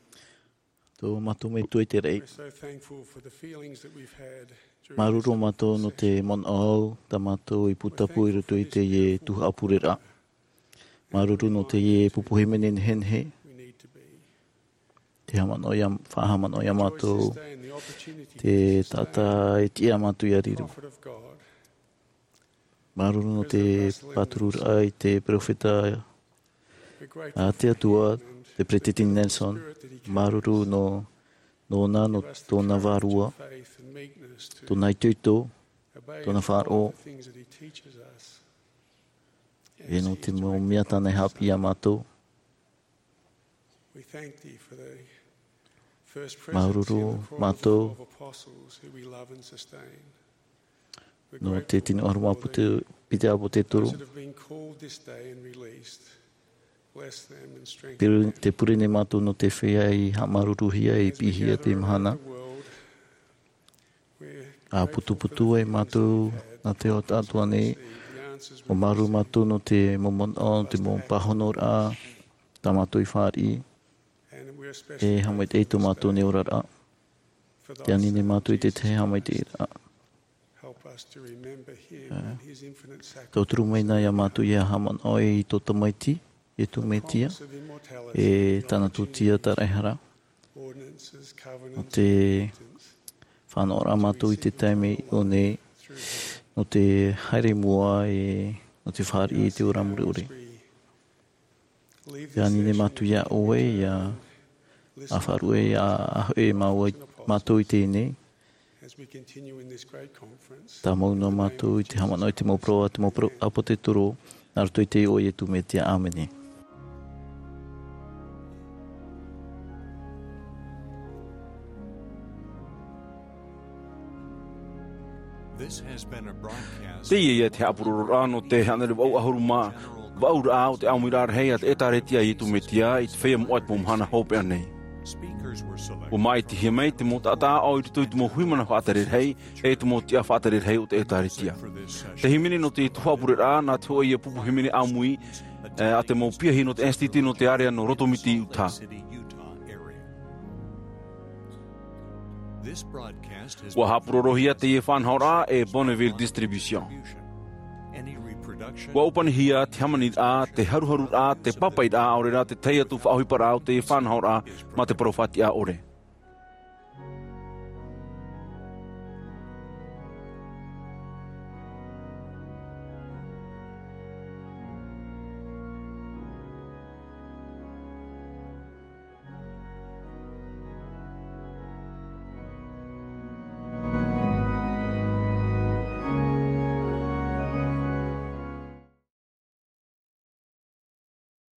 tō mātou Metua i te raʻi, we're so thankful for the feelings that we've had during māuruuru mātou nō te manaʻo tā mātou i pūtapu i roto i teie tuhaʻa pureraʻa. Māuruuru nō teie pupu hīmene nehenehe. We need to be. Te haʻamanaʻo ia, faʻahaʻamanaʻo ia mātou, te taʻata e tiʻa mātou ia riro. Prophet of God. Māuruuru nō te pātururaʻa i te peropheta a te Atua, te Peresideni Nelson. Māuruuru nō, nōna, nō tōna vārua, tōna itoito, tōna faʻaroʻo, e nō te mau mea tāna e haʻapiʻi ia mātou. Māuruuru mātou nō te tino ʻaroha a Pete-, Peter ʻĀpōtetoro. Pure-, tē pure nei mātou nō te feiā i haʻamāuruuruhia, i piʻihia i teie mahana. ʻA putuputu ai mātou nā te ao atoʻa nei, ʻua māuruuru mātou nō te mau manaʻo, nō te mau pāhonoraʻa tā mātou i fāriʻi, e haʻamaitaʻi i tō mātou nei oraraʻa. Tē ani nei mātou i te tahi haʻamaitaʻiraʻa. Tauturu mai na ia mātou ʻia haʻamanaʻo i tō Tamaiti, Iesu Mesia, e tāna tūtia tāraʻehara. Nō te faʻanahoraʻa a mātou i te taime i ʻō nei, nō te haere i mua, e nō te fāriʻi i te ora mure ʻore. Tē ani nei mātou ia ʻoe, ʻia, ʻa faʻaruʻe, ʻia, ʻa hoʻi māua-, mātou i teie nei. Tāmau noa mātou i te haʻamanaʻo i te mau parau a te mau parau ʻāpōsetolo, nā roto i te iʻoa o Iesu Mesia. ʻĀmene. Teie ia te haʻapurororaʻa nō te hānere vaʻu ʻahuru mā vaʻu raʻa o te ʻāmuiraʻa rahi a te ʻĒtārētia a Iesu Mesia i te feiā moʻa i te mau mahana hopeʻa nei. ʻUa māʻitihia mai te mau taʻata aʻo i roto i te mau huimana faʻatere rahi, e te mau tiʻa faʻatere rahi o te ʻĒtārētia. Te hīmene nō te tuhaʻa pureraʻa, nā te hōʻē ia pupu hīmene ʻāmui, e, a te mau piahi nō te Institute nō te Ārea nō Rotomiti, Utah. ʻUa haʻapurorohia teie faʻanahoraʻa e Bonneville Distribution. ʻUa ʻōpanihia te hāmaniraʻa, te haruharuraʻa, te pāpaʻiraʻa, ʻaore rā te tahi atu faʻaʻohiparaʻa o teie faʻanahoraʻa mā te parau fātiʻa ʻore.